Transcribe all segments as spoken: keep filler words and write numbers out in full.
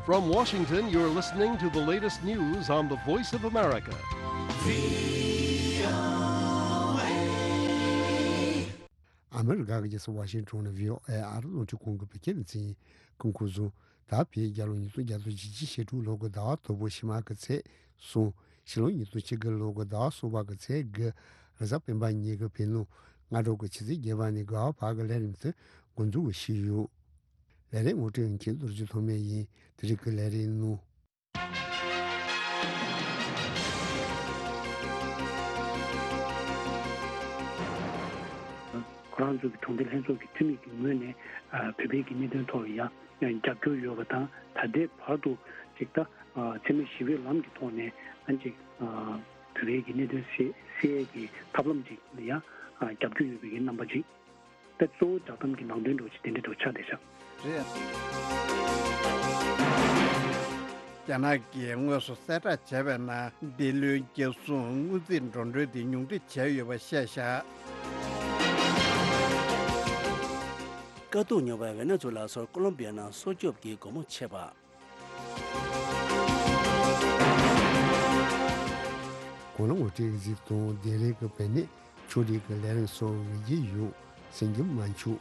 From Washington, you're listening to the latest news on the Voice of America. ཨ་མི་རི་ཀ་གི་རྒྱལ་ས་ཝ་ཤིང་ཊོན་ནས་བྷི་ཨོ་ཨེ་ཨ་རི་རླུང་འཕྲིན་ཁང་གི་བོད་སྐད་སྡེ་ཚན་ཡིན། སྐུ་ཁམས་བཟང་། ད་བོད་རྒྱལ་ལོ་ཉིས་སྟོང་བརྒྱ་དང་བཞི་བཅུ་ཞེ་དྲུག་ལོ་གི་ཟླ་བ་དང་པོ་ཕྱི་མ་གི་ཚེས་གསུམ། ཕྱི་ལོ་ཉིས་སྟོང་ཆིག་སྟོང་ལོ་གི་ཟླ་བ་གསུམ་པ་གི་ཚེས་དགུ། རེས་གཟའ་སྤེན་པ་ཉིན་གྱི་བོད་ནང་སྔ་དྲོ་གི་ཆུ་ཚོད་བརྒྱད་པ་ནས་དགུ་པ་བར་གྱི་ལས་རིམ་དེ་འགོ་འཛུགས་ཞུས་ཡོད། ལས་རིམ་ངོ་སྤྲོད་མཁན་རྡོ་རྗེ་ཐོགས་མེད་ཡིན། དེ་རིང་གི་ལས་རིམ་ནང་། ཁོ་རང་ཚོ་གི་གྲོང་སྡེ་ལྷན་ཚོགས་ཀྱི་འཐུས་མི་གི་ངོས་ནས་ཨ་བོད་པའི་གི་གནད་དོན་ཐོག་ལ་ཡང་རྒྱབ་སྐྱོར་ཡོད་པ་དང་། ད་ལྟའི་བར་དུ་ཅིག་ད་ཨ་འཚེ་མེད་ཞི་བའི་ལམ་གྱི་ཐོག་ནས་ཨ་ཅིག་ཨ་བོད་པའི་གི་གནད་དོན་སེལ་སེལ་ཡས་ཀྱི་ཐབས་ལམ་ཅིག་ལ་ཡང་ཨ་རྒྱབ་སྐྱོར་ཡོད་པའི་གི་རྣམ་པ་ཅིག་ད་གཙོ་བོ་བསྒྲགས་གཏམ་གྱི་ནང་དོན་འདྲ་བོ་ཅིག་དེ་འདྲ་འདྲ་བོ་ཆགས་བསྡད་ཤག་རེད། རྒྱ་ནག་གིས་དངོས་སུ་གསལ་བསྒྲགས་བྱས་པའི་ནང་། འདི་ལོའི་རྒྱལ་སྲུང་སྔོན་རྩིས་འགྲོ་གྲོན་དེ་ཉུང་འཕྲི་བྱས་ཡོད་པ་བཤད་བཞག་དཀའ་སྡུག་མྱོང་བའི་ཝེ་ནེ་ཛུ་ལ་སོགས་ཀོ་ལོམ་བི་ཡ་ནང་སྲོག་སྐྱོབ་ཀྱི་སྒོ་མོ་ཕྱེ་བ། གོ་ལ་ངོ་སྤྲོད་གཟིགས་དང་། དེ་རིང་གི་བོད་གནས། ཕྱོགས་སྒྲིག་གི་ལས་རིམ་སོགས་འོས་བསྡུ་ཡོད། གསན་རྒྱུ་མ་འཆུག་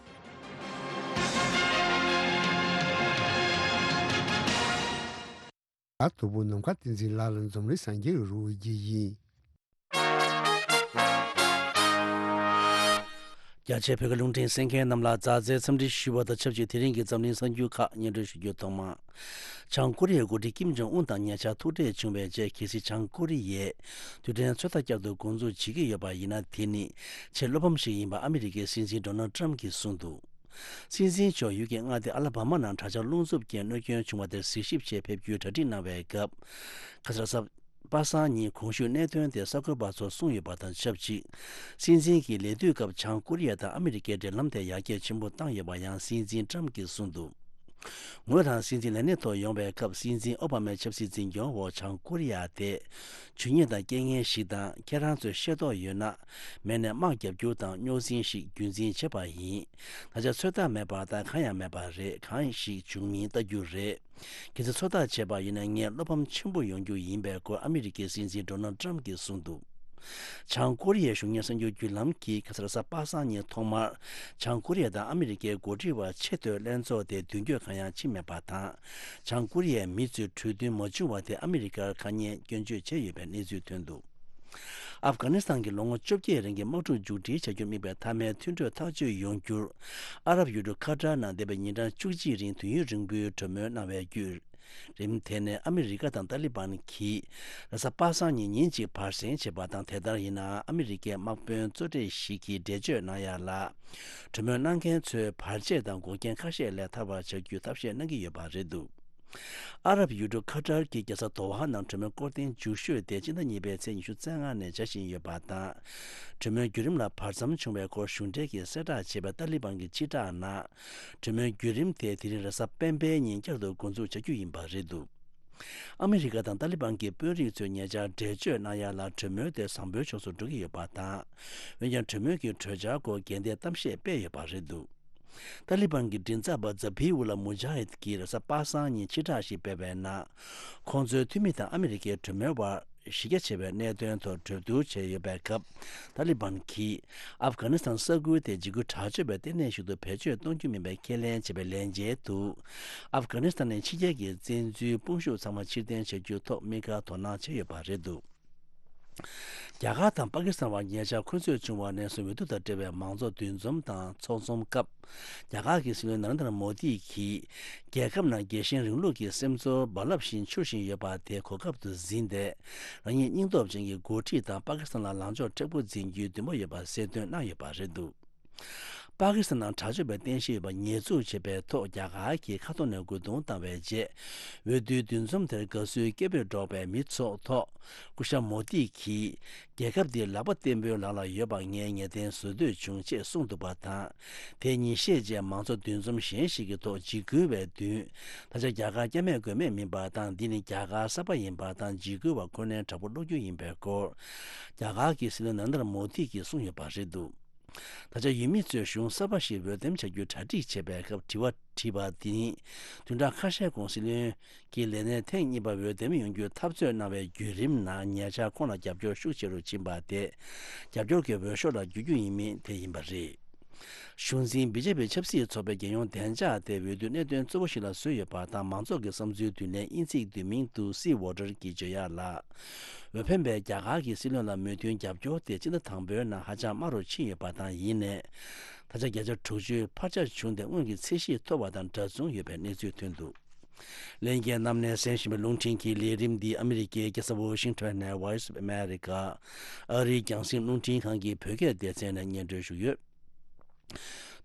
ད་དོ་པོ་ནམ་མཁའ་བསྟན་འཛིན་ལགས་ལ་འཛམ་གླིང་གསར་འགྱུར་རོལ་རྒྱུ་ཡིན། རྒྱ་ཆེའི་བོད་ཀྱི་རླུང་འཕྲིན་གསན་མཁན་རྣམས་ལ་མཛའ་བརྩེའི་འཚམས་འདྲི་ཞུ་བ་དང་ཆབས་ཅིག་དེ་རིང་གི་འཛམ་གླིང་གསར་འགྱུར་ཁག་སྙན་སྒྲོན་ཞུ་རྒྱུ། ཐོག་མར། བྱང་ཀོ་རི་ཡའི་འགོ་ཁྲིད་ཀིམ་ཇོང་ཨུན་དང་ཉེ་ཆར་ཐུག་འཕྲད་བྱུང་བའི་རྗེས། གལ་སྲིད་བྱང་ཀོ་རི་ཡས་རྡུལ་ཕྲན་ཚོད་ལྟ་བསྐྱར་དུ་འགོ་འཛུགས་བྱེད་ཀྱི་ཡོད་པ་ཡིན་ན། དེ་ནི་ཆེས་བློ་ཕམ་ཞིག་ཡིན་པ་ཨ་མི་རི་ཀའི་སྲིད་འཛིན་ཌོ་ནལ་ཊམ་གྱིས་གསུངས་འདུག་སྲིད་འཛིན་མཆོག་ཡུལ་གྱི་མངའ་སྡེ་ཨ་ལ་བྷ་མ་ནང་དྲག་ཆར་རླུང་འཚུབ་རྐྱེན་གནོད་སྐྱོན་བྱུང་བ་དེར་གཟིགས་ཞིབ་ཆེད་ཕེབས་རྒྱུའི་གྲ་སྒྲིག་གནང་བའི་སྐབས། ཁ་སང་གཟའ་པ་སངས་ཉིན་གོང་ཞུས་གནད་དོན་དེ་གསར་འགོད་པ་ཚོར་གསུངས་ཡོད་པ་དང་ཆབས་ཅིག་སྲིད་འཛིན་གྱི་ལས་དུས་སྐབས་བྱང་ཀོ་རི་ཡ་དང་ཨ་མི་རི་ཀའི་འབྲེལ་ལམ་དེ་ཡར་རྒྱས་ཆེན་པོ་བཏང་ཡོད་པ་ཡང་སྲིད་འཛིན་ཊམ་གྱིས་གསུངས་འདུག་ངོས་རང་སྲིད་འཛིན་ལས་གནས་ཐོག་ཡོང་བའི་སྐབས། སྲིད་འཛིན་ཨོ་བྷ་མའི་ཆབ་སྲིད་འཛིན་སྐྱོང་འོག་བྱང་ཀོ་རི་ཡ་དེ་ཇུས་ཉེས་དང་རྐྱེན་ངན་ཞིག་དང་། ཁྱེད་རང་ཚོས་ཤེས་རྟོགས་ཡོད་ན། མེད་ནས་དམག་རྒྱབ་རྒྱུ་དང་རྙོག་འཛིང་ཞིག་རྒྱུན་འཛིན་བྱས་པ་ཡིན། ད་ཆ་ཚོད་ལྟ་མེད་པ་དང་གང་ཡང་མེད་པ་རེད། གང་ཞིག་འབྱུང་མིན་ལྟ་རྒྱུ་རེད། གལ་སྲིད་ཚོད་ལྟ་བྱས་པ་ཡིན་ན། ངས་བློ་ཕམ་ཆེན་པོ་ཡོང་རྒྱུ་ཡིན་པའི་སྐོར་ཨ་མི་རི་ཀའི་སྲིད་འཛིན་ཌོ་ནལ་ཊམ་གྱིས་གསུངས་འདུག་བྱང་ཀོ་རི་ཡའི་གཞུང་གཉེར་གསར་འགྱུར་བརྒྱུད་ལམ་གྱིས་ཁ་སང་གཟའ་པ་སངས་ཉིན་ཐོག་མར་བྱང་ཀོ་རི་ཡ་དང་ཨ་མི་རི་ཀའི་འགོ་ཁྲིད་བར་ཆེས་མཐོའི་ལྷན་ཚོགས་དེ་མདུན་སྐྱོད་གང་ཡང་ཕྱིན་མེད་པ་དང་། བྱང་ཀོ་རི་ཡའི་མི་ཚོས་གྲོས་མཐུན་མ་བྱུང་བ་དེ་ཨ་མི་རི་ཀར་ཁ་ཉེས་སྐྱོན་བརྗོད་བྱས་ཡོད་པའི་གནས་ཚུལ་ཐོན་འདུག་ཨབ་གྷ་ནི་སི་ཐན་གྱི་ལོ་ངོ་བཅོ་བརྒྱད་རིང་གི་དམག་འཁྲུག་མཇུག་སྒྲིལ་བྱ་རྒྱུར་དམིགས་པའི་མཐའ་མའི་མཐུན་གྲོས་ཐག་གཅོད་ཡོང་རྒྱུར། ཨ་རབ་ཡུལ་གྲུ་ཁ་ཏར་ནང་འདས་པའི་ཉིན་གྲངས་བཅུ་གཅིག་རིང་དུས་ཡུན་རིང་པོའི་གྲོས་མོལ་གནང་བའི་བརྒྱུད་རིམ། དེ་ནས་ཨ་མི་རི་ཀ་དང་ཏཱ་ལི་བན་གྱིས་རེས་གཟའ་པ་སངས་ཉིན་ཉིན་གཅིག་བར་གསེང་བྱས་པ་དང་། དེ་ལྟར་ཡིན་ནའང་ཨ་མི་རི་ཀའི་དམག་དཔོན་གཙོ་གྲས་ཤིག་གིས་འགྲེལ་བརྗོད་གནང་ཡ་ལ། གྲོས་མོལ་གནང་མཁན་ཚོས་བར་ཆད་དང་འགོག་རྐྱེན་ཁ་ཤས་ལས་ཐར་བར་བྱ་རྒྱུའི་ཐབས་ཤེས་གནང་གི་ཡོད་པ་རེད་འདུག་ཨ་རབ་ཡུལ་གྲུ་ཁ་ཏར་གྱིས་རྒྱལ་ས་དོ་ཧ་ནང་གྲོས་མོལ་སྐོར་ཐེངས་མཇུག་ཤོས་དེ་སྤྱི་ཟླ་གཉིས་པའི་ཚེས་ཉི་ཤུ་རྩ་ལྔ་ནས་བྱ་བཞིན་ཡོད་པ་དང་། གྲོས་མོལ་བརྒྱུད་རིམ་ལ་བར་མཚམས་བྱུང་བའི་སྐོར་གཞུང་འབྲེལ་གྱིས་གསལ་བསྒྲགས་བྱས་པའི་ཏཱ་ལི་བན་གྱི་སྤྱི་བསྒྲགས་ནང་། གྲོས་མོལ་བརྒྱུད་རིམ་དེ་དེ་རིང་རེས་གཟའ་སྤེན་པའི་ཉིན་བསྐྱར་དུ་འགོ་འཛུགས་བྱ་རྒྱུ་ཡིན་པ་རེད་འདུག་ཨ་མི་རི་ཀ་དང་ཏཱ་ལི་བན་གྱི་དཔོན་རིགས་ཚོས་ཉེ་ཆར་འགྲེལ་བརྗོད་གནང་ཡ་ལ། གྲོས་མོལ་དེ་བཟང་པོའི་ཕྱོགས་སུ་འགྲོ་གི་ཡོད་པ་དང་། འོན་ཀྱང་གྲོས་མོལ་གྱི་གྲོས་འཆར་སྐོར་འགལ་ཟླའི་གཏམ་བཤད་སྤེལ་ཡོད་པ་རེད་འདུག་ཏཱ་ལི་བན་གྱི་མགྲིན་ཚབ་པ་ཛ་བྷི་ཨུ་ལ་མུ་ཇཱ་ཧིད་ཀྱིས་རེས་གཟའ་པ་སངས་ཉིན་ཕྱི་བསྒྲགས་ཤིག་སྤེལ་བའི་ནང་། ཁོང་ཚོའི་འཐུས་མི་དང་ཨ་མི་རི་ཀའི་གྲོས་མོལ་བར་གཞི་རྒྱ་ཆེ་བའི་གནད་དོན་ཐོག་གྲོས་བསྡུར་བྱས་ཡོད་པའི་སྐབས། ཏཱ་ལི་བན་གྱིས་ཨབ་གྷ་ནི་སི་ཐན་ས་ཁུལ་དེ་འཇིགས་སྐུལ་དྲག་སྤྱོད་པའི་ལྟེ་གནས་ཤིག་ཏུ་བེད་སྤྱོད་གཏོང་རྒྱུ་མིན་པའི་ཁས་ལེན་བྱས་པའི་ལན་འཇལ་དུ། ཨབ་གྷ་ནི་སི་ཐན་ནས་ཕྱི་རྒྱལ་གྱི་བཙན་འཛུལ་དཔུང་ཤུགས་ཚང་མ་ཕྱིར་འཐེན་བྱ་རྒྱུའི་ཐོག་དམིགས་བཀར་དོ་སྣང་བྱས་ཡོད་པ་རེད་འདུག་རྒྱ་གར་དང་པ་ཀི་སི་ཐན་བར་ཉེ་ཆར་འཁོན་རྩོད་བྱུང་བ་ནས་བཟུང་འོས་བསྡུ་དང་འབྲེལ་བའི་མང་ཚོགས་འདུ་འཛོམས་དང་ཚོགས་འཛོམས་སྐབས། རྒྱ་གར་གྱི་སྲིད་བློན་ནཱ་རེན་དྲ་མོ་དི་གིས། རྒྱལ་ཁབ་ནང་རྒྱལ་ཞེན་རིང་ལུགས་ཀྱི་སེམས་ཚོར་རྦ་རླབས་བཞིན་འཕྱུར་བཞིན་ཡོད་པ་དེ་གོ་སྐབས་སུ་འཛིན་ཏེ། རང་ཉིད་སྙིང་སྟོབས་ཅན་གྱི་འགོ་ཁྲིད་དང་པ་ཀི་སི་ཐན་ལ་ལངས་ཕྱོགས་མཁྲེགས་པོ་འཛིན་རྒྱུའི་འདུན་པ་ཡོད་པ་གསལ་སྟོན་གནང་ཡོད་པ་རེད་འདུག་པ་ཀི་སི་ཐན་ནང་དྲག་སྤྱོད་པའི་རྟེན་གཞི་ཡོད་པ་ཉེས་འཛུགས་བྱས་པའི་ཐོག་རྒྱ་གར་གྱིས་ཁ་ཐོར་ནས་རྒོལ་རྡུང་བཏང་བའི་རྗེས། འོས་བསྡུའི་འདུ་འཛོམས་དེར་དགའ་བསུའི་སྐད་འབོད་སྒྲོག་པའི་མི་ཚོགས་ཐོག་སྐུ་ཞབས་མོ་དི་གིས། རྒྱལ་ཁབ་འདི་ལག་པ་བརྟན་པོའི་ལག་ལ་ཡོད་པ་ངས་ངེས་གཏན་བཟོ་འདོད་བྱུང་ཅེས་གསུངས་འདུག་པ་དང་། དེ་ཉིན་ཤས་རྗེས་མང་གཙོ་འདུ་འཛོམས་གཞན་ཞིག་གི་ཐོག་འཇིགས་སྐུལ་བའི་མདུན། ད་ཆ་རྒྱ་གར་སྐྱབས་མེད་མགོན་མེད་མིན་པ་དང་། འདི་ནི་རྒྱ་གར་གསར་པ་ཡིན་པ་དང་། འཇིགས་སྐུལ་བ་ཁོ་ནའི་དྲག་པོ་བློ་འགྱོད་ཡིན་པའི་སྐོར། རྒྱ་གར་གྱི་སྲིད་བློན་ནཱ་རེན་དྲ་མོ་དི་གིས་གསུངས་ཡོད་པ་རེད་འདུག་ད་ཆ་ཡུལ་མི་ཚོས་གཞུང་གསར་པ་ཞིག་འོས་འདེམས་བྱ་རྒྱུའི་གྲ་སྒྲིག་བྱེད་པའི་སྐབས་དྲི་བ་དྲིས་པ་དེ་ནི། བདུན་ཕྲག་ཁ་ཤས་གོང་སྲིད་བློན་གྱི་ལས་གནས་ཐེངས་གཉིས་པ་འོས་འདེམས་ཡོང་རྒྱུའི་འཐབ་རྩོད་གནང་བའི་བརྒྱུད་རིམ་ནང་ཉེ་ཆར་ཁོང་ལ་རྒྱབ་སྐྱོར་ཤུགས་ཆེ་རུ་ཕྱིན་པ་དེ། རྒྱབ་སྐྱོར་གྱི་འོས་ཤོག་ལ་འགྱུར་རྒྱུ་ཡིན་མིན་དེ་ཡིན་པ་རེད། གཞུང་འཛིན་བི་ཇེ་པི་ཆབ་སྲིད་ཚོགས་པའི་རྒྱལ་ཡོངས་བདེ་འཇགས་དེ་འོས་བསྡུའི་གནད་དོན་གཙོ་བོ་ཞིག་ལ་བཟོས་ཡོད་པ་དང་། མང་ཚོགས་ཀྱི་བསམ་ཚུལ་བསྡུ་ལེན་དབྱིན་ཚིག་བསྡུས་མིང་དུ་Sea Water གྱིས་བརྗོད་ཡག་ལ། འོས་འཕེན་པས་རྒྱ་གར་གྱི་སྲིད་བློན་ལ་མོས་མཐུན་རྒྱབ་སྐྱོར་དེ་སྤྱི་ཟླ་དང་པོའི་ནང་ཧ་ཅང་དམའ་རུ་ཕྱིན་ཡོད་པ་དང་། ཡིན་ནའི། ད་ཆ་བརྒྱ་ཆ་དྲུག་ཅུའི་འཕར་ཆ་བྱུང་སྟེ་སྔོན་གྱི་ཚད་གཞིས་མཐོ་བ་དང་འདྲ་མཚུངས་ཡོད་པའི་གནས་ཚུལ་ཐོན་འདུག་ལྷན་རྒྱས་རྣམས་ནས་གསན་བཞིན་པའི་རླུང་འཕྲིན་གྱི་ལས་རིམ་འདི་ཨ་མི་རི་ཀའི་རྒྱལ་ས་ཝོ་ཤིང་ཊོན་ནས་Voice of America ཨ་རིའི་རྒྱང་སྲིང་རླུང་འཕྲིན་ཁང་གི་བོད་སྐད་སྡེ་ཚན་ནས་སྙན་སྒྲོན་ཞུས་ཡོད།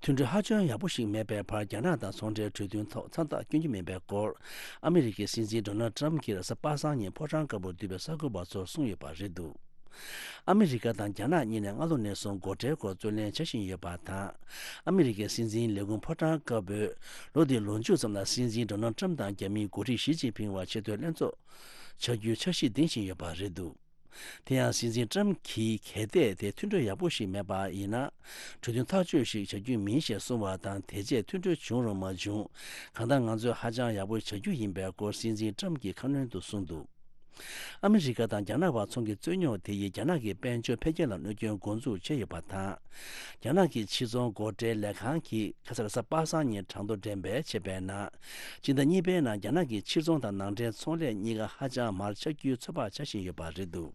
མཐུན་གྲོས་ཧ་ཅང་ཡག་པོ་ཞིག་མེད་པའི་བར། རྒྱ་ནག་དང་ཚོང་འབྲེལ་གྲོས་མཐུན་ཐོག་མཚམས་རྟགས་བསྐྱོན་རྒྱུ་མིན་པའི་སྐོར། ཨ་མི་རི་ཀའི་སྲིད་འཛིན་ཌོ་ནལ་ཊམ་གྱིས་རེས་གཟའ་པ་སངས་ཉིན་ཕོ་བྲང་དཀར་པོར་འདུས་པའི་གསར་འགོད་པ་ཚོར་གསུངས་ཡོད་པ་རེད་འདུག་ཨ་མི་རི་ཀ་དང་རྒྱ་ནག་གཉིས་ནས་སྔ་ལོ་ནས་བཟུང་སྒོ་ཁྲལ་སྐོར་རྩོད་ལེན་བྱ་བཞིན་ཡོད་པ་དང་། ཨ་མི་རི་ཀའི་སྲིད་འཛིན་ལས་ཁུངས་ཕོ་བྲང་དཀར་པོས་ལོ་འདིའི་ལོ་མཇུག་ཙམ་ལ་སྲིད་འཛིན་ཌོ་ནལ་ཊམ་དང་རྒྱ་མིའི་འགོ་ཁྲིད་ཞི་ཅིན་ཕིང་བར་ཆེས་མཐོའི་ལྷན་ཚོགས་བྱ་རྒྱུའི་འཆར་གཞི་འདིང་བཞིན་ཡོད་པ་རེད་འདུག་དེ་ཡང་སྲིད་འཛིན་ཊམ་གྱིས་གལ་ཏེ་དེ་མཐུན་གྲོས་ཡག་པོ་ཞིག་མེད་པ་ཡིན་ན། གྲོས་མཐུན་ཐག་གཅོད་ཞིག་བྱ་རྒྱུ་མིན་ཞེས་གསུངས་པ་དང་། དེ་རྗེས་མཐུན་གྲོས་བྱུང་རུང་མ་བྱུང་། གང་ལྟར་ང་ཚོས་ཧ་ཅང་ཡག་པོ་བྱ་རྒྱུ་ཡིན་པའི་སྐོར་སྲིད་འཛིན་ཊམ་གྱིས་ཁ་སྣོན་དུ་གསུངས་འདུག་ཨ་མི་རི་ཀ་དང་རྒྱ་ནག་བར་ཚོང་གི་རྩོད་རྙོག་དེ་ཡིས་རྒྱ་ནག་གི་དཔལ་འབྱོར་འཕེལ་རྒྱས་ལ་གནོད་སྐྱོན་འགོ་འཛུགས་བྱས་ཡོད་པ་དང་། རྒྱ་ནག་གི་ཕྱིར་ཚོང་སྒོ་ཁྲལ་ལས་ཁང་གིས་ཁ་སང་རེས་གཟའ་པ་སངས་ཉིན་གྲངས་ཐོ་འགྲེམས་སྤེལ་བྱས་པའི་ནང་། སྤྱི་ཟླ་གཉིས་པའི་ནང་རྒྱ་ནག་གི་ཕྱིར་ཚོང་དང་ནང་འདྲེན་ཚོང་ལས་གཉིས་ཀ་ཧ་ཅང་མར་ཆག་རྒྱུའི་ཚོད་དཔག་བྱ་བཞིན་ཡོད་པ་རེད་འདུག་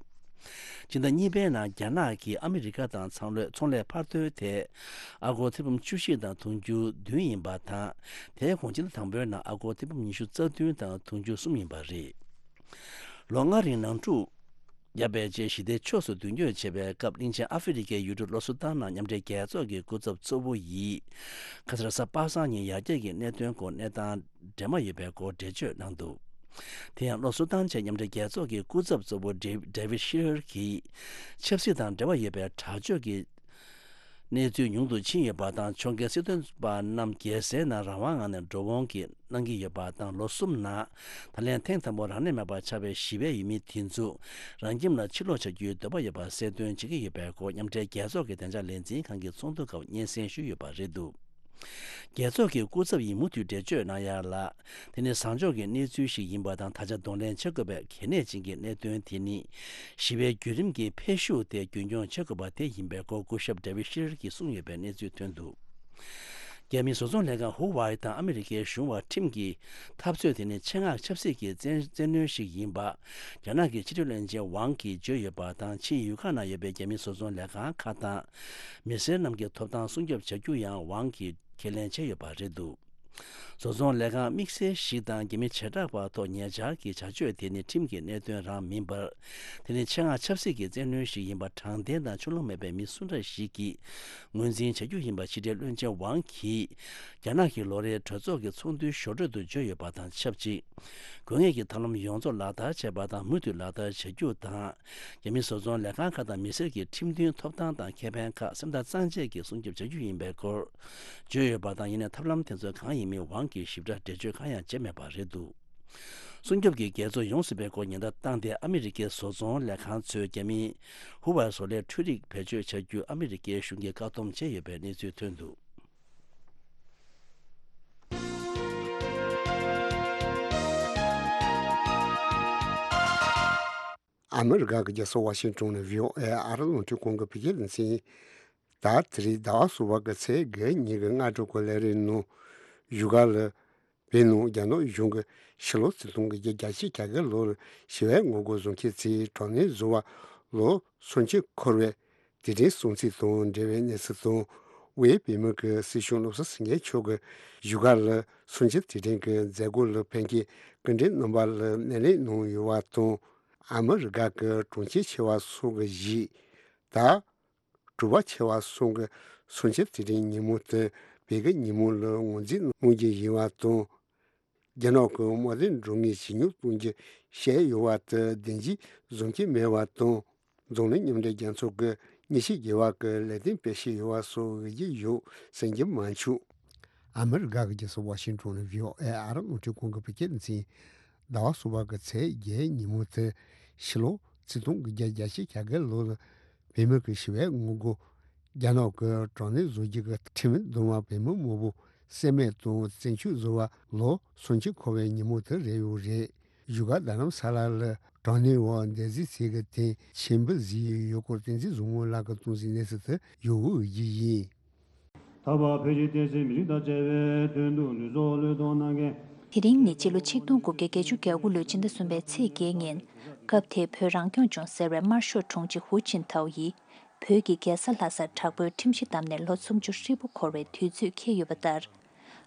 སྤྱི་ཟླ་གཉིས་པའི་ནང་རྒྱ་ནག་གིས་ཨ་མི་རི་ཀ་དང་ཚོང་ལས་ཚོང་ལས་འཕར་ཐོན་དེ་ཨ་སྒོར་ཐེར་འབུམ་བཅུ་བཞི་དང་དུང་ཕྱུར་བདུན་ཡིན་པ་དང་། དེའི་གོང་སྤྱི་ཟླ་དང་པོའི་ནང་ཨ་སྒོར་ཐེར་འབུམ་ཉི་ཤུ་རྩ་བདུན་དང་དུང་ཕྱུར་གསུམ་ཡིན་པ་རེད། ལོ་ལྔ་རིང་ནང་འཁྲུག་བརྒྱབ་པའི་རྗེས་ཞི་བདེའི་ཕྱོགས་སུ་མདུན་སྐྱོད་བྱེད་པའི་སྐབས། གླིང་ཆེན་ཨ་ཧྥེ་རི་ཁའི་ཡུལ་གྲུ་ལོ་སུ་ཏན་ནང་མཉམ་འབྲེལ་རྒྱལ་ཚོགས་ཀྱི་སྐུ་ཚབ་གཙོ་བོ་ཡིས། ཁ་སང་རེས་གཟའ་པ་སངས་ཉིན་ཡར་རྒྱས་ཀྱི་གནད་དོན་སྐོར་གནས་སྟངས་འདྲེས་མ་ཡོད་པའི་སྐོར་འགྲེལ་བརྗོད་གནང་འདུག་དེ་ཡང་ལོ་སུ་ཏན་ཆེད་མཉམ་འབྲེལ་རྒྱལ་ཚོགས་ཀྱི་སྐུ་ཚབ་གཙོ་བོ་ཌེ་ཌེ་ཝིད་ཤི་རར་གྱིས། ཆབ་སྲིད་དང་འབྲེལ་བ་ཡོད་པའི་དྲག་སྤྱོད་ཀྱི་གནས་ཚུལ་ཉུང་དུ་ཕྱིན་ཡོད་པ་དང་། ཕྱོགས་འགལ་སྲིད་དོན་པ་རྣམས་རྒྱལ་སའི་ནང་རང་དབང་ངང་ནས་འགྲོ་འོང་གི་གནང་གི་ཡོད་པ་དང་། ལོ་གསུམ་ནང་ད་ལན་ཐེངས་དང་པོ་རང་གནས་མེད་པར་ཆགས་པའི་ཞི་བའི་ཡུལ་མི་དེ་ཚོ་རང་ཁྱིམ་ལ་ཕྱིར་ལོག་བྱ་རྒྱུའི་འདོད་པ་ཡོད་པ་གསལ་སྟོན་བྱེད་ཀྱི་ཡོད་པའི་སྐོར། མཉམ་འབྲེལ་རྒྱལ་ཚོགས་ཀྱི་བདེ་འཇགས་ལས་འཛིན་ཁང་གི་ཚོགས་འདུ་སྐབས་སྙན་སེང་ཞུས་ཡོད་པ་རེད་འདུག་རྒྱལ་ཚོགས་ཀྱི་སྐུ་ཚབ་ཡིས་མུ་མཐུད་འགྲེལ་བརྗོད་གནང་ཡག་ལ། དེ་ནི་བཟང་ཕྱོགས་ཀྱི་གནས་ཚུལ་ཞིག་ཡིན་པ་དང་། ད་ཆ་གདོང་ལེན་བྱེད་དགོས་པའི་གལ་གནད་ཅན་གྱི་གནད་དོན་དེ་ནི། ཞི་བའི་བརྒྱུད་རིམ་གྱི་འཕེལ་ཤུགས་དེ་རྒྱུན་འཁྱོངས་བྱེད་དགོས་པ་དེ་ཡིན་པའི་སྐོར་སྐུ་ཞབས་ཌེ་ཝིད་ཤི་རར་གྱིས་གསུངས་ཡོད་པའི་གནས་ཚུལ་ཐོན་འདུག་རྒྱ་མིའི་བཟོ་ཚོང་ལས་ཁང་ཧུ་ཝའེ་དང་ཨ་མི་རི་ཀའི་གཞུང་བར་ཁྲིམས་ཀྱི་འཐབ་རྩོད་དེ་ནི་ཆེད་མངགས་ཆབ་སྲིད་ཀྱི་བཙན་བཙན་གནོན་ཞིག་ཡིན་པ། རྒྱ་ནག་གི་ཕྱི་དྲིལ་བློན་ཆེན་ཝང་གིས་བརྗོད་ཡོད་པ་དང་། ཕྱིའི་ཡུལ་ཁག་ནང་ཡོད་པའི་རྒྱ་མིའི་བཟོ་ཚོང་ལས་ཁང་ཁག་དང་མི་སེར་རྣམས་ཀྱི་ཐོབ་ཐང་སྲུང་སྐྱོབ་བྱ་རྒྱུ་ཡང་ཝང་གིས་ཁས་ལེན་བྱས་ཡོད་པ་རེད་འདུག་བཟོ་ཚོང་ལས་ཁང་དམིགས་བསལ་ཞིག་དང་རྒྱ་མི་བྱེ་བྲག་པ་ཐོག་ཉེ་ཆར་གྱི་བྱ་སྤྱོད་དེ་ནི་ཁྲིམས་ཀྱི་གནད་དོན་རང་མིན་པར། དེ་ནི་ཆེད་མངགས་ཆབ་སྲིད་ཀྱི་བཙན་གནོན་ཞིག་ཡིན་པ་དྲང་བདེན་དང་ཕྱོགས་ལྷུང་མེད་པའི་མི་སུ་འདྲ་ཞིག་གིས་ངོས་འཛིན་བྱ་རྒྱུ་ཡིན་པ་ཕྱི་དྲིལ་བློན་ཆེན་ཝང་གིས་རྒྱ་ནག་གི་ལོ་རེའི་གྲོས་ཚོགས་ཀྱི་ཚོགས་འདུའི་ཞོར་འཕྲོས་སུ་བརྗོད་ཡོད་པ་དང་ཆབས་ཅིག་དགོས་ངེས་ཀྱི་ཐབས་ལམ་ཡོངས་རྫོགས་ལག་བསྟར་བྱས་པ་དང་མུ་མཐུད་ལག་བསྟར་བྱ་རྒྱུ་དང་། རྒྱ་མིའི་བཟོ་ཚོང་ལས་ཁང་ཁག་དང་མི་སེར་གྱི་ཁྲིམས་མཐུན་ཐོབ་ཐང་དང་ཁེ་ཕན་ཁག་སེམས་ཐག་གཙང་བཅད་ཀྱིས་སྲུང་སྐྱོབ་བྱ་རྒྱུ་ཡིན་པའི་སྐོར་བརྗོད་ཡོད་པ་དང་། ཡིན་ནའི་ཐབས་ལམ་དེ་ཚོ་གང་ཡིན་མིན་ཝང་གིས་ཞིབ་ཕྲ་འགྲེལ་བརྗོད་གང་ཡང་བྱས་མེད་པ་རེད་འདུག་སྲུང་སྐྱོབ་ཀྱི་འགལ་རྩོད་ཡོང་སྲིད་པའི་སྐོར་ཉེན་བརྡ་བཏང་སྟེ། ཨ་མི་རི་ཀའི་བཟོ་ཚོང་ལས་ཁང་ཚོས་རྒྱ་མིའི་ཧུ་ཝའེ་བཟོ་ལས་འཕྲུལ་རིག་བེད་སྤྱོད་བྱ་རྒྱུ་ཨ་མི་རི་ཀའི་གཞུང་གིས་བཀག་སྡོམ་བྱས་ཡོད་པའི་གནས་ཚུལ་ཐོན་འདུག་ཨ་མི་རི་ཀ་གི་རྒྱལ་ས་ཝ་ཤིང་ཏོན་ནས་བྷི་ཨོ་ཨེ་ཨ་རི་རླུང་འཕྲིན་ཁང་གི་བོད་སྐད་སྡེ་ཚན། ད་དེ་རིང་ཟླ་བ་གསུམ་པ་གི་ཚེས་བརྒྱད་ཉིན་གྱི་སྔ་དྲོ་གི་ལས་རིམ་ནང་བཞུགས་སྒར་ལ། བོད་ནང་རྒྱ་ནག་གཞུང་གིས་ཕྱི་ལོ་ཆིག་སྟོང་དགུ་བརྒྱ་བརྒྱད་ཅུ་གྱ་དགུ་ལོར་ཞི་བའི་ངོ་རྒོལ་བཟོ་མཁན་ཚོས་དྲག་གནོན་བཟོ་བར་ལོ་སུམ་ཅུ་འཁོར་བའི་དུས་དྲན་སྲུང་བརྩི་དང་འབྲེལ་བའི་གནས་ཚུལ་དང་། དབུས་བོད་མིའི་སྲིད་གཞུང་བློ་བཟང་སེང་གེ་མཆོག་གིས་བཞུགས་སྒར་ལ་སུམ་ཅུ་དུས་དྲན་གྱི་མཛད་སྒོ་ལ་ཕེབས་མཁན་སྐུ་མགྲོན་རྣམ་པ་ལ་སྣེ་ལེན་གནང་ཡོད་པ་དང་། ཨ་མི་རི་ཀ་གི་གྲོང་ཁྱེར་ཆེ་བ་སོགས་ཀྱི་གཞིས་དང་། གྲུ་པ་ཆེ་བ་སོགས་ཀྱི་སུམ་ཅུ་དུས་དྲན་ཉིན་མོ་དེ་བོད་ཀྱི་ཉིན་མོ་ལ་ངོས་འཛིན་གནང་རྒྱུ་ཡིན་པ་དང་། རྒྱ་ནག་གི་དམག་དོན་འགྲོ་ངེས་ཇེ་ཉུང་གཏོང་རྒྱུ་བཤད་ཡོད་པ་དེ་བདེན་འཇགས་བཟོ་གི་མེད་པ་དང་། འཛམ་གླིང་མཉམ་འབྲེལ་རྒྱལ་ཚོགས་ཀྱིས་ཉེས་ཆད་འགེལ་བ་གི་ལས་དོན་སྤེལ་བཞིན་ཡོད་པ་སོགས་འོས་ཀྱི་ཡོད་ཟེར་གྱི་མ་བྱུང་། ཨ་མི་རི་ཀ་གི་རྒྱལ་ས་ཝ་ཤིང་ཏོན་ནས་བྷི་ཨོ་ཨེ་ཨ་རི་རླུང་འཕྲིན་ཁང་གི་བོད་སྐད་སྡེ་ཚན། ཟླ་བ་གསུམ་པ་གི་ཚེས་བརྒྱད་ཉིན་མོ་དེ་ཕྱི་ལོ་ཆིག་སྟོང་དགུ་བརྒྱ་བརྒྱད་ཅུ་གྱ་དགུ་ལོ་ལ་བོད་མི་གི་ཞི་བའི་ངོ་རྒོལ་ རྒྱ་ནག་གི་དྲག་གནོན་བཟོ་རྒྱུ་གི་ཁྲིམས་མེད་རྡོག་མ་བོད་མི་མང་པོ་བསད་རྨས་དང་བཙན་བྱོལ་བཟོ་བ་ལོ་སུམ་ཅུ་འཁོར་བའི་ཉིན་མོ་དེ་རེད་ཡོད་རེད། བཞུགས་སྒར་རྡ་རམ་ས་ལ་ལ་དྲག་གནོན་འོག་འདས་གཟིགས་ཚིག་གི་སྟེང་ཆེན་པོ་གཟིགས་ཡོད་སྐོར་བསྟན་འཛིན་བཟང་མོ་ལགས་ཀྱིས་གཏོང་གཟིགས་གནས་ཚུལ་དེ་ཡོད་འོས་བརྒྱུད་ཡིན། ད་བར་བོད་ཀྱི་བསྟན་སྲིད་མི་རིགས་དང་བཅས་པའི་དོན་དུ་ལུས་སྲོག་བློས་གཏོང་གནང་མཁན། དེ་རིང་ནི་སྤྱི་ལོ་ཆིག་སྟོང་དགུ་བརྒྱ་བརྒྱད་ཅུ་གྱ་དགུ་ལོའི་ཕྱི་ཟླ་གསུམ་པའི་ཚེས་བརྒྱད་ཉིན། སྐབས་དེའི་བོད་རང་སྐྱོང་ལྗོངས་ཟེར་བའི་དམར་ཤོག་དྲུང་ཆེ་ཧུའུ་ཅིན་ཐའོ་ཡིས། བོད་ཀྱི་རྒྱལ་ས་ལྷ་སར་དྲག་པོའི་ཁྲིམས་གཞི་བསྡམས་ནས་ལོ་སུམ་ཅུ་ཧྲིལ་པོ་འཁོར་བའི་དུས་ཚོད་འཁེལ་ཡོད་པ་ལྟར།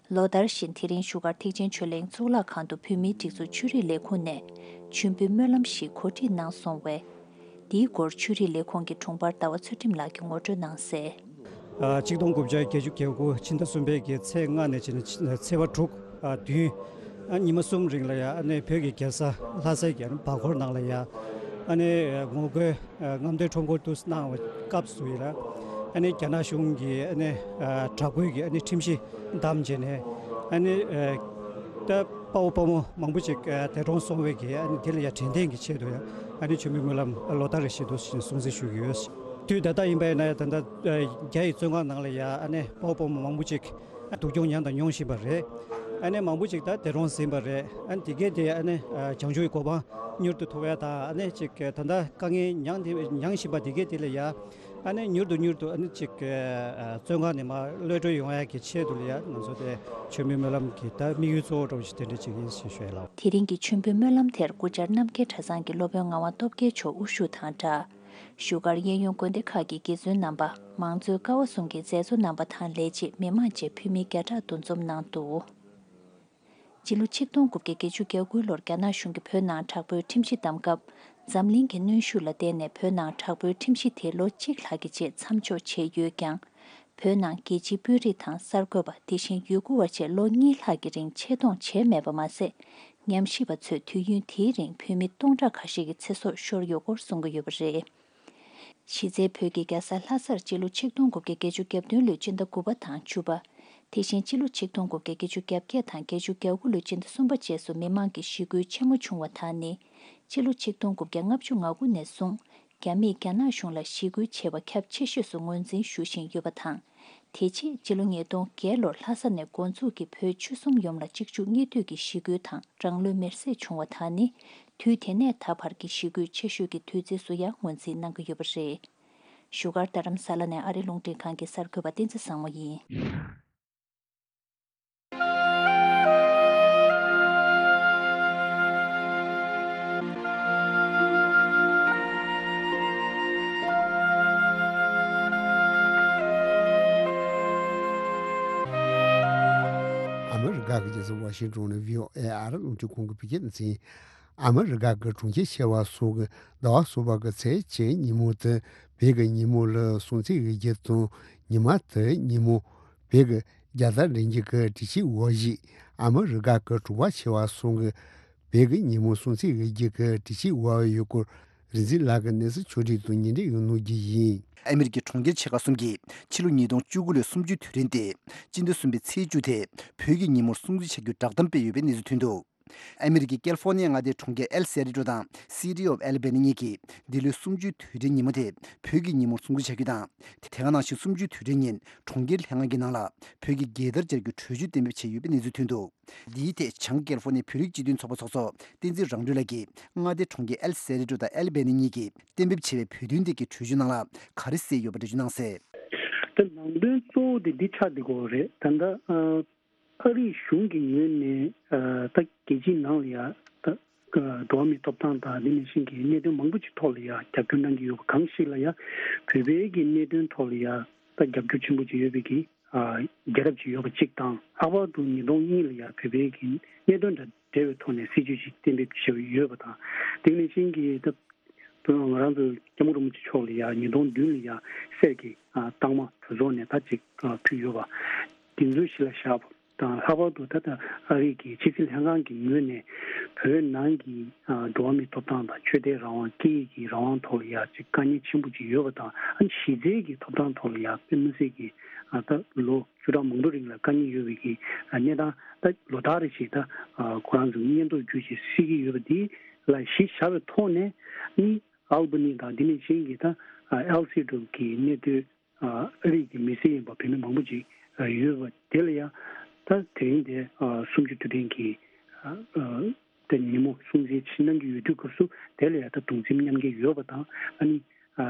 ལོ་ལྟར་བཞིན་དེ་རིང་བཞུགས་སྒར་ཐེག་ཆེན་ཆོས་གླིང་གཙུག་ལག་ཁང་དུ་བོད་མིའི་སྒྲིག་འཛུགས་ཆོས་རིག་ལས་ཁུངས་ནས་མཆོད་འབུལ་སྨོན་ལམ་ཞིག་གོ་སྒྲིག་གནང་སོང་བས། འདིའི་སྐོར་ཆོས་རིག་ལས་ཁུངས་ཀྱི་དྲུང་འཕར་ཟླ་བ་ཚུལ་ཁྲིམས་ལགས་ཀྱིས་ངོ་སྤྲོད་གནང་གསལ། ཆིག་སྟོང་དགུ་བརྒྱ་བརྒྱད་ཅུ་གྱ་དགུ་ཕྱི་ཟླ་གསུམ་པའི་གི་ཚེས་ལྔ་ནས་བྱས་ནས་ཚེས་པ་དྲུག་བདུན་ཉི་མ་གསུམ་རིང་ལ་ཡ་ཨ་ནི་བོད་ཀྱི་རྒྱལ་ས་ལྷ་སའི་གི་ཨ་ནི་འཕགས་སྐོར་ནང་ལ་ཡ་ཨ་ནི་ངོ་རྒོལ་རྔམ་སྟོན་ཁྲོམ་སྐོར་དུ་གནང་བའི་སྐབས་སུ་ཡིན་ལ་ཨ་ནི་རྒྱ་ནག་གཞུང་གིས་ཨ་ནི་དྲག་པོའི་གི་ཨ་ནི་ཁྲིམས་གཞི་བསྡམས་བྱས་ནས་ཨ་ནི་ད་དཔའ་བོ་དཔའ་མོ་མང་པོ་ཅིག་འདས་གྲོངས་སོང་བའི་གི་ཨ་ནི་དེ་ལ་ཡ་དྲན་རྟེན་གྱི་ཆེད་དུ་ཡ་ཨ་ནི་མཆོད་འབུལ་སྨོན་ལམ་ལོ་ལྟར་རེ་བཞིན་དུ་སྲུང་བརྩི་ཞུ་གི་ཡོད། དུས་ད་ལྟ་ཡིན་པ་ཡིན་ན་ད་ལྟ་རྒྱ་ཡི་བཙོན་ཁང་ནང་ལ་ཡ་ཨ་ནི་དཔའ་བོ་དཔའ་མོ་མང་པོ་ཅིག་སྡུག་གྱོང་མྱངས་དང་མྱོང་བཞིན་པ་རེད། ཨ་ནི་མང་པོ་ཅིག་ད་འདས་གྲོངས་ཟིན་པ་རེད། ཨ་ནི་དེ་གས་དེ་ཨ་ནི་བྱང་ཆུབ་ཀྱི་གོ་འཕང་མྱུར་དུ་ཐོབ་ཡ་དང་ཨ་ནི་ཅིག་ད་ལྟ་དཀའ་ངལ་མྱངས་དེ་མྱངས་བཞིན་པ་དེ་གས་དེ་ལ་ཡ་ཨ་ནི་མྱུར་དུ་མྱུར་དུ་ཨ་ནི་ཅིག་བཙོན་ཁང་ནས་མར་གློད་གྲོལ་ཡོང་ཡ་གི་ཆེད་དུ་ལ་ཡ་ང་ཚོ་དེ་མཆོད་འབུལ་སྨོན་ལམ་གྱི་ད་དམིགས་ཡུལ་གཙོ་བོ་འདྲ་བོ་ཞིག་དེ་འདྲ་ཅིག་ཡིན་ཞེས་ཞུ་ཡ་ལགས། དེ་རིང་གི་མཆོད་འབུལ་སྨོན་ལམ་དེར་སྐུ་བཅར་རྣམ་རྒྱལ་གྲྭ་ཚང་གི་སློབ་དཔོན་ངག་དབང་སྟོབས་རྒྱལ་མཆོག་དབུ་བཞུགས་དང་སྦྲགས། བཞུགས་སྒར་གཡས་གཡོན་དགོན་སྡེ་ཁག་གི་དགེ་བཙུན་རྣམ་པ། མང་གཙོའི་ཀ་བ་གསུམ་གྱི་མཛད་གཙོ་རྣམ་པ་དང་ལས་བྱེད་མི་མང་བཅས་འཕུལ་མི་བརྒྱ་ཕྲག་འདུ་འཛོམས་གནང་འདུག་སྤྱི་ལོ་ཆིག་སྟོང་དགུ་བརྒྱ་བརྒྱད་ཅུ་གྱ་དགུ་ལོར་རྒྱ་ནག་གཞུང་གིས་བོད་ནང་དྲག་པོའི་ཁྲིམས་གཞི་བསྡམས་སྐབས། འཛམ་གླིང་གི་གནོན་ཤུགས་ལ་བརྟེན་ནས་བོད་ནང་དྲག་པོའི་ཁྲིམས་གཞི་དེ་ལོ་གཅིག་ལྷག་གི་རྗེས་མཚམས་འཇོག་བྱས་ཡོད་ཀྱང་། བོད་ནང་རྒྱལ་སྤྱིའི་དཔོན་རིགས་དང་གསར་འགོད་པ་དེ་བཞིན་ཡུལ་སྐོར་བ་བཅས་ལོ་གཉིས་ལྷག་གི་རིང་ཆེད་གཏོང་བྱས་མེད་པ་མ་ཟད། ཉམས་ཞིབ་པ་ཚོས་དུས་ཡུན་དེའི་རིང་བོད་མི་སྟོང་ཕྲག་ཁ་ཤས་ཀྱི་ཚེ་སྲོག་ཤོར་ཡོད་སྐོར་གསུང་གི་ཡོད་པ་རེད། གཞི་རྩའི་བོད་ཀྱི་རྒྱལ་ས་ལྷ་སར་སྤྱི་ལོ་ཆིག་སྟོང་དགུ་བརྒྱ་བརྒྱད་ཅུ་གྱ་བདུན་ལོའི་སྤྱི་ཟླ་དགུ་པ་དང་བཅུ་པ། དེ་བཞིན་སྤྱི་ལོ་ཆིག་སྟོང་དགུ་བརྒྱ་བརྒྱད་ཅུ་གྱ་བརྒྱད་དང་བརྒྱད་ཅུ་གྱ་དགུ་ལོའི་སྤྱི་ཟླ་གསུམ་པ་བཅས་སུ་མི་མང་གི་ཞི་རྒོལ་ཆེན་མོ་བྱུང་བ་དག་ནི། སྤྱི་ལོ་ཆིག་སྟོང་དགུ་བརྒྱ་ལྔ་བཅུ་ང་དགུ་ནས་བཟུང་རྒྱ་མིས་རྒྱ་ནག་གཞུང་ལ་ཞི་རྒོལ་བྱས་པ་ཁྱབ་ཆེ་ཤོས་སུ་ངོས་འཛིན་ཞུ་བཞིན་ཡོད་པ་དང་། དེ་རྗེས་སྤྱི་ལོ་ཉིས་སྟོང་བརྒྱད་ལོར་ལྷ་ས་ནས་འགོ་འཛུགས་ཀྱིས་བོད་ཆོལ་གསུམ་ཡོངས་ལ་གཅིག་མཇུག་གཉིས་མཐུད་ཀྱི་ཞི་རྒོལ་དང་རང་ལུས་མེར་སྲེག་བྱུང་བ་དག་ནི། དུས་དེ་ནས་ད་བར་གྱི་ཞི་རྒོལ་ཆེ་ཤོས་ཀྱི་དུས་ཚིགས་སུ་ཡང་ངོས་འཛིན་གནང་གི་ཡོད་པ་རེད། བཞུགས་སྒར་རྡ་རམ་ས་ལ་ནས་ཨ་རི་རླུང་འཕྲིན་ཁང་གི་གསར་འགོད་པ་བསྟན་འཛིན་བཟང་མོ་ཡིན། ཨ་མི་རི་ཀ་གི་རྒྱལ་ས་ཝ་ཤིང་ཏོན་ནས་བྷི་ཨོ་ཨེ་ཨ་རི་རླུང་འཕྲིན་ཁང་གི་བོད་སྐད་སྡེ་ཚན། ཨ་མི་རི་ཀ་གི་གྲོང་ཁྱེར་ཆེ་བ་སོགས་ཀྱི་ཟླ་བ་གསུམ་པ་གི་ཚེས་གཅིག་ཉིན་མོ་དེ་བོད་ཀྱི་ཉིན་མོ་ལ་སྲུང་བརྩི་ཡོད་རྒྱུ་དང་། ཉི་མ་དེ་ཉིན་མོ་བོད་ཀྱི་རྒྱལ་དར་འདྲེན་རྒྱུ་གི་སྒྲིག་གཞི་འོག་བཞུགས། ཨ་མི་རི་ཀ་གི་གྲོང་པ་ཆེ་བ་གསུམ་གྱི་བོད་ཀྱི་ཉིན་མོ་སྲུང་བརྩི་ཡོད་རྒྱུ་གི་སྒྲིག་གཞི་འོག་ཡོད་སྐོར་རིག་འཛིན་ལགས་ཀྱིས་གནས་ཚུལ་ཕྱོགས་སྒྲིག་དང་སྙན་སྒྲོན་ཡང་གནང་རྒྱུ་ཡིན། ཨ་མི་རི་ཀའི་གྲོང་ཁྱེར་ཆེ་ཁག་གསུམ་གྱིས་ཕྱི་ལོ་ཉིས་སྟོང་བཅུ་དགུ་ལོའི་གསུམ་བཅུའི་དུས་དྲན་ཏེ། སྤྱི་ཟླ་གསུམ་པའི་ཚེས་བཅུ་དེ་བོད་ཀྱི་ཉིན་མོར་སྲུང་བརྩི་བྱ་རྒྱུའི་བསྒྲགས་གཏམ་སྤེལ་ཡོད་པའི་གནས་ཚུལ་ཐོན་འདུག་ཨ་མི་རི་ཀའི་ཀལ་ཧྥོ་ནི་ཡའི་མངའ་སྡེའི་གྲོང་ཁྱེར་ཨེལ་སེ་རི་ཏྲོ་དང་City of Albany གཉིས་ཀྱིས་འདི་ལོའི་གསུམ་བཅུའི་དུས་དྲན་ཉིན་མོ་དེ་བོད་ཀྱི་ཉིན་མོར་སྲུང་བརྩི་བྱ་རྒྱུ་དང་། དེ་ག་ནང་བཞིན་གསུམ་བཅུའི་དུས་དྲན་ཉིན་གྲོང་ཁྱེར་ལྷན་ཁང་གི་ནང་ལ་བོད་ཀྱི་རྒྱལ་དར་སྦྱར་རྒྱུའི་གྲོས་ཆོད་གཏན་འབེབས་བྱས་ཡོད་པའི་གནས་ཚུལ་ཐོན་འདུག་འདིའི་ཐད་བྱང་ཀལ་ཧྥོ་ནི་བོད་རིགས་སྤྱི་མཐུན་ཚོགས་པ་ཚོགས་གཙོ་བསྟན་འཛིན་རང་གྲོལ་ལགས་ཀྱིས་མངའ་སྡེ་གྲོང་ཁྱེར་ཨེལ་སེ་རི་ཏྲོ་དང་ཨེལ་བྷེ་ནི་གཉིས་ཀྱིས་གཏན་འབེབས་བྱས་པའི་བོད་དོན་ཐད་ཀྱི་གྲོས་ཆོད་ནང་ལ་ག་རེ་གསལ་ཡོད་པ་འགྲེལ་བརྗོད་གནང་གསལ། ད་ནང་དོན་གཙོ་བོ་དེ་འདི་ཆགས་བསྡད་ཀྱི་ཡོད་རེད། ད་ལྟ་ཨ་རིའི་གཞུང་གི་ངོས་ནས་ཨ་ད་རྒྱལ་སྤྱིའི་ནང་ལ་ཡ་ད་ཨ་འགྲོ་བ་མིའི་ཐོབ་ཐང་དང་འདི་ནང་བཞིན་གྱི་གནད་དོན་མང་པོ་ཅིག་ཐོག་ལ་ཡ་རྒྱབ་སྐྱོར་གནང་གི་ཡོད་པ་གང་ཞིག་ལ་ཡ་བོད་པའི་གི་གནད་དོན་ཐོག་ལ་ཡ་ད་རྒྱབ་སྐྱོར་ཆེན་པོ་ཅིག་ཡོད་པའི་གི་ཨ་རྒྱལ་རབས་ཅིག་ཡོད་པ་གཅིག་དང་། ལྷག་པར་དུ་ཉིས་སྟོང་གཉིས་ལ་ཡ་བོད་པའི་གི་གནད་དོན་དང་འབྲེལ་བའི་ཐོག་ནས་སྲིད་ཇུས་ཅིག་གཏན་འབེབས་བྱས་ཡོད་པ་དང་། དེ་ནང་བཞིན་གྱི་ད་དུང་ང་རང་ཚོ་སྐྱབས་མགོན་རིན་པོ་ཆེ་མཆོག་ལ་ཡ་ཉིས་སྟོང་བདུན་ལ་ཡ་གསེར་གྱི་ཨ་རྟགས་མ་གྲོས་ཚོགས་ནས་ད་ཅིག་ཨ་ཕུལ་ཡོད་པ་དེ་ཚོ་གཞི་ལ་བཞག་པ་དང་། ལྷག་པར་དུ་ད་ལྟ་ཨ་རི་གི་ཕྱི་སྲིད་ལྷན་ཁང་གི་ངོས་ནས་བོད་ནང་གི་ཨ་འགྲོ་བ་མིའི་ཐོབ་ཐང་དང་ཆོས་དད་རང་དབང་སྐད་ཡིག་གི་རང་དབང་ཐོག་ལ་ཡ་ཅིག་དཀའ་ངལ་ཆེན་པོ་ཅིག་ཡོད་པ་དང་། ཨ་ནི་གཞི་རྩའི་གི་ཐོབ་ཐང་ཐོག་ལ་ཡ་དཔེ་མི་སྲིད་ཀྱི་ཨ་ད་ལོ་བཅུ་ཕྲག་མང་པོ་རིང་ལ་དཀའ་ངལ་ཡོད་པའི་གི་གནས་སྟངས་ད་ལོ་ལྟར་རེ་བཞིན་ད་ཁོ་རང་ཚོ་སྙན་ཐོ་བརྒྱུད་ཅིག་སེལ་གྱི་ཡོད་པ་འདི་ལ་གཞི་བཞག་པའི་ཐོག་ནས་ནི་ཨལ་བྷ་ནི་དང་འདི་ནས་གཞན་གྱི་ད་ཨེལ་སི་ཀྲུབ་ཀྱི་གནས་སྡོད་ ཨ་རིགས་ཀྱི་མི་སེར་ཡིན་པ་བོད་མི་མང་པོ་ཅིག་ཡོད་པ་དེ་ལ་ཡང་ད་དེ་རིང་དེ་སུམ་ཅུ་དུས་དྲན་གྱི་ད་ཉིན་མོ་སྲུང་བརྩི་གནང་གི་ཡོད་དུས་སྐབས་སུ་དེ་ལ་ཡང་ད་གདུང་སེམས་མཉམ་སྐྱེད་ཡོད་པ་དང་། ཨ་ནི་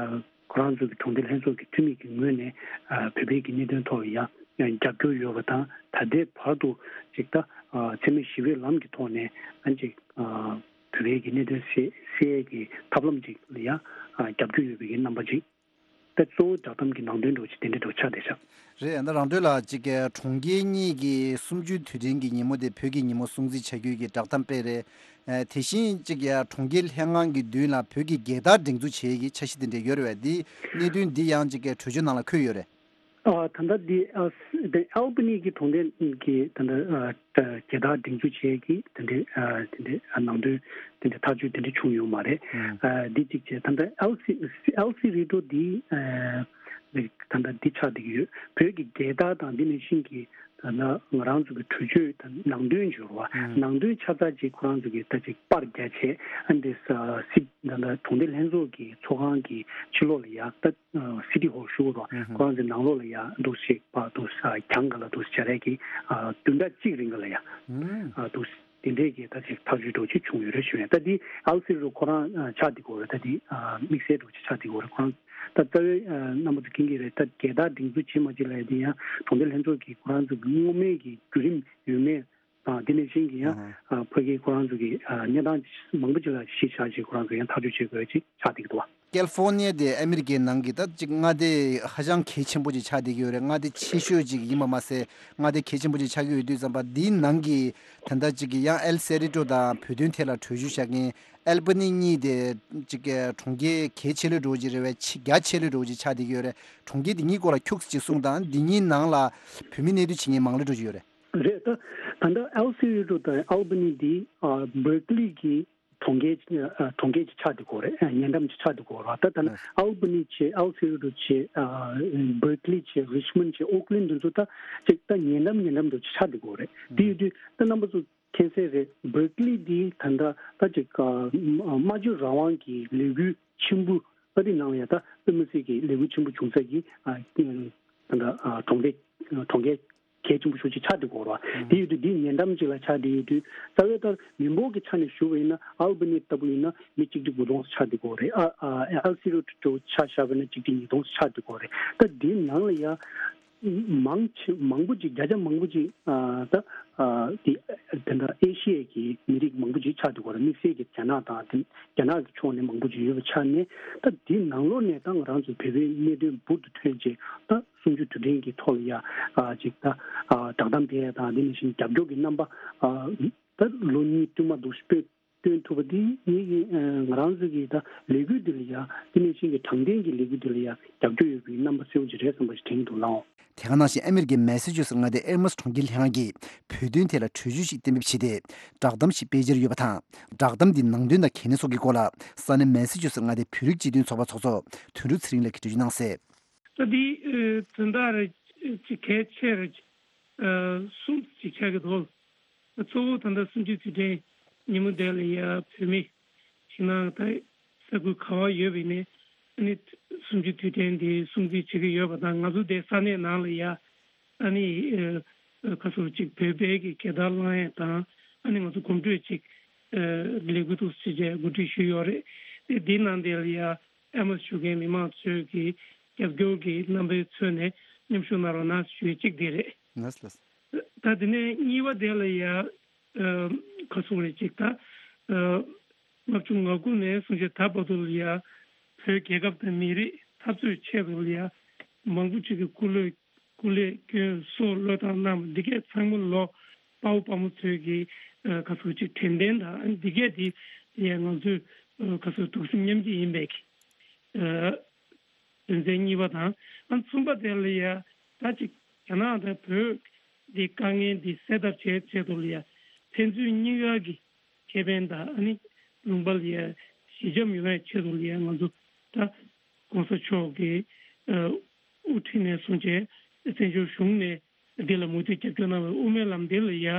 ཁོ་རང་ཚོ་གི་གྲོང་སྡེ་ལྷན་ཚོགས་ཀྱི་འཐུས་མི་གི་ངོས་ནས་བོད་པའི་གི་གནད་དོན་ཐོག་ལ་ཡང་རྒྱབ་སྐྱོར་ཡོད་པ་དང་། ད་ལྟའི་བར་དུ་ཅིག་ད་འཚེ་མེད་ཞི་བའི་ལམ་གྱི་ཐོག་ནས་ཨ་ཅིག་བོད་པའི་གི་གནད་དོན་སེལ་སེལ་ཡས་ཀྱི་ཐབས་ལམ་ཅིག་ལ་ཡང་རྒྱབ་སྐྱོར་ཡོད་པའི་གི་རྣམ་པ་ཅིག་ད་གཙོ་བོ་བསྒྲགས་གཏམ་གྱི་ནང་དོན་འདྲ་བོ་ཅིག་དེ་འདྲ་འདྲ་བོ་ཆགས་བསྡད་ཤག་རེད། ད་རང་དོན་ལ་གཅིག་གི་གྲོང་ཁྱེར་གཉིས་ཀྱི་གསུམ་བཅུའི་དུས་དྲན་གྱི་ཉིན་མོ་དེ་བོད་ཀྱི་ཉིན་མོ་སྲུང་བརྩི་བྱ་རྒྱུ་གི་བསྒྲགས་གཏམ་སྤེལ་རེད། ཨ་དེ་བཞིན་གཅིག་ཡ་གྲོང་ཁྱེར་ལྷན་ཁང་གི་མདུན་ལ་བོད་ཀྱི་རྒྱལ་དར་སྒྲེང་འཛུགས་བྱེད་ཀྱི་འཆར་གཞི་དེ་འདྲ་ཡོད་རེད་པས། འདི་གནད་དོན་འདི་ཡང་གཅིག་གི་གྲོས་ཆོད་ནང་ལ་འཁོད་ཡོད་རེད། ཨ་ད་ལྟ་འདི་ཨ་ཨལ་བྷ་ནི་གི་གྲོང་སྡེ་གི་ད་ལྟ་ཨ་རྒྱལ་དར་སྒྲེང་འཛུགས་བྱེད་ཀྱི་དེ་འདྲའི་ཨ་དེ་འདྲའི་ཨ་ནང་དོན་དེ་འདྲའི་ཐག་གཅོད་དེ་འདྲ་བྱུང་ཡོད་མ་རེད། ཨ་འདི་གཅིག་བྱས། ད་ལྟ་ཨེལ་སི་ཨེལ་སི་རི་ཏྲོ་འདི་ཨ་ད་ལྟ་འདི་ཆགས་བསྡད་ཀྱི་ཡོད། བོད་ཀྱི་རྒྱལ་དར་དང་འདི་ནང་བཞིན་གྱི་ད་ལྟ་ང་རང་ཚོ་གི་གྲོས་ཆོད་དང་ནང་དོན་འབྱོར་བ་ནང་དོན་ཆ་ཚང་ཅིག་ཁོ་རང་ཚོ་གི་ད་ཅིག་པར་རྒྱག་བྱས། ཨ་འདི་ས་སི་ད་ལྟ་གྲོང་སྡེ་ལྷན་ཚོགས་ཀྱི་ཚོགས་ཁང་གི་ཕྱི་ལོགས་ལ་ཡ་ད་སི་ཊི་ཧོལ་ཞུ་གི་རོ། ཁོ་རང་ཚོའི་ནང་ལོགས་ལ་ཡ་འདུག་ཞིག་པ་འདུག་ས་གྱང་ག་ལ་འདུག་སྦྱར་ཡས་ཀྱི་བདུན་ཕྲག་གཅིག་རིང་ག་ལ་ཡ་འདུག་དེ་འདྲས་ཀྱི་ད་ཅིག་ཐག་གཅོད་འདྲ་བོ་ཅིག་བྱུང་ཡོད་རེད་ཞུ་ཡ། ད་འདི་ཨལ་སི་རུ་ཁོ་རང་ཆགས་བསྡད་ཀྱི་ཡོད་རེད། ད་འདི་དམིགས་བསལ་འདྲ་བོ་ཅིག་ཆགས་བསྡད་ཀྱི་ཡོད་རེད། ཁོ་རང་ད་རྩ་བའི་རྣམ་པ་ཚོ་མཁྱེན་གྱི་རེད། ད་རྒྱལ་དར་སྒྲེང་འཛུགས་བྱེད་མ་བྱེད་ལབ་ཡ་དེ་ཡང་གྲོང་སྡེ་ལྷན་ཚོགས་ཀྱི་ཁོ་རང་ཚོ་གི་སྔོན་མའི་གི་བརྒྱུད་རིམ་ཡོད་མེད་དང་། དེ་ནང་བཞིན་གྱི་ཡང་ཕ་གི་ཁོ་རང་ཚོ་གི་གནས་སྟངས་མང་པོ་ཅིག་ལ་གཞི་བཞག་ཅིག་ཁོ་རང་ཚོ་ཡང་ཐག་གཅོད་བྱེད་དགོས་ཅིག་ཆགས་བསྡད་ཀྱི་འདུག་བ། ཀེ་ལི་ཧྥོར་ནི་ཡ་དེ་ཨ་མི་རི་ཀའི་ནང་གི་ད་ཅིག་མངའ་སྡེ་ཧ་ཅང་གལ་ཆེན་པོ་ཅིག་ཆགས་བསྡད་ཀྱི་ཡོད་རེད། མངའ་སྡེ་ཆེ་ཤོས་ཅིག་ཡིན་པ་མ་ཟད་མངའ་སྡེ་གལ་ཆེན་པོ་ཅིག་ཆགས་ཀྱི་ཡོད་དུས་ཙམ་པ་འདིའི་ནང་གི་ད་ལྟ་ཅིག་གི་ཡང་ཨེལ་སེ་རི་ཏྲོ་དང་བོད་དོན་ཐད་ལ་གྲོས་ཆོད་བཞག་མཁན་ཨལ་བྷ་ནི་གཉིས་དེ་ཅིག་གི་གྲོང་ཁྱེར་གལ་ཆེ་ལོས་འགྲོ་གི་རེད་པས། ཆེ་རྒྱ་ཆེ་ལོས་འགྲོ་གི་ཆགས་བསྡད་ཀྱི་ཡོད་རེད། གྲོང་ཁྱེར་འདི་གཉིས་སྐོར་ལ་ཁྱུག་ཙམ་ཅིག་གསུངས་དང་། འདི་གཉིས་ནང་ལ་བོད་མི་གནས་སྡོད་བྱེད་མཁན་མང་ལོས་འགྲོ་གི་ཡོད་རེད། རེད། ད་ད་ལྟ་ཨེལ་སེ་རི་ཏྲོ་དང་ཨལ་བྷ་ནི་འདི་ཨ་བར་ཀི་ལི་གི་གྲོང་ཁྱེར་ཨ་གྲོང་ཁྱེར་གྱི་ཆགས་བསྡད་ཀྱི་ཡོད་རེད། ཨ་ཉེ་འགྲམ་གྱི་ཆགས་བསྡད་ཀྱི་ཡོད་རེད། ད་ད་ལྟ་ཨལ་བྷ་ནི་བྱས། ཨེལ་སེ་རི་ཏྲོ་བྱས། ཨ་བར་ཀི་ལི་བྱས། རི་ཆི་མོན་བྱས། ཨོ་ཀི་ལན་འདི་ཚོ་ད་ཅིག་ད་ཉེ་འགྲམ་ཉེ་འགྲམ་དུ་ཆགས་བསྡད་ཀྱི་ཡོད་རེད། དེ་ཡོད་དུས་ད་རྣམ་པ་ཚོ་མཁྱེན་གསལ་རེད། བར་ཀི་ལི་འདི་ད་ལྟ་ད་ཅིག་ཨ་སྨྲ་བརྗོད་རང་དབང་གི་ལས་འགུལ་ཆེན་པོ་ཨ་རི་ནང་ལ་ཡ་ད་དཔེ་མི་སྲིད་ཀྱི་ལས་འགུལ་ཆེན་པོ་བྱུང་ས་ཀྱི་ཨ་ད་ལྟ་ཨ་གྲོང་སྡེ་གྲོང་ཁྱེར་གལ་ཆེན་པོ་ཤོས་ཅིག་ཆགས་བསྡད་ཀྱི་ཡོད་རེད་བ། དེ་ཡོད་དུས་འདི་ཉེ་འགྲམ་ཅིག་ལ་ཆགས་བསྡད་ཡོད་དུས་རྩ་བའི་ལྟར་མི་འབོར་གྱི་ཆ་ནས་ཞུ་བ་ཡིན་ན་ཨལ་བྷ་ནི་ལྟ་བུ་ཡིན་ན་མི་གཅིག་ཁྲི་དགུ་སྟོང་ཙམ་ཆགས་བསྡད་ཀྱི་ཡོད་རེད། ཨ་ཨ་ཨེལ་སི་རི་ཏྲོ་ཆ་བཞག་པ་ཡིན་ན་གཅིག་ཁྲི་ཉིས་སྟོང་ཙམ་ཆགས་བསྡད་ཀྱི་ཡོད་རེད། ད་འདིའི་ནང་ལ་ཡ་མང་ཆེ་མང་པོ་ཅིག་བརྒྱ་ཆ་མང་པོ་ཅིག་ཨ་ད་ཨ་དེ་དེ་འདྲ་ཨེ་ཤི་ཡའི་གི་མི་རིགས་མང་པོ་ཅིག་ཆགས་བསྡད་ཀྱི་ཡོད་རེད། དམིགས་བསལ་གྱི་རྒྱ་ནག་དང་དེ་རྒྱ་ནག་གི་ཕྱོགས་ནས་མང་པོ་ཅིག་ཡོད་པའི་ཆ་ནས། ད་འདིའི་ནང་ལོགས་ནས་ད་ང་རང་ཚོ་བོད་པའི་གནད་དོན་འབུར་དུ་ཐོན་བྱས། ད་གསུམ་བཅུ་དུས་དྲན་གྱི་ཐོག་ལ་ཡ་ཨ་ཅིག་ད་ཨ་བསྒྲགས་གཏམ་སྤེལ་ཡ་དང་། དེ་ནང་བཞིན་རྒྱབ་སྐྱོར་གྱི་རྣམ་པ་ཨ་ད་ལོ་གཉིས་བསྟུད་མར་འདུག་སྤེལ་སྟོན་ཐུབ་པ་འདི་ངེད་ཀྱི་ཨ་ང་རང་ཚོ་གི་ད་ལས་འགུལ་འདི་ལ་ཡ། དེ་ནང་བཞིན་གྱི་དྲང་བདེན་གྱི་ལས་འགུལ་འདི་ལ་ཡ་རྒྱབ་སྐྱོར་ཡོད་པའི་རྣམ་པ་གསལ་པོ་ཅིག་རེད་བསམ་པ་ཞིག་དྲན་གྱི་འདུག་ལགས། དེ་ག་ནང་བཞིན་ཨ་མི་རི་ཀའི་མེ་ས་ཅུ་སེ་མངའ་སྡེའི་ཨེ་མོ་སི་གྲོང་ཁྱེར་ལྷན་ཁང་གིས་བོད་དོན་ཐད་ལ་གྲོས་ཆོད་ཞིག་གཏན་འབེབས་བྱས་ཏེ་བསྒྲགས་གཏམ་ཞིག་སྤེལ་འཆར་ཡོད་པ་དང་། བསྒྲགས་གཏམ་འདིའི་ནང་དོན་དང་གལ་གནད་སོགས་ཀྱི་སྐོར་ལ་ས་གནས་མེ་ས་ཅུ་སེ་མངའ་སྡེའི་བོད་རིགས་སྤྱི་མཐུན་ཚོགས་པའི་ཚོགས་གཙོ་དོན་གྲུབ་ཚེ་རིང་ལགས་ཀྱིས་འགྲེལ་བརྗོད་གནང་གསལ། ད་འདི་ཨ་དོན་དག་རེ་ཅིག་གལ་ཆེ་རེ་ཨ་གསུམ་ཅིག་ཆགས་ཀྱི་འདུག་གཙོ་བོ་ད་ལྟ་གསུམ་བཅུའི་དུས་དྲན་ཉིན་མོ་དེ་ལ་ཡ་བོད་མི་ཞིང་ནང་ད་ས་ཁུལ་ག་བ་ཡོད་པ་ཡིན་ནའི་ཨ་ནི་གསུམ་བཅུའི་དུས་དྲན་འདི་སྲུང་བརྩི་བྱེད་ཀྱི་ཡོད་པ་དང་། ང་ཚོ་དེ་ས་གནས་ནང་ལ་ཡ་ཨ་ནི་ཨ་ཁ་སོ་ཅིག་བོད་པའི་གི་རྒྱལ་དར་བསླང་ཡས་དང་། ཨ་ནི་ང་ཚོ་གོམ་བགྲོད་ཅིག་ཨ་ལས་འགུལ་འདུག་སེ་བྱས་གོ་སྒྲིག་ཞུས་ཡོད་རེད། དེ་འདིའི་ནང་དེ་ལ་ཡ་ཨེ་མོ་སི་ཞུ་མཁན་མི་མང་ཚོས་ཀྱི་རྒྱབ་སྐྱོར་གྱི་རྣམ་པའི་ཚུལ་ནས་མཉམ་ཞུགས་གནང་རོགས་གནང་ཞུ་ཡས་གཅིག་དེ་རེད། ལགས་ལགས། ད་དེ་ནས་གཉིས་པ་དེ་ལ་ཡ་ཨ་ག་སོང་རེད་ཅིག་ད་ཨ་ལྔ་བཅུ་ང་དགུ་ནས་བཟུང་བྱས་ད་བར་དུ་ལ་ཡ་བོད་རྒྱལ་ཁབ་དང་མི་རིགས་འཐབ་རྩོད་ཆེད་དུ་ལ་ཡ་མང་པོ་ཅིག་གི་སྐུ་ལས་སྐུ་ལས་སྐྱོན་སྲོག་བློས་བཏང་གནང་བ་འདི་གས་ཚང་མ་ལོ་དཔའ་བོ་དཔའ་མོ་ཚོས་ཀྱི་ཨ་ག་སོང་ཅིག་དྲན་རྟེན་དང་། འདི་གས་དེ་ལ་ཡ་ང་ཚོས་ཨ་ག་སོང་གདུང་སེམས་མཉམ་སྐྱེད་ཡིན་པའི་གི་ཨ་དོན་ཚན་གཉིས་པ་དང་། ཨ་གསུམ་པ་དེ་ལ་ཡ་ད་ཅིག་རྒྱ་ནག་དང་བོད་འདི་དཀའ་ངལ་འདི་སེལ་ཐབས་བྱེད་ཆེད་དུ་ལ་ཡ་ཕན་ཚུན་གཉིས་ཀ་གི་ཁེ་ཕན་དང་། ཨ་ནི་ལུང་པ་ལ་ཡ་ཞི་འཇམ་ཡོང་བའི་ཆེད་དུ་ལ་ཡ་ང་ཚོ་ད་༸གོང་ས་མཆོག་གི་ཨ་དབུ་ཁྲིད་ནས་བཟུང་བྱས་བཙན་བྱོལ་གཞུང་ནས་འདི་ལ་མུ་མཐུད་རྒྱབ་སྐྱོར་གནང་བའི་དབུ་མའི་ལམ་འདི་ལ་ཡ་ཨ་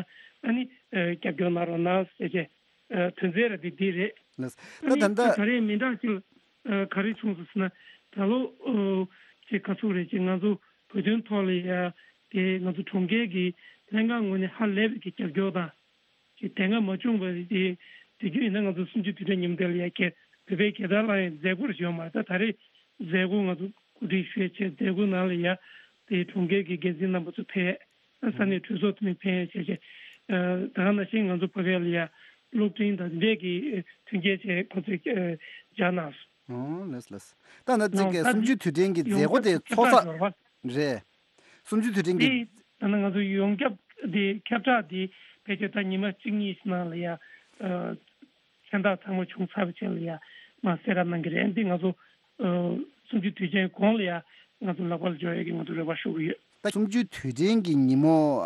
ནི་ཨ་རྒྱབ་སྐྱོར་གནང་རོགས་གནང་ཟེར་བྱས་ཨ་དོན་ཚན་ར་འདི་འདི་རེད། ལགས། ཨ་ད་ནི་ད་ལྟ་ད་ག་རེ་མི་འདྲ་ཅིག་ཨ་ག་རེ་བྱུང་སོང་ཟེར་ན། ད་ལོ་ཨ་ ཅིག་ག་ཚོད་རེད། ཅིག་ང་ཚོ་བོད་དོན་ཐོག་ལ་ཡ་དེ་ང་ཚོ་གྲོང་ཁྱེར་གྱི་ལྷན་ཁང་ངོས་ནས་ཧ་ལས་པའི་གི་རྒྱབ་སྐྱོར་དང་། ཅིག་དེ་སྔ་མ་བྱུང་བ་དེ་དེ་རྒྱུ་ཡིན་ན་ང་ཚོ་གསུམ་བཅུའི་དུས་དྲན་ཉིན་མོ་དེ་ལ་ཡ་ཁྱེད་བོད་པའི་རྒྱལ་དར་ལ་ཡང་མཛད་སྒོ་ཞིག་ཡོད་མ་རེད། ད་ད་རེས་མཛད་སྒོ་ང་ཚོ་གོ་སྒྲིག་ཞུས་བྱས་མཛད་སྒོ་ནང་ལ་ཡ་དེ་གྲོང་ཁྱེར་གྱི་འགན་འཛིན་རྣམ་པ་ཚོ་ཕེབས། ས་གནས་གྲོས་ཚོགས་འཐུས་མི་ཕེབས་བྱས་བྱས། ད་ག་ནང་བཞིན་ང་ཚོ་བོད་པའི་ལ་ཡ་གློག་འཕྲིན་དང་འདི་འདྲས་ཀྱི་མཐུན་རྐྱེན་བྱས་ཁོ་ཚོས་སྦྱར་གནང་སོང་། ཨོ་ལགས་ལགས། ད་ནི་གཅིག་གི་ད་གསུམ་བཅུའི་དུས་དྲན་གྱི་མཛད་སྒོ་དེ་ཚོགས་ས་རེད། གསུམ་བཅུའི་དུས་དྲན་གྱི། དེ་ད་ནི་ང་ཚོ་ཡོངས་ཁྱབ་དེ་ཁྱབ་བསྒྲགས་དེ་ཕལ་ཆེར་ད་ཉི་མ་གཅིག་གཉིས་ནང་ལ་ཡ་མཚན་རྟགས་ཚང་མ་བྱུང་ཚར་བའི་རྗེས་ལ་ཡ་མར་གསལ་བསྒྲགས་གནང་གི་རེད། འདི་ང་ཚོ་གསུམ་བཅུའི་དུས་ཆེན་གོང་ལ་ཡ་ང་ཚོ་ལག་པར་འབྱོར་ཡས་ཀྱི་ང་ཚོ་རེ་བ་ཞུ་གི་ཡོད། ད་གསུམ་བཅུའི་དུས་དྲན་གྱི་ཉིན་མོ་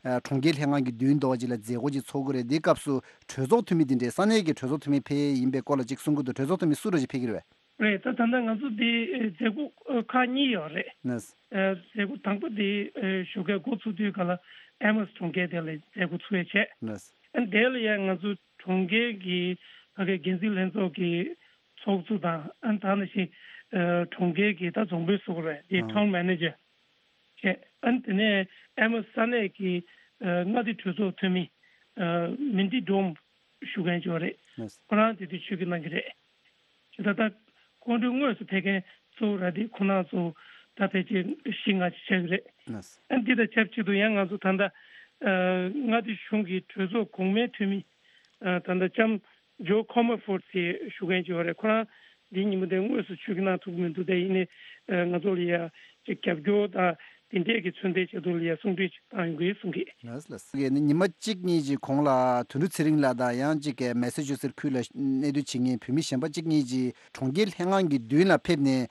གྲོང་ཁྱེར་ལྷན་ཁང་གི་མདུན་ཐོག་ཅིག་ལ་མཛད་སྒོ་ཅིག་ཚོགས་ཀྱི་རེད། འདིའི་སྐབས་སུ་གྲོས་ཚོགས་འཐུས་མི་འདི་འདྲའི་ས་གནས་ཀྱི་གྲོས་ཚོགས་འཐུས་མི་ཕེབས་ཡས་ཡིན་པའི་སྐོར་ལ་ཅིག་གསུང་གི་འདུག་གྲོས་ཚོགས་འཐུས་མི་སུ་རུ་ཅིག་ཕེབས་ཀྱི་རེད་པས། རེད། ད་ད་ལྟ་ང་ཚོ་འདི་མཛད་སྒོ་ཁག་གཉིས་ཡོད་རེད། ནས། མཛད་སྒོ་དང་པོ་འདི་ཞོགས་ཀས་འགོ་ཚུགས་དུས་ག་ལ་ཨེ་མོས་གྲོང་ཁྱེར་དེ་ལ་མཛད་སྒོ་ཚུགས་ཡས་བྱས། ནས། ཨ་དེ་ལ་ཡང་ང་ཚོ་གྲོང་ཁྱེར་གྱི་ཕ་གི་འགན་འཛིན་ལྷན་ཚོགས་ཀྱི་ཚོགས་གཙོ་དང་། ཨ་ད་ནང་བཞིན་གྲོང་ཁྱེར་གྱི་ད་རྫོང་དཔོན་ཟེར་དགོས་རེད། དེ་ཊའུན་མེ་ནེ་ཇར་བྱས། ཨ་དེ་ནས་ཨེ་མོས་ས་གནས་ཀྱི་མངའ་སྡེ་གྲོས་ཚོགས་འཐུས་མི་མིན་ཏི་ཌོམ་ཞུ་མཁན་ཅིག་ཡོད་རེད། ཁོ་རང་དེ་དུས་ཆིབས་བསྒྱུར་གནང་གི་རེད། ཅེས་ད་ལྟ་ཁོང་ཚོའི་དངོས་སུ་ཕེབས་མཁན་གཙོ་བོ་ར་དེ་ཁོང་རྣམ་ཚོ་ད་ཕལ་ཆེར་བཞི་ལྔ་ཅིག་ཆགས་ཀྱི་རེད། ཨ་འདི་དང་ཆབས་ཅིག་ཏུ་ཡང་ང་ཚོ་ད་ལྟ་མངའ་སྡེ་གཞུང་གི་གྲོས་ཚོགས་གོང་མའི་འཐུས་མི་ད་ལྟ་ལྕམ་ཇོ་ཁོ་མོ་ཧྥོར་ཌི་ཞུ་མཁན་ཅིག་ཡོད་རེད། ཁོ་རང་འདིའི་ཉིན་མོ་དེ་དངོས་སུ་ཆིབས་བསྒྱུར་གནང་ཐུབ་ཀྱི་མི་འདུག་དེ་ཡིན་ནའི་ང་ཚོ་ལ་ཡ་ཅིག་རྒྱབ་སྐྱོར་དང་དེ་འདྲས་ཀྱི་མཚོན་རྟགས་ཆེད་དུ་ལ་ཡ་གསུང་གྲོས་ཅིག་བཏང་ཡོང་གི་ཡོད་གསུང་གི། ལགས་ལགས། ཉི་མ་གཅིག་གཉིས་ཀྱི་གོང་ལ་དོན་གྲུབ་ཚེ་རིང་ལགས་དང་ཡང་གཅིག་གི་མེ་སེ་ཆུ་སེ་ཁུལ་ལ་གནས་སྡོད་བྱེད་མཁན་བོད་མི་གཞན་པ་གཅིག་གཉིས་ཀྱིས་གྲོང་ཁྱེར་ལྷན་ཁང་གི་མདུན་ལ་ཕེབས་ནས་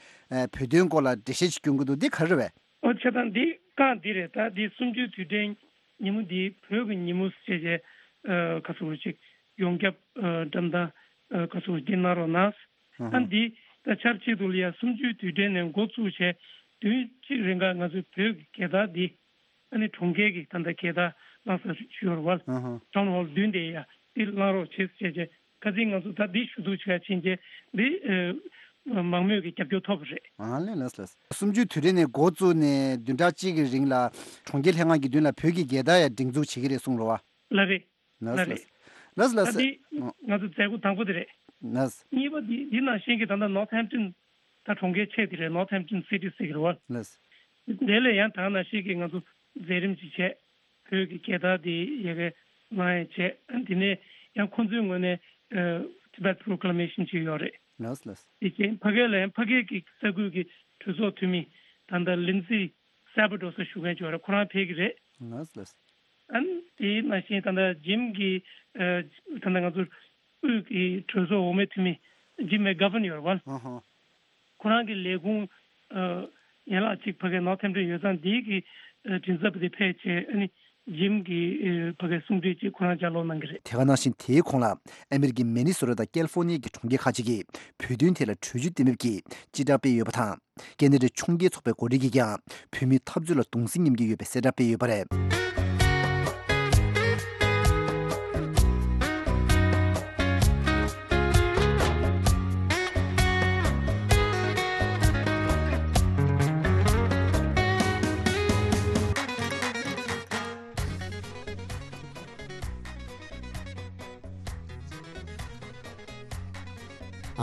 བོད་དོན་སྐོར་ལ་འགྲེལ་བཤད་ཅིག་སྐྱོན་གྱི་འདུག་འདི་ག་རེ་རེད་པས། ཨོ་བྱས་ཙང་འདི་རྐང་འདི་རེད། ད་འདི་གསུམ་བཅུའི་དུས་དྲན་ཉིན་མོ་འདི་བོད་ཀྱི་ཉིན་མོ་ཞེས་བྱས་ག་ཚོད་ཅིག་ཡོངས་ཁྱབ་འགྲེམས་སྟོན་ག་ཚོད་ཅིག་གནང་རོགས་གནང་། ཨ་འདི་ད་ཆབས་ཅིག་ཏུ་ལ་ཡ་གསུམ་བཅུའི་དུས་དྲན་ནས་འགོ་བཙུགས་བྱས་བདུན་གཅིག་རིང་ག་ང་ཚོའི་བོད་ཀྱི་རྒྱལ་དར་འདི་ཨ་ནི་གྲོང་ཁྱེར་གྱི་ད་ལྟ་རྒྱལ་དར་བསླངས་ས་ཞུ་བར་བར་ཨ་ཧ། ཊའུན་ཧོལ་མདུན་དེ་ཡ་འདི་བསླངས་རོགས་བྱེད་ཟེར་བྱས་ཁ་སང་ང་ཚོ་ད་འདི་ཞུ་གཏུག་བྱེད་ཡ་ཕྱིན་རྗེས་འདི་མང་མོས་ཀྱི་རྒྱབ་སྐྱོར་ཐོབ་པ་རེད། ཨ་ལས་ལགས་ལགས། གསུམ་བཅུའི་དུས་དྲན་ནས་འགོ་བཙུགས་ནས་བདུན་ཕྲག་གཅིག་གི་རིང་ལ་གྲོང་ཁྱེར་ལྷན་ཁང་གི་མདུན་ལ་བོད་ཀྱི་རྒྱལ་དར་ཡ་སྒྲེང་འཛུགས་བྱེད་ཀྱི་རེད་གསུངས་རོ་བ། ལགས་རེད། ལགས་ལགས་ལགས། ལགས་ལགས། ད་འདི་ང་ཚོ་མཛད་སྒོ་དང་པོ་དེ་རེད། ལགས། གཉིས་པ་འདི་འདི་ནང་བཞིན་གྱི་ད་ལྟ་ནོར་ཐེམ་ཊོན་ད་གྲོང་ཁྱེར་ཆེ་དེ་རེད། ནོར་ཐེམ་ཊོན་སི་ཊི་ཟེར་གྱི་རེད་བ། ལགས། དེ་ལས་ཡང་ད་ནང་བཞིན་གྱི་ང་ཚོ་མཛད་རིམ་ཅིག་བྱས། བོད་ཀྱི་རྒྱལ་དར་དེ་ཡ་གི་ལངས་ཡས་བྱས། དེ་ནས་ཡང་ཁོང་ཚོའི་ངོས་ནས་Tibet Proclamation་ཅིག་ཡོད་རེད། ལགས་ལགས། དེ་བཞིན་ཕ་གི་ལ་ཡང་ཕ་གི་གི་ས་ཁུལ་གྱི་གྲོས་ཚོགས་འཐུས་མི་ད་ལྟ་ལིན་ཛི་སེ་བྷ་ཌོ་ཟེར་ཞུ་མཁན་ཅིག་ཡོད་རེད། ཁོ་རང་ཕེབས་ཀྱི་རེད། ལགས་ལགས། ཨ་ནི་དེ་ནང་བཞིན་ད་ལྟ་ཇིམ་གྱི་ད་ལྟ་ང་ཚོ་དབུས་ཀྱི་གྲོས་ཚོགས་འོག་མའི་འཐུས་མི་ཇིམ་མེག་གྷ་ཝན་ཡོད་རེད་བ། ཨ་ཧ། ཁོ་རང་གི་ལས་ཁུངས་ཡན་ལག་གཅིག་ཕ་གིའི་ནོར་ཐེམ་ཊོན་ཡོད་ཙང་འདིའི་གི་མགྲིན་ཚབ་དེ་ཕེབས་བྱས། ཨ་ནི་ཇིམ་གྱི་ཕ་གིའི་གསུང་གྲོས་ཅིག་ཁོ་རང་ལྗགས་ཀློག་གནང་གི་རེད། དེ་ག་ནང་བཞིན་དེའི་གོང་ལ་ཨ་མེ་རི་ཀའི་མི་ནི་སོ་ཊ་དང་ཀལ་ཧྥོ་ནི་ཡ་གི་གྲོང་ཁྱེར་ཁག་ཅིག་གིས་བོད་དོན་ཐད་ལ་གྲོས་ཆོད་གཏན་འབེབས་ཀྱི་སྤྱི་བསྒྲགས་སྤེལ་ཡོད་པ་དང་། ཀེ་ན་ཌའི་ཕྱོགས་འགལ་ཚོགས་པའི་འགོ་ཁྲིད་ཀྱིས་ཀྱང་བོད་མིའི་འཐབ་རྩོད་ལ་གདུང་སེམས་མཉམ་སྐྱེད་ཡོད་པའི་གསལ་བསྒྲགས་སྤེལ་ཡོད་པ་རེད།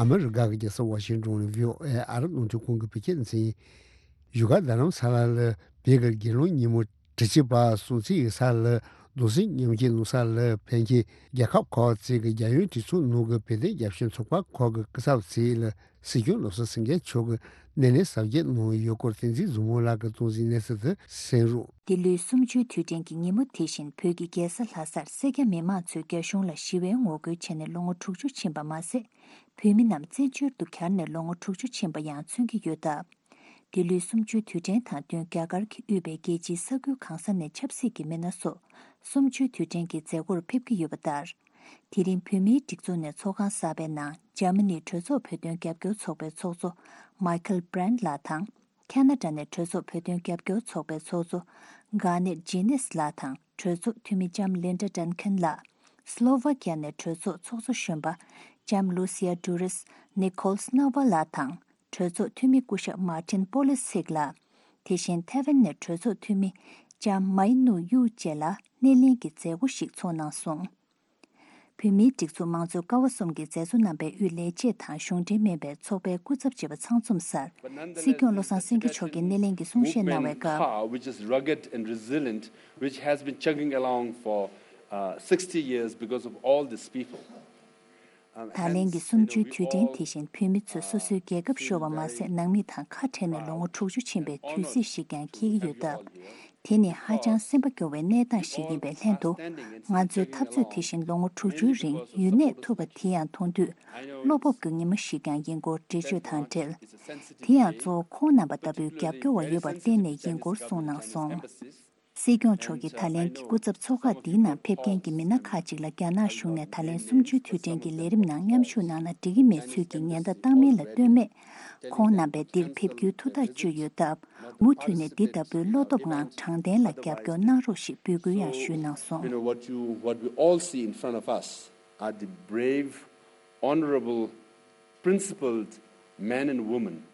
ཨ་མི་རི་ཀ་གི་རྒྱལ་ས་ཝ་ཤིང་ཏོན་ནས་བྷི་ཨོ་ཨེ་ཨ་རི་རླུང་འཕྲིན་ཁང་གི་བོད་སྐད་སྡེ་ཚན་ཡིན། བཞུགས་སྒར་རྡ་རམ་ས་ལ་ལ་བོད་ཀྱི་རྒྱལ་གླུ་ཉིན་མོ་དྲུག་ཅུ་པ་སྲུང་བརྩི་ཡི་ས་ལ་གདུང་སེམས་མཉམ་སྐྱེད་གནང་ས་ལ་ཕན་ཆད་རྒྱལ་ཁབ་ཁག་ཅིག་གི་རྒྱལ་ཡོངས་གྲོས་ཚོགས་ནང་གི་བོད་དོན་རྒྱབ་སྐྱོར་ཚོགས་པ་ཁག་གི་སྐུ་ཚབ་ཚོས་ལ་སྲིད་སྐྱོང་བློ་བཟང་སེང་གེ་མཆོག་གིས་སྣེ་ལེན་གཟབ་རྒྱས་གནང་ཡོད་སྐོར་བསྟན་འཛིན་བཟང་མོ་ལགས་ཀྱིས་གཏོང་གཟིགས་གནས་ཚུལ་དུ་གསན་རོགས། འདི་ལོའི་གསུམ་བཅུའི་དུས་དྲན་གྱི་ཉིན་མོ་དེ་བཞིན་བོད་ཀྱི་རྒྱལ་ས་ལྷ་སར་སེར་སྐྱ་མི་མང་ཚོས་རྒྱ་གཞུང་ལ་ཞི་བའི་ངོ་རྒོལ་བྱས་ནས་ལོ་ངོ་དྲུག་ཅུ་ཕྱིན་པ་མ་ཟད། བོད་མི་རྣམས་བཙན་བྱོལ་དུ་གྱར་ནས་ལོ་ངོ་དྲུག་ཅུ་ཕྱིན་པ་ཡང་མཚོན་གྱི་ཡོད་སྟབས། འདི་ལོའི་གསུམ་བཅུའི་དུས་དྲན་དང་བསྟུན་རྒྱ་གར་གྱིས་དབུས་པའི་རྒྱལ་སྤྱིའི་ས་ཁུལ་གང་ས་ནས་ཆབ་སྲིད་ཀྱི་མི་སྣ་སོགས་གསུམ་བཅུའི་དུས་དྲན་གྱི་མཛད་སྒོར་ཕེབས་ཀྱི་ཡོད་པ་ལྟར། དེ་རིང་བོད་མིའི་སྒྲིག་འཛུགས་ནས་ཚོགས་ཁང་གསར་པའི་ནང་འཇར་མ་ནིའི་གྲོས་ཚོགས་བོད་དོན་རྒྱབ་སྐྱོར་ཚོགས་པའི་ཚོགས་གཙོ་མཱི་ཁལ་བྷི་རན་ལགས་དང་། ཁ་ན་ཌ་ནས་གྲོས་ཚོགས་བོད་དོན་རྒྱབ་སྐྱོར་ཚོགས་པའི་ཚོགས་གཙོ་གྷ་ནེད་ཇི་ནེས་ལགས་དང་། གྲོས་ཚོགས་འཐུས་མི་ལྕམ་ལིན་ཌ་ཌན་ཁན་ལགས། སི་ལོ་ཝ་ཀི་ཡ་ནས་གྲོས་ཚོགས་ཚོགས་གཙོ་གཞོན་པ་ལྕམ་ལུ་སི་ཡ་ཌུ་རིས་ནི་ཁོལ་སི་ནོ་ཝ་ལགས་དང་། གྲོས་ཚོགས་འཐུས་མི་སྐུ་ཞབས་མཱ་ཏིན་པོ་ལི་སིག་ལགས། དེ་བཞིན་ཐེ་ཝན་ནས་གྲོས་ཚོགས་འཐུས་མི་ལྕམ་མའི་ནུ་ཡུ་བཅས་ལ་སྣེ་ལེན་གྱི་མཛད་སྒོ་ཞིག་ཚོགས་གནང་སོང་། བོད་མིའི་སྒྲིག་འཛུགས་མང་གཙོའི་ཀ་བ་གསུམ་གྱི་མཛད་གཙོ་རྣམ་པའི་དབུས་ལས་བྱེད་དང་གཞུང་འབྲེལ་མིན་པའི་ཚོགས་པའི་སྐུ་ཚབ་བྱེད་པ་ཚང་འཛོམས་སར། སྲིད་སྐྱོང་བློ་བཟང་སེང་གེ་མཆོག་གིས་སྣེ་ལེན་གྱི་གསུང་བཤད་གནང་བའི་སྐབས། Movement Ka, which is rugged and resilient, which has been chugging along for uh, sixty years because of all these people. ད་ལན་གྱི་གསུམ་བཅུའི་དུས་དྲན་དེ་བཞིན་བོད་མི་ཚོས་སོ་སོའི་རྒྱལ་ཁབ་ཤོར་བ་མ་ཟད། ནང་མི་དང་ཁ་བྲལ་ནས་ལོ་ངོ་དྲུག་ཅུ་ཕྱིན་པའི་དུས་ཚིགས་ཤིག་ཀྱང་འཁེལ་གྱི་ཡོད་སྟབས། དེ་ནི་ཧ་ཅང་སེམས་པ་སྐྱོ་བའི་གནས་སྟངས་ཤིག་ཡིན་པའི་ལྷན་དུ། ང་ཚོའི་འཐབ་རྩོད་དེ་བཞིན་ལོ་ངོ་དྲུག་ཅུའི་རིང་ཡུན་གནས་ཐུབ་པ་དེ་ཡང་མཐོང་དུས་བློ་སྤོབས་ཀྱི་ཉི་མ་ཞིག་ཀྱང་ཡིན་སྐོར་འགྲེལ་བརྗོད་དང་འབྲེལ། དེ་ཡང་གཙོ་བོ་ཁོང་རྣམ་པ་ལྟ་བུའི་རྒྱབ་སྐྱོར་བ་ཡོད་པར་བརྟེན་ནས་ཡིན་སྐོར་གསུངས་གནང་སོང་། སྲིད་སྐྱོང་མཆོག་གིས་ད་ལན་གྱི་སྐུ་ཚབ་ཚོགས་ཁག་འདིའི་ནང་ཕེབས་མཁན་གྱི་མི་སྣ་ཁག་ཅིག་ལ་རྒྱ་ནག་གཞུང་ནས་ད་ལན་གསུམ་བཅུའི་དུས་དྲན་གྱི་ལས་རིམ་ནང་མཉམ་ཞུགས་གནང་ན་འགྲིག་གི་མེད་ཚུལ་གྱི་ཉེན་བརྡ་བཏང་མིན་ལ་ལྟོས་མེད། ཁོང་རྣམ་པས་འདིར་ཕེབས་རྒྱུའི་ཐུགས་ཐག་གཅོད་ཡོད་སྟབས། མུ་མཐུད་ནས་འདི་ལྟ་བུའི་བློ་སྟོབས་ངང་དྲང་བདེན་ལ་རྒྱབ་སྐྱོར་གནང་རོགས་ཞེས་འབོད་སྐུལ་ཡང་ཞུས་གནང་སོང་། You know, what you, what we all see in front of us are the brave, honorable, principled men and women.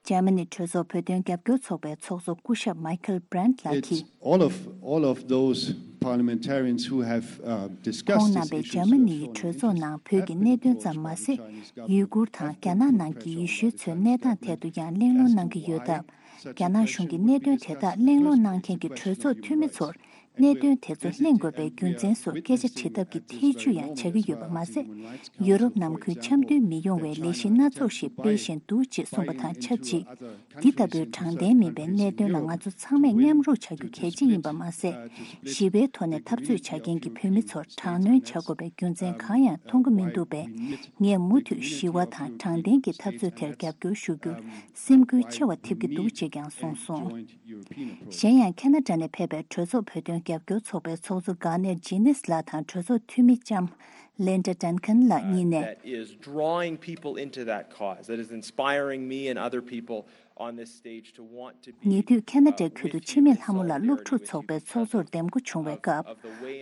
འཇར་མ་ནི་གྲོས་ཚོགས་བོད་དོན་རྒྱབ་སྐྱོར་ཚོགས་པའི་ཚོགས་གཙོ་སྐུ་ཞབས་མའི་ཁལ་བྷི་རན་ལགས་ཀྱིས། It's all of, all of those parliamentarians who have uh, discussed ཁོང་རྣམ་པས་འཇར་མ་ནི་ཡི་གྲོས་ཚོགས་ནང་བོད་ཀྱི་གནད་དོན་ཙམ་མ་ཟད། ཡུ་གུར་དང་རྒྱ་ནག་ནང་གི་ཡེ་ཤུའི་ཚོའི་གནས་སྟངས་ཐད་དུ་ཡང་གླེང་སློང་གནང་གི་ཡོད་སྟབས། རྒྱ་ནག་གཞུང་གིས་གནད་དོན་དེ་དག་གླེང་སློང་གནང་མཁན་གྱི་གྲོས་ཚོགས་འཐུས་མི་ཚོར། གནད་དོན་དེ་ཚོ་གླེང་དགོས་པའི་རྒྱུ་མཚན་སོགས་སྐད་ཆ་དྲི་ཐབས་ཀྱི་ཐེ་བྱུས་ཡང་བྱ་གི་ཡོད་པ་མ་ཟད། ཡུ་རོབ་ནང་ཁུལ་འཆམ་མཐུན་མི་ཡོང་བའི་ལས་གཞི་སྣ་ཚོགས་ཤིག་སྤེལ་བཞིན་འདུག་ཅེས་གསུངས་པ་དང་ཆབས་ཅིག་འདི་ལྟ་བུའི་དྲང་བདེན་མིན་པའི་གནད་དོན་ལ་ང་ཚོ་ཚང་མས་མཉམ་རུབ་བྱ་རྒྱུ་གལ་ཆེ་ཡིན་པ་མ་ཟད། ཞི་བའི་ཐོག་ནས་འཐབ་རྩོད་བྱ་མཁན་གྱི་བོད་མི་ཚོར་དྲག་གནོན་བྱ་དགོས་པའི་རྒྱུ་མཚན་གང་ཡང་མཐོང་གི་མི་འདུག་པས། ངས་མུ་མཐུད་ཞི་བ་དང་དྲང་བདེན་གྱི་འཐབ་རྩོད་དེར་རྒྱབ་སྐྱོར་ཞུ་རྒྱུར་སེམས་འགུལ་ཆེ་བ་ཐེབས་ཀྱི་འདུག་ཅེས་ཀྱང་གསུངས་སོང་། གཞན་ཡང་ཁ་ན་ཌ་ནས་ཕེབས་པའི་གྲོས་ཚོགས་བོད་དོན་རྒྱབ་སྐྱོར་ཚོགས་པའི་ཚོགས་གཙོ་གྷ་ནེར་ཇི་ནིས་ལགས་དང་གྲོས་ཚོགས་འཐུས་མི་ལྕམ་ལིན་ཌ་ཌན་ཁན་ལགས་གཉིས་ནས། That is drawing people into that cause, that is inspiring me and other people on this stage to want to be ཉེ་དུས་ཁ་ན་ཌའི་ཁུལ་དུ་འཆི་མེད་ལྷ་མོ་ལགས་སློབ་ཕྲུག་ཚོགས་པའི་ཚོགས་གཙོར་འདེམས་བསྐོ་བྱུང་བའི་སྐབས།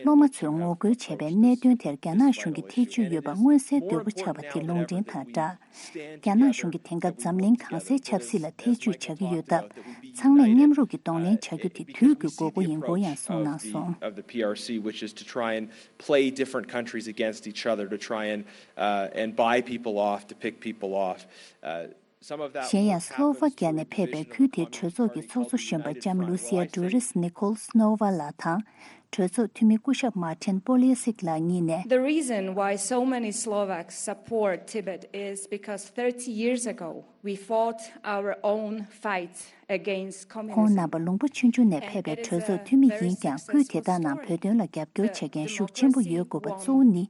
སློབ་མ་ཚོས་ངོ་རྒོལ་བྱས་པའི་གནད་དོན་དེར་རྒྱ་ནག་གཞུང་གི་ཐེ་བྱུས་ཡོད་པ་མངོན་གསལ་དོད་པོ་ཆགས་པ་དེ་ལུང་འདྲེན་དང་སྦྲགས། རྒྱ་ནག་གཞུང་གིས་དེང་སྐབས་འཛམ་གླིང་གང་སའི་ཆབ་སྲིད་ལ་ཐེ་བྱུས་བྱ་གི་ཡོད་སྟབས། ཚང་མས་མཉམ་རུབ་ཀྱིས་གདོང་ལེན་བྱ་རྒྱུ་དེ་དུས་ཀྱི་དགོས་མཁོ་ཡིན་སྐོར་ཡང་གསུངས་གནང་སོང་། Of the P R C, which is to try and play different countries against each other to try and uh, and buy people off, to pick people off. Uh, some of that གཞན་ཡང་སློ་ཝ་ཀི་ཡ་ནས་ཕེབས་པའི་ཁུལ་དེའི་གྲོས་ཚོགས་ཀྱི་ཚོགས་གཙོ་གཞོན་པ་ལྕམ་ལུ་སི་ཡ་ཌུ་རིས་ནི་ཁོལ་སྣོ་ཝ་ལགས་དང་། གྲོས་ཚོགས་འཐུས་མི་སྐུ་ཞབས་མཱ་ཏིན་པོ་ལི་སིག་ལགས་གཉིས་ནས། The reason why so many Slovaks support Tibet is because thirty years ago we fought our own fight against communism. ཁོང་རྣམ་པ་ལུང་པ་ཆུང་ཆུང་ནས་ཕེབས་པའི་གྲོས་ཚོགས་འཐུས་མི་ཡིན་ཀྱང་། ཁུལ་དེ་དག་ནང་བོད་དོན་ལ་རྒྱབ་སྐྱོར་བྱེད་མཁན་ཤུགས་ཆེན་པོ་ཡོད་དགོས་པ་གཙོ་བོ་ནི།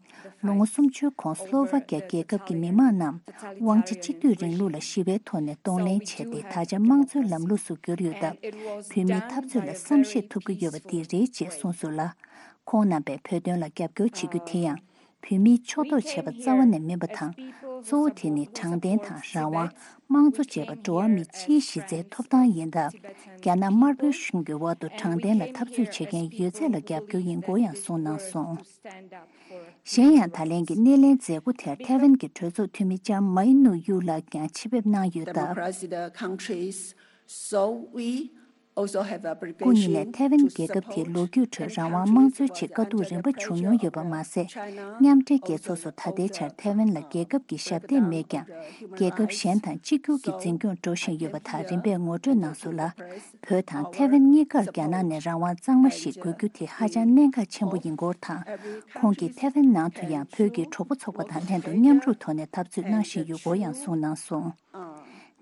ལོ་ངོ་སུམ་ཅུའི་གོང་སློ་ཝ་ཀི་ཡ་རྒྱལ་ཁབ་ཀྱི་མི་དམངས་རྣམས་དབང་ཆ་གཅིག་སྡུད་རིང་ལུགས་ལ་ཞི་བའི་ཐོག་ནས་གདོང་ལེན་བྱས་ཏེ། ད་ཆ་དམངས་གཙོའི་ལམ་ལུགས་སུ་གྱུར་ཡོད་སྟབས། བོད་མིའི་འཐབ་རྩོད་ལ་བསམ་ཤེས་ཐུབ་ཀྱི་ཡོད་པ་འདི་རེད་ཅེས་གསུངས་སོང་ལ། ཁོང་རྣམ་པས་བོད་དོན་ལ་རྒྱབ་སྐྱོར་བྱེད་རྒྱུ་དེ་ཡང་། བོད་མིའི་ཕྱོགས་གཏོགས་བྱས་པ་རྩ་བ་ནས་མིན་པ་དང་། གཙོ་བོ་དེ་ནི་དྲང་བདེན་དང་རང་དབང་། དམངས་གཙོ་བཅས་པ་འགྲོ་བ་མི་སྤྱིའི་གཞི་རྩའི་ཐོབ་ཐང་ཡིན་སྟབས། རྒྱ་ནག་དམར་པོའི་གཞུང་གི་འོག་ཏུ་དྲང་བདེན་ལ་འཐབ་རྩོད་བྱེད་མཁན་ཡོད་ཚད་ལ་རྒྱབ་སྐྱོར་ཡིན་སྐོར་ཡང་གསུངས་གནང་སོང་། གཞན་ཡང་། ད་ལན་གྱི་སྣེ་ལེན་མཛད་སྒོ་དེར་ཐེ་ཝན་གྱི་གྲོས་ཚོགས་འཐུས་མི་ལྕམ་མའི་ནུ་ཡུ་ལགས་ཀྱང་ཆེད་ཕེབས་གནང་ཡོད་སྟབས། Democracy the countries, so we also have the སྐུ་ཉིད་ནས་ཐེ་ཝན་རྒྱལ་ཁབ་དེའི་ལོ་རྒྱུས་ཁྲོད་རང་དབང་དམངས་གཙོའི་ཆེད་དཀའ་སྡུག་རིམ་པ་བྱུང་མྱོང་ཡོད་པ་མ་ཟད། མཉམ་འབྲེལ་རྒྱལ་ཚོགས་སུ་ད་ལྟའི་ཆར་ཐེ་ཝན་ལ་རྒྱལ་ཁབ་ཀྱི་ཞབས་འདེགས་མེད་ཀྱང་། རྒྱལ་ཁབ་གཞན་དང་གཅིག་གྱུར་གྱི་འཛིན་སྐྱོང་འགྲོ་བཞིན་ཡོད་པ་དག་རིམ་པས་ངོ་སྤྲོད་གནང་སོང་ལ། བོད་དང་ཐེ་ཝན་གཉིས་ཀར་རྒྱ་ནག་ནས་རང་དབང་གཙང་མ་ཞིག་དགོས་རྒྱུ་དེ་ཧ་ཅང་གནད་འགག་ཆེན་པོ་ཡིན་སྐོར་དང་། ཁོང་གིས་ཐེ་ཝན་ནང་དུ་ཡང་བོད་ཀྱི་གྲོགས་པོ་ཚོགས་པ་དང་ལྷན་དུ་མཉམ་རུབ་ཐོག་ནས་འཐབ་རྩོད་གནང་བཞིན་ཡོད་སྐོར་ཡང་གསུངས་གནང་སོང་།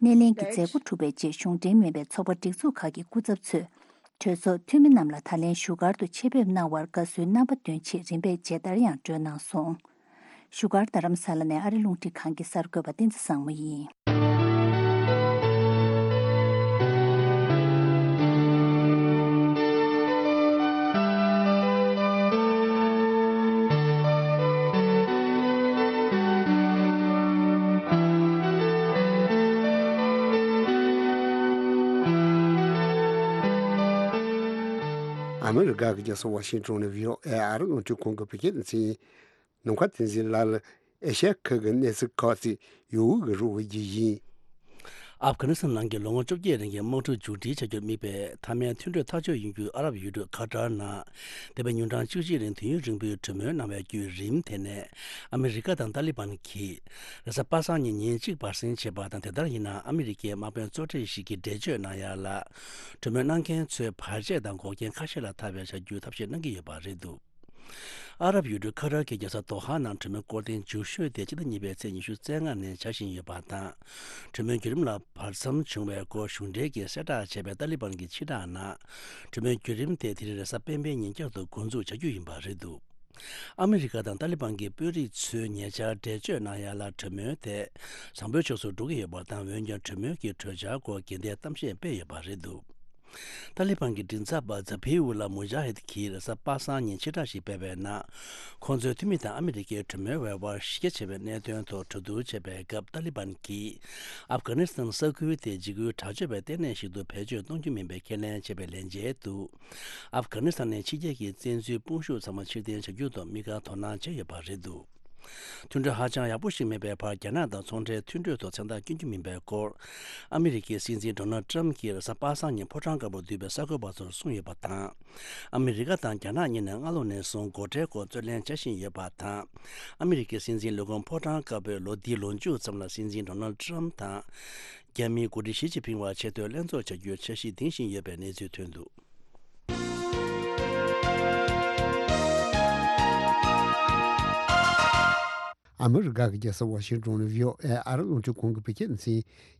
སྣེ་ལེན་གྱི་མཛད་སྒོ་གྲུབ་པའི་རྗེས། གཞུང་འབྲེལ་མིན་པའི་ཚོགས་པ་སྒྲིག་འཛུགས་ཁག་གི་སྐུ་ཚབ་ཚོས་གྲོས་ཚོགས་འཐུས་མི་རྣམས་ལ་ད་ལན་བཞུགས་སྒར་དུ་ཆེད་ཕེབས་གནང་བར་དགའ་བསུའི་རྣམ་པ་འདོན་ཆེད་རིམ་པས་མཇལ་དར་ཡང་སྒྲོན་གནང་སོང་། བཞུགས་སྒར་རྡ་རམ་ས་ལ་ནས་ཨ་རི་རླུང་འཕྲིན་ཁང་གི་གསར་འགོད་པ་བསྟན་འཛིན་བཟང་མོ་ཡིན། ཨ་མི་རི་ཀ་གི་རྒྱལ་ས་ཝ་ཤིང་ཊོན་ནས་བྷི་ཨོ་ཨེ་ཨ་རི་རླུང་འཕྲིན་ཁང་གི་བོད་སྐད་སྡེ་ཚན་ཡིན། ནམ་མཁའ་བསྟན་འཛིན་ལགས་ལ་ཨེ་ཤ་ཡ་ཁུལ་གྱི་གནས་ཚུལ་ཁག་ཅིག་ཡུལ་དབུས་ཀྱི་རོགས་པ་བརྒྱུད་ཡིན། ཨབ་གྷ་ནི་སི་ཐན་ནང་གི་ལོ་ངོ་བཅོ་བརྒྱད་རིང་གི་དམག་འཁྲུག་མཇུག་སྒྲིལ་བྱ་རྒྱུར་དམིགས་པའི་མཐའ་མའི་མཐུན་གྲོས་ཐག་གཅོད་ཡོང་རྒྱུའི་ཨ་རབ་ཡུལ་གྲུ་ཁ་ཏར་ནང་འདས་པའི་ཉིན་གྲངས་བཅུ་གཅིག་རིང་དུས་ཡུན་རིང་པོའི་གྲོས་མོལ་གནང་བའི་བརྒྱུད་རིམ་དེ་ནས་ཨ་མི་རི་ཀ་དང་ཏཱ་ལི་བན་གྱིས་རེས་གཟའ་པ་སངས་ཉིན་ཉིན་གཅིག་བར་གསེང་བྱས་པ་དང་། དེ་ལྟར་ཡིན་ན་ཨ་མི་རི་ཀའི་དམག་དཔོན་གཙོ་གྲས་ཤིག་གིས་འགྲེལ་བརྗོད་གནང་ཡ་ལ། གྲོས་མོལ་གནང་མཁན་ཚོས་བར་ཆད་དང་འགོག་རྐྱེན་ཁ་ཤས་ལ་ཐར་བའི་བྱ་རྒྱུའི་ཐབས་ཤེས་གནང་གི་ཡོད་པ་རེད་འདུག་ཨ་རབ་ཡུལ་གྲུ་ཁ་ཏར་གྱི་རྒྱལ་ས་དོ་ཧ་ནང་གྲོས་མོལ་སྐོར་ཐེངས་མཇུག་ཤོས་དེ་སྤྱི་ཟླ་གཉིས་པའི་ཚེས་ཉི་ཤུ་རྩ་ལྔ་ནས་བྱ་བཞིན་ཡོད་པ་དང་། གྲོས་མོལ་བརྒྱུད་རིམ་ལ་བར་མཚམས་བྱུང་བའི་སྐོར་གཞུང་འབྲེལ་གྱིས་གསལ་བསྒྲགས་བྱས་པའི་ཏཱ་ལི་བན་གྱི་ཕྱིར་བསྒྲགས་ནང་། གྲོས་མོལ་བརྒྱུད་རིམ་དེ་དེ་རིང་རེས་གཟའ་སྤེན་པའི་ཉིན་བསྐྱར་དུ་འགོ་འཛུགས་བྱ་རྒྱུ་ཡིན་པ་རེད་འདུག་ཨ་མི་རི་ཀ་དང་ཏཱ་ལི་བན་གྱི་དཔོན་རིགས་ཚོས་ཉེ་ཆར་འགྲེལ་བརྗོད་གནང་ཡ་ལ་གྲོས་མོལ་དེ་བཟང་པོའི་ཕྱོགས་སུ་འགྲོ་གི་ཡོད་པ་དང་། འོན་ཀྱང་གྲོས་མོལ་གྱི་གྲོས་འཆར་སྐོར་དགོས་འདུན་གཏམ་བཤད་སྤེལ་ཡོད་པ་རེད་འདུག་ཏཱ་ལི་བན་གྱི་མགྲིན་ཚབ་པ་ཛ་བྷི་ཨུ་ལ་མུ་ཇཱ་ཧིད་ཀྱིས་རེས་གཟའ་པ་སངས་ཉིན་ཕྱིར་བསྒྲགས་ཤིག་སྤེལ་བའི་ནང་། ཁོང་ཚོའི་འཐུས་མི་དང་ཨ་མི་རི་ཀའི་གྲོས་མོལ་བའི་དབར་གཞི་རྒྱ་ཆེ་བའི་གནད་དོན་ཐོག་གྲོས་བསྡུར་བྱེད་པའི་སྐབས། ཏཱ་ལི་བན་གྱིས་ཨབ་གྷ་ནི་སི་ཐན་ས་ཁུལ་དེ་འཇིགས་སྐུལ་དྲག་སྤྱོད་པའི་ལྟེ་གནས་ཤིག་ཏུ་བེད་སྤྱོད་གཏོང་རྒྱུ་མིན་པའི་ཁས་ལེན་བྱས་པའི་ལན་འཇལ་དུ། ཨབ་གྷ་ནི་སི་ཐན་ནས་ཕྱི་རྒྱལ་གྱི་བཙན་འཛུལ་དཔུང་ཤུགས་ཚང་མ་ཕྱིར་འཐེན་བྱ་རྒྱུ་ཐོག་དམིགས་བཀར་དོ་སྣང་བྱས་ཡོད་པ་རེད་འདུག་མཐུན་གྲོས་ཧ་ཅང་ཡག་པོ་ཞིག་མེད་པའི་བར། རྒྱ་ནག་དང་ཚོང་འབྲེལ་མཐུན་གྲོས་ཐོག་མཚན་རྟགས་བསྐྱོན་རྒྱུ་མིན་པའི་སྐོར། ཨ་མི་རི་ཀའི་སྲིད་འཛིན་ཌོ་ནལ་ཏྲམ་གྱིས་རེས་གཟའ་པ་སངས་ཉིན་ཕོ་བྲང་དཀར་པོར་འདུས་པའི་གསར་འགོད་པ་ཚོར་གསུངས་ཡོད་པ་དང་། ཨ་མི་རི་ཀ་དང་རྒྱ་ནག་གཉིས་ནས་སྔ་ལོ་ནས་བཟུང་སྒོ་ཁྲལ་སྐོར་རྩོད་ལེན་བྱ་བཞིན་ཡོད་པ་དང་། ཨ་མི་རི་ཀའི་སྲིད་འཛིན་ལས་ཁུངས་ཕོ་བྲང་དཀར་པོས་ལོ་འདིའི་ལོ་མཇུག་ཙམ་ལ་སྲིད་འཛིན་ཌོ་ནལ་ཏྲམ་དང་། རྒྱ་མིའི་འགོ་ཁྲིད་ཞི་ཅིན་ཕིང་བར་ཆེས་མཐོའི་ལྷན་ཚོགས་བྱ་རྒྱུའི་འཆར་གཞི་འདིང་བཞིན་ཡོད་པའི་གནས་ཚུལ་ཐོན་འདུག་ཨ་མི་རི་ཀ་གི་རྒྱལ་ས་ཝ་ཤིང་ཏོན་ནས་བྷི་ཨོ་ཨེ་ཨ་རི་རླུང་འཕྲིན་ཁང་གི་བོད་སྐད་སྡེ་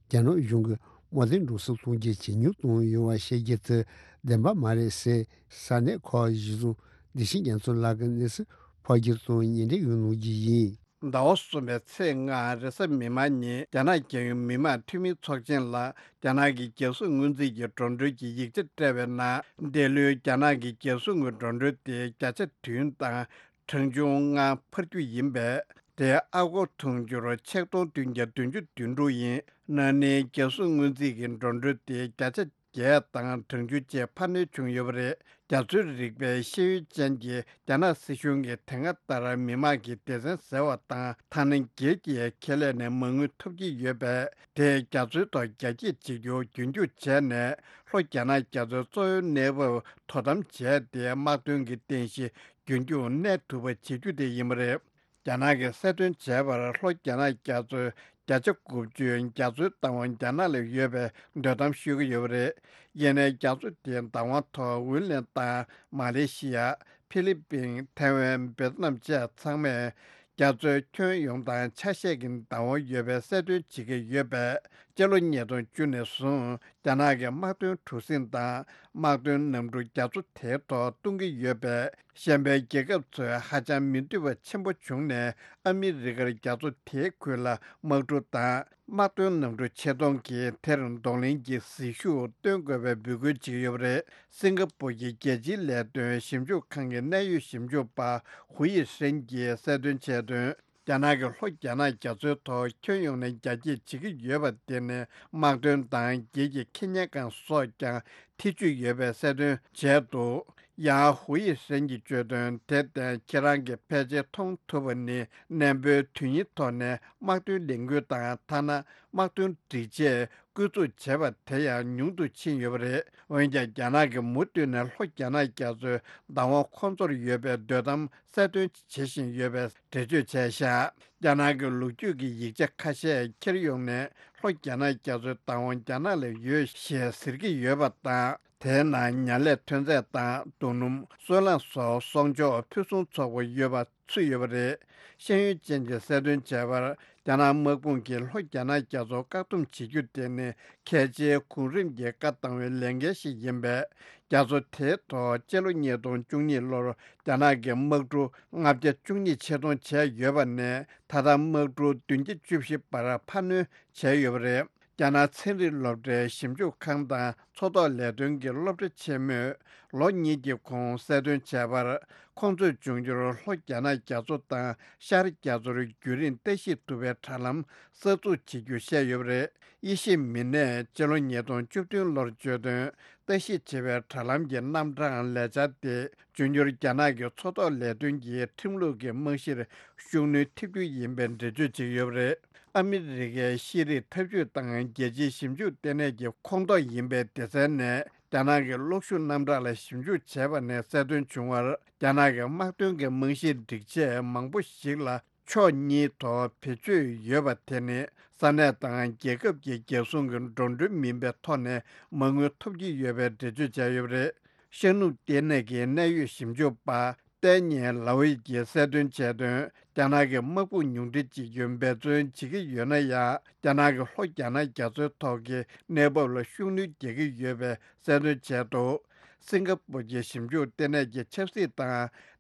ཚན། རྒྱ་ནག་གཞུང་གིས་དམག་དོན་འགྲོ་སོང་ཐོན་སྐྱེད་ཇེ་ཉུང་གཏོང་ཡོང་བ་བཤད་རྒྱུ་དེ་བདེན་པ་མ་རེད་ཟེར། ས་གནས་ཁག་གཞི་བཟུང་བདེ་ཆེན་རྒྱ་མཚོ་ལགས་ཀྱིས་གནས་ཚུལ་ཕབ་སྒྱུར་དང་ཉེ་འབྲེལ་ཡོད་གནང་རྒྱུ་ཡིན། ཟླ་བ་གསུམ་པའི་ཚེས་ལྔ་རེས་གཟའ་མིག་དམར་ཉིན། རྒྱ་ནག་རྒྱལ་ཡོངས་མི་དམངས་འཐུས་མིའི་ཚོགས་ཆེན་ལ་རྒྱ་ནག་གི་རྒྱལ་སྲུང་སྔོན་རྩིས་ཀྱི་འགྲོ་གྲོན་གྱི་ཡིག་ཆ་སྤྲད་པའི་ནང་། འདི་ལོའི་རྒྱ་ནག་གི་རྒྱལ་སྲུང་གི་འགྲོ་གྲོན་དེ་བརྒྱ་ཆ་བདུན་དང་གྲངས་ཆུང་ལྔ་འཕར་རྒྱུ་ཡིན་པས། དེ་ཨ་སྒོར་དུང་ཕྱུར་ཆིག་སྟོང་བདུན་བརྒྱ་བདུན་ཅུ་དོན་དྲུག་ཡིན། ན་ནིང་རྒྱལ་སྲུང་སྔོན་རྩིས་ཀྱི་འགྲོ་གྲོན་དེ་བརྒྱ་ཆ་བརྒྱད་དང་གྲངས་ཆུང་བཅས་འཕར་སྣོན་བྱུང་ཡོད་པ་རེད། རྒྱ་མཚོའི་རིག་པའི་ཤེས་ཡོན་ཅན་གྱི་རྒྱ་ནག་སྲིད་གཞུང་གིས་དེ་སྔ་ལྟར་མི་དམངས་ཀྱི་སྡེ་ཚན་ཟེར་བ་དང་ཐ་སྣེ་སྒེར་གྱི་ཁེ་ལས་ནས་མ་དངུལ་ཐོབ་ཀྱི་ཡོད་པས། དེས་རྒྱ་མཚོའི་ཐོག་རྒྱ་སྐྱེད་བྱེད་རྒྱུ་རྒྱུན་འཁྱོངས་བྱས་ནས། ལྷོ་རྒྱ་ནག་རྒྱ་མཚོའི་གཙོ་བོའི་གནས་བབ་དོ་དམ་བྱས་ཏེ། དམག་དོན་གྱི་རྟེན་གཞི་རྒྱུན་འཁྱོངས་གནས་ཐུབ་པ་བྱེད་རྒྱུ་དེ་ཡིན་པ་རེད། རྒྱ་ནག་གིས་གསལ་སྟོན་བྱས་པར། ལྷོ་རྒྱ་ནག་རྒྱ་མཚོའི་བརྒྱ་ཆ་དགུ་བཅུ་རྒྱ་མཚོའི་བདག་དབང་རྒྱ་ནག་ལ་ཡོད་པའི་འདོད་གཏམ་ཤོད་ཀྱི་ཡོད་པ་རེད། ཡིན་ནའི་རྒྱ་མཚོ་དེའི་བདག་དབང་ཐོག་ཝུན་ལན་དང་མ་ལེ་ཤི་ཡ། ཧྥི་ལི་པིན། ཐའེ་ཝན། ཝེ་ཏི་ནམ་བཅས་ཚང་མས་རྒྱ་མཚོའི་ཁྱོན་ཡོངས་དང་ཆ་ཤས་ཀྱི་བདག་དབང་ཡོད་པའི་གསལ་སྟོན་བྱེད་ཀྱི་ཡོད་པས། སྤྱི་ལོ་ཉིས་སྟོང་བཅུ་ནས་བཟུང་རྒྱ་ནག་གི་དམག་དོན་གྲུ་གཟིངས་དང་དམག་དོན་གནམ་གྲུ་རྒྱ་མཚོ་དེའི་ཐོག་གཏོང་གི་ཡོད་པས། གཞན་པའི་རྒྱལ་ཁབ་ཚོས་ཧ་ཅང་མི་འདོད་པ་ཆེན་པོ་བྱུང་ནས། ཨ་མི་རི་ཀར་རྒྱ་མཚོ་དེའི་ཁུལ་ལ་དམག་གྲུ་དང་དམག་དོན་གནམ་གྲུ་ཆེད་གཏོང་གིས་དེར་གདོང་ལེན་གྱི་ཟིལ་ཤུགས་སྟོན་དགོས་པའི་འབོད་སྐུལ་བྱེད་ཀྱི་ཡོད་པ་རེད། སིང་ག་པུར་གྱི་རྒྱལ་སྤྱིའི་ལས་དོན་ཞིབ་འཇུག་ཁང་གི་གནད་ཡོད་ཞིབ་འཇུག་པ་ཧུའུ་ཡི་ཧྲེན་གྱིས་གསལ་སྟོན་བྱས་དོན། རྒྱ་ནག་གིས་ལྷོ་རྒྱ་ནག་རྒྱ་མཚོའི་ཐོག་ཁྱོན་ཡོངས་ནས་རྒྱ་སྐྱེད་བྱེད་ཀྱི་ཡོད་པ་དེ་ནི་དམག་དོན་དང་སྒེར་གྱི་ཁེ་གཉེར་ཁང་སོགས་ཀྱང་ཐེ་ཇུས་ཡོད་པའི་གསལ་སྟོན་བྱས་འདུག་ཡང་ཧུའུ་ཡི་ཧྲེན་གྱིས་བརྗོད་དོན། དེར་བརྟེན་ཁྱེད་རང་གིས་ཕལ་ཆེར་མཐོང་ཐུབ་པ་ནི། གནས་སྤོའི་དོན་སྙིང་ཐོག་ནས་དམག་དོན་ལས་འགུལ་དང་། ཐ་ན་དམག་དོན་སྒྲིག་ཆས་བསྐུར་འཛུགས་བྱས་པ་དེ་ཡང་ཉུང་དུ་ཕྱིན་ཡོད་པ་རེད། འོན་ཀྱང་རྒྱ་ནག་གིས་མུ་མཐུད་ནས་ལྷོ་རྒྱ་ནག་རྒྱ་མཚོའི་བདག་དབང་ཁོང་ཚོར་ཡོད་པའི་འདོད་གཏམ་གསལ་སྟོན་བྱེད་བཞིན་ཡོད་པའི་འགྲེལ་བརྗོད་བྱས་བཞག་རྒྱ་ནག་གི་ལོ་རྒྱུས་ཀྱི་ཡིག་ཆ་ཁ་ཤས་འཁྱེར་ཡོང་ནས། ལྷོ་རྒྱ་ནག་རྒྱ་མཚོའི་བདག་དབང་རྒྱ་ནག་ལ་ཡོད་ཞེས་ཟེར་གྱི་ཡོད་པ་དང་། དེའི་ནང་ཉར་ལས་ཐོན་རྫས་དང་། རྡོ་སྣུམ། སོལ་རླངས་སོགས་གསོག་འཇོག་ཕུན་སུམ་ཚོགས་པ་ཡོད་པ་ཚུད་ཡོད་པ་རེད། ཤེས་ཡོན་ཅན་གྱིས་གསལ་སྟོན་བྱས་པར། རྒྱ་ནག་དམག་དཔུང་གིས་ལྷོ་རྒྱ་ནག་རྒྱ་མཚོ་བཀག་སྡོམ་བྱེད་རྒྱུ་དེ་ནི་གལ་ཆེའི་གོང་རིམ་གྱི་བཀའ་བཏང་བའི་ལས་འགན་ཞིག་ཡིན་པས། རྒྱ་མཚོ་དེའི་ཐོག་སྤྱི་ལོ་ཉིས་སྟོང་བཅུ་གཉིས་ལོར་རྒྱ་ནག་གིས་དམག་གྲུ་ལྔ་བརྒྱ་བཅུ་གཉིས་ཆེད་གཏོང་བྱས་ཡོད་པ་ནས། ད་ལྟ་དམག་གྲུ་བདུན་བརྒྱ་བཅུ་བཞི་བར་འཕར་སྣོན་བྱས་ཡོད་པ་རེད། རྒྱ་ནག་ཚན་རིག་སློབ་གྲྭའི་ཞིབ་འཇུག་ཁང་དང་མཚོ་ཐོག་ལས་དོན་གྱི་སློབ་གྲྭ་ཆེན་མོས། ལོ་གཉིས་ཀྱི་གོང་གསལ་སྟོན་བྱས་པར། ཁོང་ཚོས་འབྱུང་འགྱུར་ལྷོ་རྒྱ་ནག་རྒྱ་མཚོ་དང་ཤར་རྒྱ་མཚོར་རྒྱུན་རིང་ལྟ་ཞིབ་ཐུབ་པའི་དྲ་ལམ་གསར་འཛུགས་བྱེད་རྒྱུ་བཤད་ཡོད་པ་རེད། དབྱེ་ཞིབ་མི་སྣས་སྤྱི་ལོ་ཉིས་སྟོང་བཅུ་བདུན་ལོར་བརྗོད་དོན། ལྟ་ཞིབ་བྱེད་པའི་དྲ་ལམ་གྱི་རྣམ་གྲངས་ལས་འཆར་དེ། འབྱུང་འགྱུར་རྒྱ་ནག་གི་མཚོ་ཐོག་ལས་དོན་གྱི་ཁྲིམས་ལུགས་ཀྱི་རྨང་གཞིར་ཤུགས་སྣོན་ཐེབས་རྒྱུ་ཡིན་པའི་འགྲེལ་བརྗོད་བྱས་ཡོད་པ་རེད། ཨ་མི་རི་ཀའི་ཤེས་རིག་འཐབ་ཇུས་དང་རྒྱལ་སྤྱིའི་ཞིབ་འཇུག་ལྟེ་གནས་ཀྱི་ཁོངས་གཏོགས་ཡིན་པའི་སྡེ་ཚན་ནས། རྒྱ་ནག་གི་གློག་ཤུགས་རྣམ་གྲངས་ལ་ཞིབ་འཇུག་བྱས་པ་ནས་གསལ་སྟོན་བྱུང་བར། རྒྱ་ནག་གི་དམག་དོན་གྱི་རྨང་གཞིའི་སྒྲིག་ཆས་མང་པོ་ཞིག་ལ། ཕྱོགས་གཉིས་ཐོག་བེད་སྤྱོད་ཡོད་པ་དེ་ནི། ས་གནས་དང་རྒྱལ་ཁབ་ཀྱི་རྒྱལ་སྲུང་གི་འགྲོ་གྲོན་མིན་པའི་ཐོག་ནས་མ་དངུལ་ཐོབ་ཀྱི་ཡོད་པའི་འགྲེལ་བརྗོད་བྱས་ཡོད་པ་རེད། ཤར་ནུབ་ལྟེ་གནས་ཀྱི་གནད་ཡོད་ཞིབ་འཇུག་པ་ཏན་ཉེ་ལའོ་ཡི་གིས་གསལ་སྟོན་བྱས་དོན། རྒྱ་ནག་གི་དམག་དཔུང་ཉུང་འཕྲི་བྱེད་རྒྱུ་འབད་བརྩོན་བྱེད་ཀྱི་ཡོད་ན་ཡང་། རྒྱ་ནག་གི་ལྷོ་རྒྱ་ནག་རྒྱ་མཚོའི་ཐོག་གི་གནས་བབ་ལ་ཤུགས་སྣོན་རྒྱག་གི་ཡོད་པའི་གསལ་སྟོན་བྱས་འདུག་སིང་ག་པུར་གྱི་ཞིབ་འཇུག་ལྟེ་གནས་ཀྱི་ཆབ་སྲིད་དང་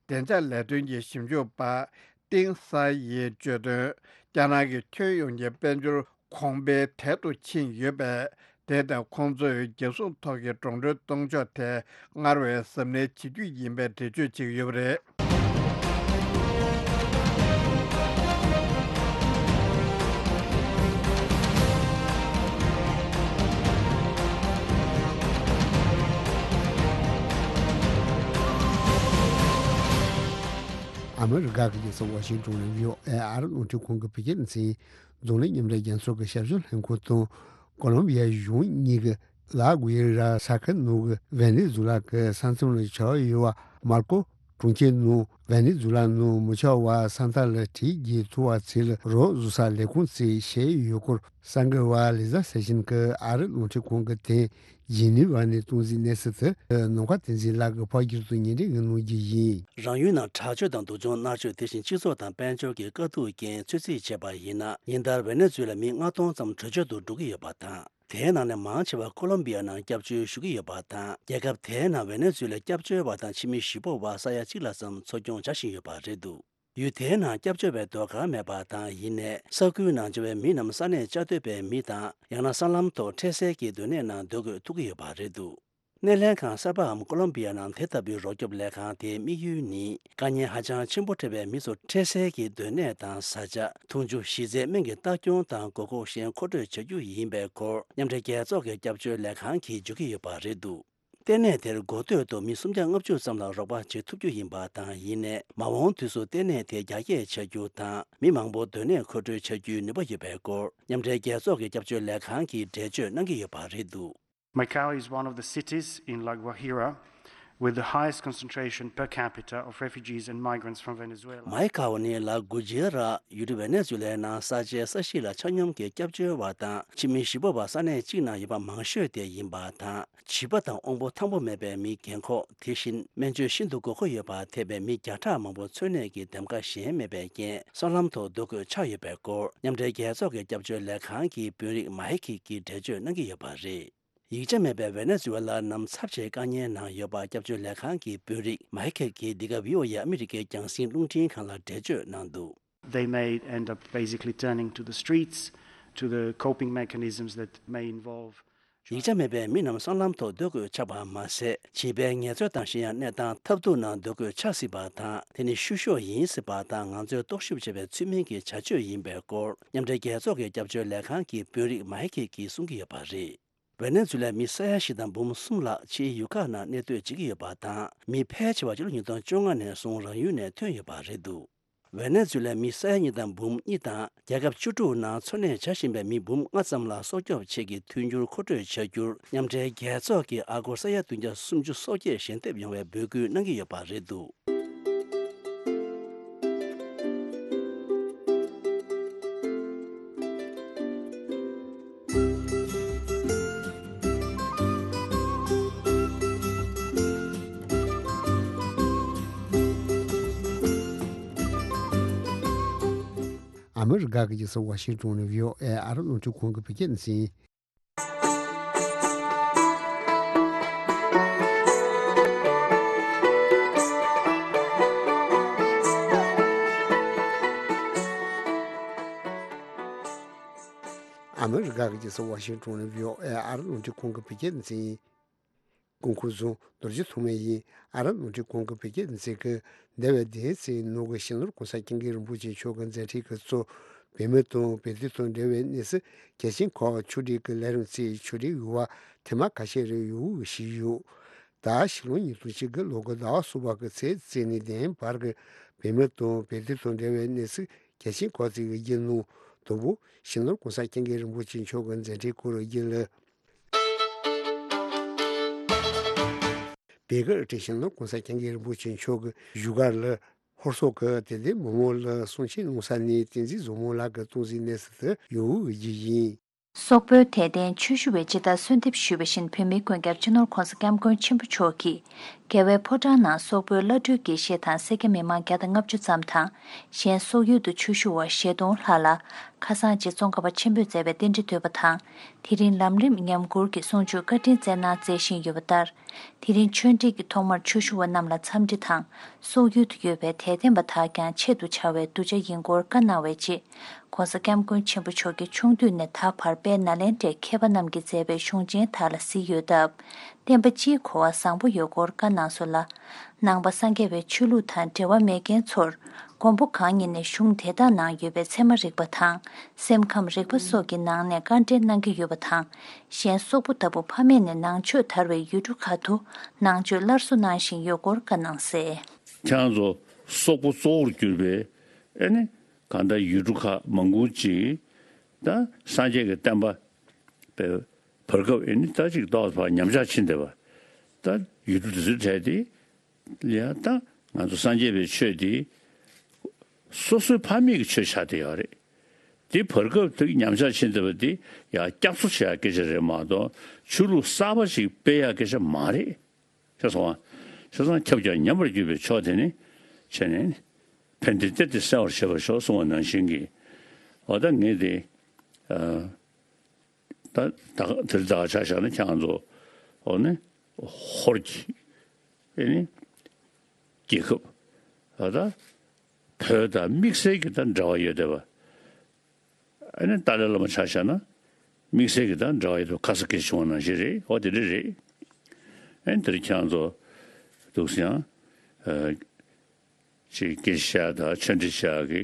བདེ་འཇགས་ལས་དོན་གྱི་ཞིབ་འཇུག་པ། ཏིང་ས་ཡིས་བརྗོད་དོན། རྒྱ་ནག་གི་ཁྱོན་ཡོངས་ཀྱི་དཔལ་འབྱོར་གོང་འཕེལ་དལ་དུ་ཕྱིན་ཡོད་པས། དེ་དང་ཁོང་ཚོས་རྒྱལ་སྲུང་ཐོག་གི་འགྲོ་གྲོན་གཏོང་ཕྱོགས་ཐད་སྔར་བས་གཟབ་ནན་བྱེད་རྒྱུ་ཡིན་པའི་འགྲེལ་བརྗོད་བྱས་ཡོད་པ་རེད། ཨ་མི་རི་ཀ་གི་རྒྱལ་ས་ཝ་ཤིང་ཏོན་ནས་བྷི་ཨོ་ཨེ་ཨ་རི་རླུང་འཕྲིན་ཁང་གི་བོད་སྐད་སྡེ་ཚན། འཛམ་གླིང་མཉམ་འབྲེལ་རྒྱལ་ཚོགས་ཀྱི་ཞབས་ཞུ་ལྷན་ཁང་དང་། ཀོ་ལོམ་བི་ཡའི་གཞུང་གཉིས་ཀྱི་ལ་གུ་ཡེ་ར་ས་ཁུལ་ནང་གི་ཝེ་ནེ་ཛུ་ལ་གི་ས་མཚམས་ལ་བྱ་བ་ཡོད་པ་མར་ཀོ་གྲོང་ཁྱེར་ནང་ཝེ་ནེ་ཛུ་ལ་ནང་མི་ཆོག་པ་ས་མཐའ་ལ་གྲི་རྒྱག་ཐུབ་པ་ཚོ་ལ་རོགས་བཟོ་ས་ལས་ཁུངས་ཚོས་བཤད་ཡོད་སྐོར། གསར་འགོད་པ་ལི་ཟ་སེ་ཤིན་གྱིས་ཨ་རི་རླུང་འཕྲིན་ཁང་གི་དེ། ཇི་ནི་ཝ་ནས་སྟོང་ཟིག་གནས་ཚུལ་དེ་ནམ་མཁའ་བསྟན་འཛིན་ལགས་ཀྱིས་ཕབ་བསྒྱུར་དུ་ཉན་འདོད་ངས་གནང་རྒྱུ་ཡིན། རང་ཡུལ་ནང་དྲག་སྤྱོད་དང་སྡུག་སྦྱོང་མནར་གཅོད། དེ་བཞིན་སྤྱི་ཚོགས་དང་དཔལ་འབྱོར་གྱི་དཀའ་སྡུག་རྐྱེན་ཚོད་རྩིས་བྱས་པ་ཡིན་ན། ཉིན་ལྟར་ཝེ་ནེ་ཛུ་ལ་མི་ལྔ་སྟོང་ཙམ་བྲོས་བྱོལ་དུ་འགྲོ་གི་ཡོད་པ་དང་། དེའི་ནང་ནས་མང་ཆེ་བ་ཀོ་ལོམ་བི་ཡ་ནང་སྐྱབས་བཅོལ་ཞུ་གི་ཡོད་པ་དང་། རྒྱལ་ཁབ་དེའི་ནང་ཝེ་ནེ་ཛུ་ལའི་སྐྱབས་བཅོལ་བ་དང་ཕྱི་མི་གཞིས་སྤོ་བ་ས་ཡ་གཅིག་ལྷག་ཙམ་འཚོ་སྐྱོང་བྱ་བཞིན་ཡོད་པ་རེད་འདུག་ཡུལ་དེའི་ནང་སྐྱབས་བཅོལ་བའི་ཟློས་གར་མེད་པ་དང་། ཡིན་ནའི་ས་ཁུལ་ནང་འབྱོར་བའི་མི་རྣམས་ས་གནས་བཅའ་སྡོད་པའི་མི་དང་། ཡང་ན་སྲང་ལམ་ཐོག་འཕྲལ་སེལ་གྱི་སྡོད་གནས་ནང་སྡོད་དགོས་ཐུག་གི་ཡོད་པ་རེད་འདུག་གནས་ལྷན་ཁང་གསར་པའམ་ཀོ་ལོམ་བི་ཡ་ནང་དེ་ལྟ་བུའི་རོགས་སྐྱོབ་ལས་ཁང་དེའི་དམིགས་ཡུལ་ནི། དཀའ་ངལ་ཧ་ཅང་ཆེན་པོ་འཕྲད་པའི་མི་ཚོར་འཕྲལ་སེལ་གྱི་སྡོད་གནས་དང་། བཟའ་བཅའ། འཐུང་ཆུ། གཞི་རྩའི་སྨན་གྱི་ལྟ་སྐྱོང་དང་། དགོས་མཁོ་གཞན་མཁོ་སྤྲོད་བྱ་རྒྱུ་ཡིན་པའི་སྐོར། མཉམ་འབྲེལ་རྒྱལ་ཚོགས་ཀྱི་སྐྱབས་བཅོལ་ལས་ཁང་གིས་བརྗོད་ཀྱི་ཡོད་པ་རེད་འདུག་ལྟེ་གནས་དེར་འགོ་སྟོད་དུ་མི་སུམ་བརྒྱ་ལྔ་བཅུ་ཙམ་ལ་རོགས་པ་བྱེད་ཐུབ་རྒྱུ་ཡིན་པ་དང་། ཡིན་ནའི་མ་འོངས་དུས་སུ་ལྟེ་གནས་དེ་རྒྱ་སྐྱེད་བྱ་རྒྱུ་དང་། མི་མང་པོ་སྡོད་གནས་མཁོ་སྤྲོད་བྱ་རྒྱུའི་ནུས་པ་ཡོད་པའི་སྐོར། མཉམ་འབྲེལ་རྒྱལ་ཚོགས་ཀྱི་སྐྱབས་བཅོལ་ལས་ཁང་གིས་འགྲེལ་བརྗོད་གནང་གི་ཡོད་པ་རེད་འདུག Macau is one of the cities in La Guajira with the highest concentration per capita of refugees and migrants from Venezuela. མའི་ཁའོ་ནི་ལ་གུ་ཇེ་ར། ཡུལ་གྲུ་ཝེ་ནེ་ཛུ་ལའི་ནང་ས་ཆའི་ས་གཞི་ལ་ཆ་སྙོམས་ཀྱི་སྐྱབས་བཅོལ་བ་དང་། ཕྱི་མི་གཞིས་སྤོ་བ་ས་གནས་གཅིག་ནང་ཡོད་པ་མང་ཤོས་དེ་ཡིན་པ་དང་། བྱིས་པ་དང་དབང་པོ་ཐང་པོ་མེད་པའི་མི་རྒན་འཁོགས། དེ་བཞིན་སྨན་བཅོས་ཤིན་ཏུ་དགོས་མཁོ་ཡོད་པ་ཐེ་བའི་མི་བརྒྱ་ཕྲག་མང་པོ་འཚོ་གནས་ཀྱི་འདེམས་ཀ་གཞན་མེད་པའི་རྐྱེན། སྲང་ལམ་ཐོག་སྡོད་དགོས་ཆགས་ཡོད་པའི་སྐོར། མཉམ་འབྲེལ་རྒྱལ་ཚོགས་ཀྱི་སྐྱབས་བཅོལ་ལས་ཁང་གི་དཔོན་རིགས་མ་ཧེ་ཁིག་གིས་འགྲེལ་བརྗོད་གནང་གི་ཡོད་པ་རེད། ཡིག་ཆ་མེད་པའི་ཝེ་ནེ་ཛུ་ཝེ་ལ་རྣམས་ཚབས་ཆེའི་དཀའ་ངལ་ནང་ཡོད་པ་སྐྱབས་བཅོལ་ལས་ཁང་གི་དཔོན་རིགས་མ་ཧེ་ཁིག་གིས་འདི་ག་བྷི་ཨོ་ཨེ་ཨ་མི་རི་ཀའི་རྒྱང་སྲིང་རླུང་འཕྲིན་ཁང་ལ་འགྲེལ་བརྗོད་གནང་འདུག They may end up basically turning to the streets, to the coping mechanisms that may involve ཡིག་ཆ་མེད་པའི་མི་རྣམས་སྲང་ལམ་ཐོག་སྡོད་དགོས་ཆགས་པ་མ་ཟད། བྱིས་པའི་ངལ་རྩོལ་དང་གཞན་ཡང་གནས་སྟངས་ཐབས་སྡུག་ནང་སྡོད་དགོས་ཆགས་སྲིད་པ་དང་། དེ་ནི་བཤུ་གཞོག་ཡིན་སྲིད་པ་དང་། ང་ཚོས་རྟོག་ཞིབ་བྱས་པའི་ཚུལ་མིན་གྱི་བྱ་སྤྱོད་ཡིན་པའི་སྐོར། མཉམ་འབྲེལ་རྒྱལ་ཚོགས་ཀྱི་སྐྱབས་བཅོལ་ལས་ཁང་གི་དཔོན་རིགས་མ་ཧེ་ཁེ་གིས་གསུང་གི་ཡོད་པ་རེད། ཝེ་ནེ་ཛུ་ལའི་མི་ས་ཡ་བཞི་དང་འབུམ་གསུམ་ལྷག་ཕྱིའི་ཡུལ་ཁག་ནང་གནས་སྡོད་བྱེད་ཀྱི་ཡོད་པ་དང་། མི་ཕལ་ཆེ་བ་ཕྱི་ལོ་ཉིས་སྟོང་བཅོ་ལྔ་ནས་བཟུང་རང་ཡུལ་ནས་ཐོན་ཡོད་པ་རེད་འདུག་ཝེ་ནེ་ཛུ་ལའི་མི་ས་ཡ་གཉིས་དང་འབུམ་གཉིས་དང་། རྒྱལ་ཁབ་བཅུ་དྲུག་ནང་འཚོ་གནས་བྱ་བཞིན་པའི་མི་འབུམ་ལྔ་ཙམ་ལ་སྲོག་སྐྱོབ་ཆེད་ཀྱི་མཐུན་འགྱུར་མཁོ་སྤྲོད་བྱ་རྒྱུར། མཉམ་འབྲེལ་རྒྱལ་ཚོགས་ཀྱིས་ཨ་སྒོར་ས་ཡ་བདུན་བརྒྱ་སུམ་ཅུ་སོ་བརྒྱད་ཞལ་འདེབས་ཡོང་བའི་འབོད་སྐུལ་གནང་གི་ཡོད་པ་རེད་འདུག་ཨ་མི་རི་ཀ་གི་རྒྱལ་ས་ཝ་ཤིང་ཏོན་ནས་བྷི་ཨོ་ཨེ་ཨ་རི་རླུང་འཕྲིན་ཁང་གི་བོད་སྐད་སྡེ་ཚན། ཨ་མི་རི་ཀ་གི་རྒྱལ་ས་ཝ་ཤིང་ཏོན་ནས་བྷི་ཨོ་ཨེ་ཨ་རི་རླུང་འཕྲིན་ཁང་གི་བོད་སྐད་སྡེ་ཚན། སྐུ་འཁོར་བཟུང་རྡོ་རྗེ་ཐོགས་མེད་ཡིན། ཨ་ར་ནོར་འཁྲུལ་གོང་གི་བོད་རྒྱལ་མཛད་ཀྱི་འདས་པའི་བདུན་ཚེས་ནང་གི་སྤྱི་ནོར་གོང་ས་སྐྱབས་མགོན་རིན་པོ་ཆེ་མཆོག་གི་མཛད་འཕྲིན་གྱི་གཙོ། བོད་མི་དང་བོད་དོན་དང་འབྲེལ་བའི་གནས་ཚུལ་གལ་ཆེན་ཁག་ཕྱོགས་སྒྲིག་གི་ལས་རིམ་གཙོས་ཕྱོགས་སྒྲིག་ཡོད་པ་ཐེངས་མ་ཁ་ཤས་རེ་ཡོད་ཞུས་ཡོད། ད་ཕྱི་ལོ་ཉིས་སྟོང་གཅིག་གི་ལོ་འཁོར་ཟླ་བ་གསུམ་པ་གི་ཚེས་བཙུགས་ནས་བདུན་བར་གྱི་བོད་མི་དང་བོད་དོན་དང་འབྲེལ་བའི་གནས་ཚུལ་གལ་ཆེན་ཁག་ཅིག་གི་རྒྱུན་ནང་དང་པོ་སྤྱི་ནོར་གོང་ས་སྐྱབས་མགོན་རིན་པོ་ཆེ་མཆོག་གི་མཛད་འཕྲིན་སྐོར་རྒྱུན་ལ། བོད་ཀྱི་སྤྱི་ནོར་གོང་ས་སྐྱབས་མགོན་རིན་པོ་ཆེ་མཆོག་གི་བཞུགས་སྒར་ལ་ཧོར་སོག་གི་དད་ལྡན་མི་མང་ལ་གསུང་ཆོས་གནང་ས་ནས་བསྟན་འཛིན་བཟང་མོ་ལགས་ཀྱི་སྟོང་གཟིགས་གནས་ཚུལ་དུ་ཡོད་རྒྱུ་ཡིན། སོག་པོའི་དད་ལྡན་ཆོས་ཞུ་བས་ཇི་ལྟར་གསོལ་འདེབས་ཞུས་པ་བཞིན་བོད་མིའི་མགོན་སྐྱབས་སྤྱི་ནོར་གོང་ས་སྐྱབས་མགོན་ཆེན་པོ་མཆོག་གིས་རྒྱལ་བའི་ཕོ་བྲང་ནང་སོག་པོའི་བླ་སྤྲུལ་དགེ་བཤེས་དང་སེར་སྐྱ་མི་མང་བརྒྱ་དང་ལྔ་བཅུ་ཙམ་དང་། གཞན་སོག་ཡུལ་དུ་ཆོས་ཞུ་བ་བཞི་སྟོང་ལྷག་ལ་ཁ་སང་རྗེ་ཙོང་ཁ་པ་ཆེན་པོས་མཛད་པའི་རྟེན་འབྲེལ་བསྟོད་པ་དང་། དེ་རིང་ལམ་རིམ་ཉམས་མགུར་གྱི་གསུང་ཆོས་བཀའ་དྲིན་སྩལ་གནང་མཛད་བཞིན་ཡོད་པ་ལྟར། དེ་རིང་ཆོས་འབྲེལ་གྱི་ཐོག་མར་ཆོས་ཞུ་བ་རྣམས་ལ་འཚམས་འདྲི་དང་། སོག་ཡུལ་དུ་ཡོད་པའི་དད་ལྡན་པ་དག་ཀྱང་ཆེད་དུ་བཅར་བའི་གདུལ་བྱ་ཡིན་སྐོར་བཀའ་གནང་བའི་རྗེས། ྋགོང་ས་ྋསྐྱབས་མགོན་ཆེན་པོ་མཆོག་གིས་ཆུང་དུས་ནས་ད་བར་དཔལ་ནཱ་ལེནྡྲའི་མཁས་པ་རྣམས་ཀྱིས་མཛད་པའི་གཞུང་ཆེན་དག་ལ་གཟིགས་ཡོད་སྟབས། བསྟན་པ་སྤྱིའི་གོ་བ་བཟང་པོ་ཡོད་སྐོར་བཀའ་གནང་སོང་ལ། ནང་པ་སངས་རྒྱས་པའི་ཆོས་ལུགས་དང་འབྲེལ་བ་མེད་མཁན་ཚོར། མགོན་པོ་གང་ཉིད་ནས་གཞུང་དེ་དག་ནང་ཡོད་པའི་ཚད་མ་རིག་པ་དང་། སེམས་ཁམས་རིག་པ་སོགས་ཀྱི་ནང་ནས་བཀའ་འགྲེལ་གནང་གི་ཡོད་པ་དང་། གཞན་སོག་པོ་ལྟ་བུ་ཕ་མེས་ནས་ནང་ཆོས་དར་བའི་ཡུལ་གྲུ་ཁག་ཏུ་ནང་ཆོས་སླར་གསོ་གནང་བཞིན་ཡོད་སྐོར་བཀའ་གནང་གསལ། ཁྱེད་རང་ཚོ་སོག་པོ་གཙོ་བོར་གྱུར་པའི་ཨེ་ནི་གང་ལྟར་ཡུལ་གྲུ་ཁག་མང་པོ་ཅིག་ད་སངས་རྒྱས་ཀྱི་བསྟན་པ་བའི་བར་སྐབས་ཨེ་ནི་ད་ཅིག་ཏོག་ཙམ་ཉམས་ཆག་ཕྱིན་བསྡད་པ། ད་ཡུལ་གྲུ་དེ་ཚོའི་གྲས་དེ་ལ་ཡང་ད་ང་ཚོ་སངས་རྒྱས་པའི་ཆོས་དེ་སོ་སོའི་ཕ་མེས་ཀྱི་ཆོས་ཆགས་བསྡད་ཡོད་རེད། དེ་བར་སྐབས་དེ་ཉམས་ཆག་ཕྱིན་བསྡད་པ་དེ་ཡང་བསྐྱར་གསོ་བྱེད་ཡག་སྐད་ཆ་རེད་མ་གཏོགས་ཆོས་ལུགས་གསར་པ་ཞིག་སྤེལ་ཡག་སྐད་ཆ་མ་རེད། ཤེས་སོང་ང་། བྱས་ཙང་ཁྱབ་ཀྱང་ཉམས་པར་གྱུར་པའི་ཕྱོགས་དེ་ནི་བྱས་ནས་ཕན་བདེ་སྟེར་ཏེ་གསལ་བར་བྱེད་པར་ཤོག་གསུངས་པ་ནང་བཞིན་གྱི། འོ་ད་ངས་དེ་ད་ད་དེར་ད་ཆ་བཞག་ན་ཁྱེད་རང་ཚོ་འོ་ནི་ཧོར་གྱི་ཨེ་ནི་རྒྱལ་ཁབ་འོ་ད་བོད་དང་དམིགས་བསལ་གྱི་ད་འབྲེལ་བ་ཡོད་བསྡད་པ། ཨ་ནི་ཏཱ་ལའི་བླ་མ་ཆ་བཞག་ན་དམིགས་བསལ་གྱི་ད་འབྲེལ་བ་ཡོད་དུ་ཁ་ས་སྐད་བྱུང་བ་ནང་བཞིན་རེད། འོ་དེ་འདྲ་རེད། ཨ་ནི་དེར་ཁྱེད་རང་ཚོ་འདུག་སེ་ཡང་ཅིག་སྐད་ཆ་བཤད་དང་ཆོས་འབྲེལ་བྱ་གི་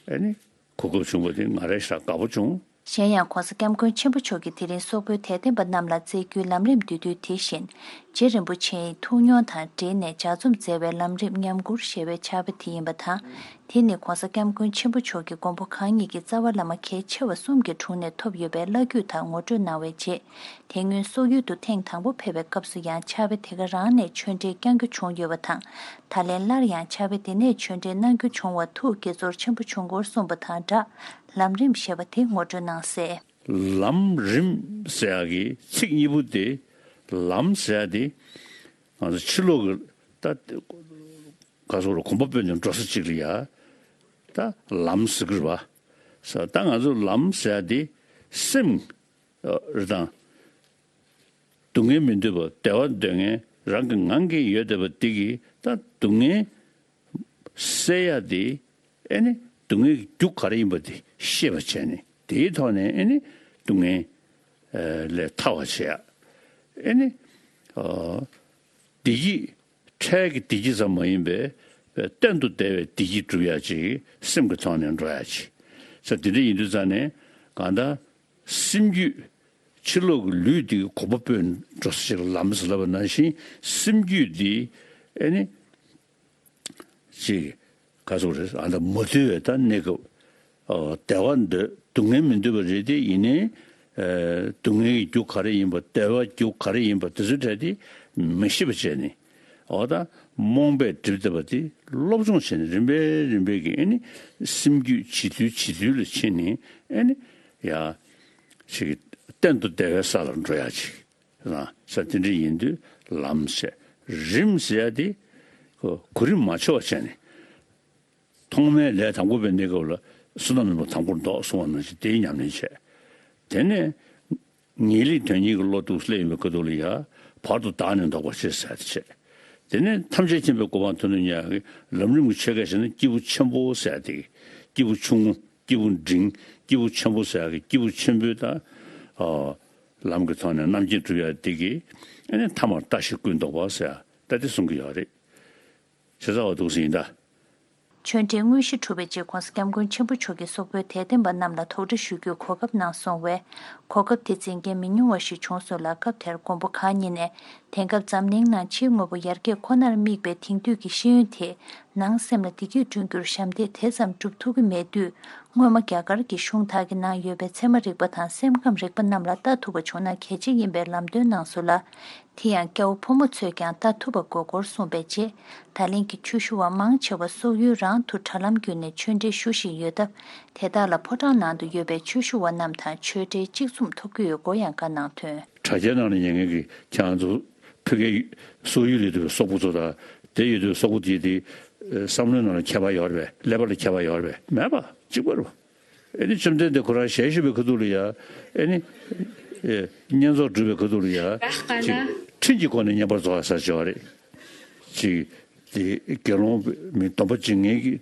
ཨ་ནི་གོ་སྐབས་བྱུང་བ་དེ་ང་རང་ཞེ་དྲག་དགའ་པོ་བྱུང་། གཞན་ཡང་ྋགོང་ས་ྋསྐྱབས་མགོན་ཆེན་པོ་མཆོག་གིས་དེ་རིང་སོག་པོའི་དད་ལྡན་པ་རྣམས་ལ་སྩལ་རྒྱུའི་ལམ་རིམ་བསྡུས་དུས་དེ་བཞིན་རྗེ་རིན་པོ་ཆེའི་ཐུགས་མྱོང་དང་འབྲེལ་ནས་ལྗགས་རྩོམ་མཛད་པའི་ལམ་རིམ་ཉམས་མགུར་ཞེས་པའི་ཕྱག་དཔེ་དེ་ཡིན་པ་དང་། དེ་ནི་ྋགོང་ས་ྋསྐྱབས་མགོན་ཆེན་པོ་མཆོག་གིས་མགོན་པོ་གང་ཉིད་ཀྱི་རྩ་བ་བླ་མ་གལ་ཆེ་བ་གསུམ་གྱི་དྲུང་ནས་ཐོབ་ཡོད་པའི་བླ་བརྒྱུད་དག་ངོ་སྤྲོད་གནང་བའི་རྗེས། དེ་སྔོན་སོག་ཡུལ་དུ་ཐེངས་དང་པོ་ཕེབས་པའི་སྐབས་སུ་ཡང་ཕྱག་དཔེ་དེ་ག་རང་ནས་ཆོས་འབྲེལ་བསྐྱང་རྒྱུ་བྱུང་ཡོད་པ་དང་། ད་ལན་སླར་ཡང་ཕྱག་དཔེ་དེ་ནས་ཆོས་འབྲེལ་གནང་རྒྱུ་བྱུང་བར་ཐུགས་དགྱེས་ཚོར་ཆེན་པོ་བྱུང་སྐོར་གསུངས་པ་དང་སྦྲགས། ལམ་རིམ་ཞེས་པ་དེ་ངོ་སྤྲོད་གནང་གསལ། ལམ་རིམ་ཟེར་ཡག་གི་ཚིག་གཉིས་པོ་དེ། ལམ་ཟེར་ཡག་དེ་ང་ཚོ་ཕྱི་ལོགས་ཀྱི་ད་ག་ཟེར་རོ། གོམ་པ་སྤོས་ནས་འགྲོ་ས་གཅིག་ལ་ཡ་ད་ལམ་ཟེར་གི་རེད་པ། ས་ད་ང་ཚོ་ལམ་ཟེར་ཡག་དེ་སེམས་རེད་དང་། སྡུག་བསྔལ་མི་འདོད་པ་བདེ་བ་འདོད་མཁན་རང་གི་ངང་གིས་ཡོད་བསྡད་པ་དེ་གིས་ད་སྡུག་བསྔལ་སེལ་ཡག་དེ། ཨེ་ནི་སྡུག་བསྔལ་གྱི་རྒྱུ་ག་རེ་ཡིན་པ་དེ་ཤེས་པ་བྱས་ནས་དེའི་ཐོག་ནས་ཨེ་ནི་སྡུག་བསྔལ་ལས་ཐར་བ་བྱེད་ཡག་ཨེ་ནི་བདེ་སྐྱིད་འཕྲལ་གྱི་བདེ་སྐྱིད་ཙམ་མ་ཡིན་པའི་གཏན་དུ་བདེ་བའི་བདེ་སྐྱིད་སྒྲུབ་ཡག་ཅིག་སེམས་ཀྱི་ཐོག་ནས་འགྲོ་ཡག་ཅིག་ས་དེ་འདྲ་ཡིན་དུས་ཙང་ནས་གང་ལྟར། སེམས་རྒྱུད། ཕྱི་ལོགས་ཀྱི་ལུས་འདི་གོམ་པ་སྤོས་འགྲོ་ས་ཞིག་ལ་ལམ་ཟེར་ལབ་པ་ནང་བཞིན་སེམས་རྒྱུད་འདི་ཨེ་ནི་ཅིག་ག་ཟེར་རེད། ཨ་ད་མ་ཐུལ་བའི་ད་གནས་སྐབས། ཨོ་བདེ་བ་འདོད་སྡུག་བསྔལ་མི་འདོད་པ་རེད་དེ་ཡིན་ནའི། ཨེ་སྡུག་བསྔལ་གྱི་རྒྱུ་ག་རེ་ཡིན་པ་བདེ་བའི་རྒྱུ་ག་རེ་ཡིན་པ་དེ་ཚོའི་གྲས་དེ་མི་ཤེས་པ་བྱས་ནས། ཨོ་ད་རྨོངས་པས་བསྒྲིབས་བསྡད་པ་དེ་སློབ་སྦྱོང་བྱས་ནས་རིམ་པས་རིམ་པས་ཀྱིས་ཨེ་ནི་སེམས་རྒྱུད་བྱེད་ཐུལ་བྱེད་ཐུལ་ལ་ཕྱིན་ནས་ཨེ་ནི། ཡ། ཅིག་གཏན་དུ་བདེ་བའི་ས་ལ་འགྲོ་ཡ་ཅིག་རང་ས་དེ་འདྲ་ཡིན་དུས་ལམ་ཟེར། རིམ་ཟེར་ཡ་དེ་གོ་གོ་རིམ་མ་འཆོལ་བ་བྱས་ནས། ཐོག་མའི་ལས་དང་པོ་པའི་གནས་སྐབས་ལ་བསོད་ནམས་ནོར་བུ་དང་པོར་འདོགས་གསུངས་པ་ནང་བཞིན་དེའི་ཉམས་ལེན་བྱས། དེ་ནས། ངེས་ལེགས་དོན་གཉིས་ཀྱི་བློ་འདུག་སླེབས་ཡོང་བའི་སྐབས་དུས་ལ་ཡ། བར་དུ་བདག་ནི་ལྡོག་པར་བྱེད་ཟེར་ཡ་དེ་བྱས། དེ་ནས་ཐམས་ཅད་མཁྱེན་པའི་གོ་འཕང་ཐོབ་ནས་ཉག་གི་ལམ་རིམ་གྱི་ཆོས་སྐད་བཤད་ན་སྐྱེས་བུ་ཆེན་པོ་ཟེར་ཡ་དེ། སྐྱེས་བུ་ཆུང་ངུ། སྐྱེས་བུ་འབྲིང་། སྐྱེས་བུ་ཆེན་པོ་ཟེར་ཡ་གི་སྐྱེས་བུ་ཆེན་པོའི་ད། ཨ། ལམ་གྱི་ཐོག་ནས་རྣམ་མཁྱེན་སྒྲུབ་ཡ་དེ་གི་ ཨ་ནི་ཐ་མར་ལྟ་ཞིག་ཀུན་རྟོག་པ་ཟེར་ཡ་ད་དེ་གསུང་གི་ཡོད་རེད། བྱས་ཙང་འོ་འདུག་སེ་ཡིན་ད། ཆོས་འབྲེལ་དངོས་གཞི་གྲུབ་པའི་རྗེས་༸གོང་ས་༸སྐྱབས་མགོན་ཆེན་པོ་མཆོག་གིས་སོག་པོའི་དད་ལྡན་པ་རྣམས་ལ་དོགས་འདྲི་ཞུ་རྒྱུའི་གོ་སྐབས་གནང་སོང་བས། གོ་སྐབས་དེ་འཛིན་མཁན་མི་ཉུང་བ་ཞིག་བྱུང་སོང་ལ། སྐབས་དེར་མགོན་པོ་གང་ཉིད་ནས་དེང་སྐབས་འཛམ་གླིང་ནང་ཕྱིའི་དངོས་པོ་ཡར་རྒྱས་ཁོ་ནར་དམིགས་པའི་དེང་དུས་ཀྱི་ཤེས་ཡོན་དེས་ནང་སེམས་ལ་བདེ་སྐྱིད་བསྐྲུན་རྒྱུར་ཞབས་འདེགས་དེ་ཙམ་སྒྲུབ་ཐུབ་ཀྱི་མེད་དུས། སྔོན་མ་རྒྱ་གར་གྱི་གཞུང་དག་གིས་གནང་ཡོད་པའི་ཚད་མ་རིག་པ་དང་སེམས་ཁམས་རིག་པ་རྣམས་ལ་ལྟ་ཐུབ་པ་བྱུང་ན་གལ་ཆེ་ཡིན་པའི་ལམ་སྟོན་གནང་སོང་ལ། དེ་ཡང་སྐྱ་བོ་ཕོ་མོ་ཚོས་ཀྱང་ལྟ་ཐུབ་པ་དགོས་སྐོར་གསུངས་པའི་རྗེས། ད་ལན་གྱི་ཆོས་ཞུ་བ་མང་ཆེ་བ་སོག་ཡུལ་རང་དུ་དྲ་ལམ་བརྒྱུད་ནས་ཆོས་འབྲེལ་ཞུ་བཞིན་ཡོད་སྟབས། དེ་དག་ལ་ཕོ་བྲང་ནང་དུ་ཡོད་པའི་ཆོས་ཞུ་བ་རྣམས་དང་ཆོས་འབྲེལ་གཅིག་མཚུངས་ཐོབ་ཀྱི་ཡོད་སྐོར་ཡང་བཀའ་གནང་དོན། དྲ་རྒྱའི་ནང་ལ་ཉན་མཁན་གྱི་ཁྱེད་རང་ཚོ་ཕ་གིའི་སོག་ཡུལ་ལ་ཡོད་པའི་སོག་པོ་ཚོ་དང་དེ་ཡོད་པའི་སོག་པོ་དེ་དེ་བསམ་བློའི་ནང་ལ་ཁྱད་པར་ཡོད་རེད་པས། ཀླད་པ་ལ་ཁྱད་པར་ཡོད་རེད་པས། མེད་པ་གཅིག་པ་རེད་པ། ཨེ་ནི་བཅོམ་ལྡན་འདས་ཁོ་རང་ཞལ་བཞུགས་པའི་ཁ་ཐུག་ལ་ཡ། ཨེ་ནི། ཨེ། བསྙེན་རྫོགས་སྒྲུབ་པའི་ཁ་ཐུག་ལ་ཡ། ཅིག་ཁྲིམས་ཀྱི་སྒོ་ནས་བསྙེན་པར་རྫོགས་ཡ་ཟེར་བྱས་པ་རེད། ཅིག་དེ་དགེ་སློང་མི་སྡོམ་པ་བྱེད་མཁན་གྱི་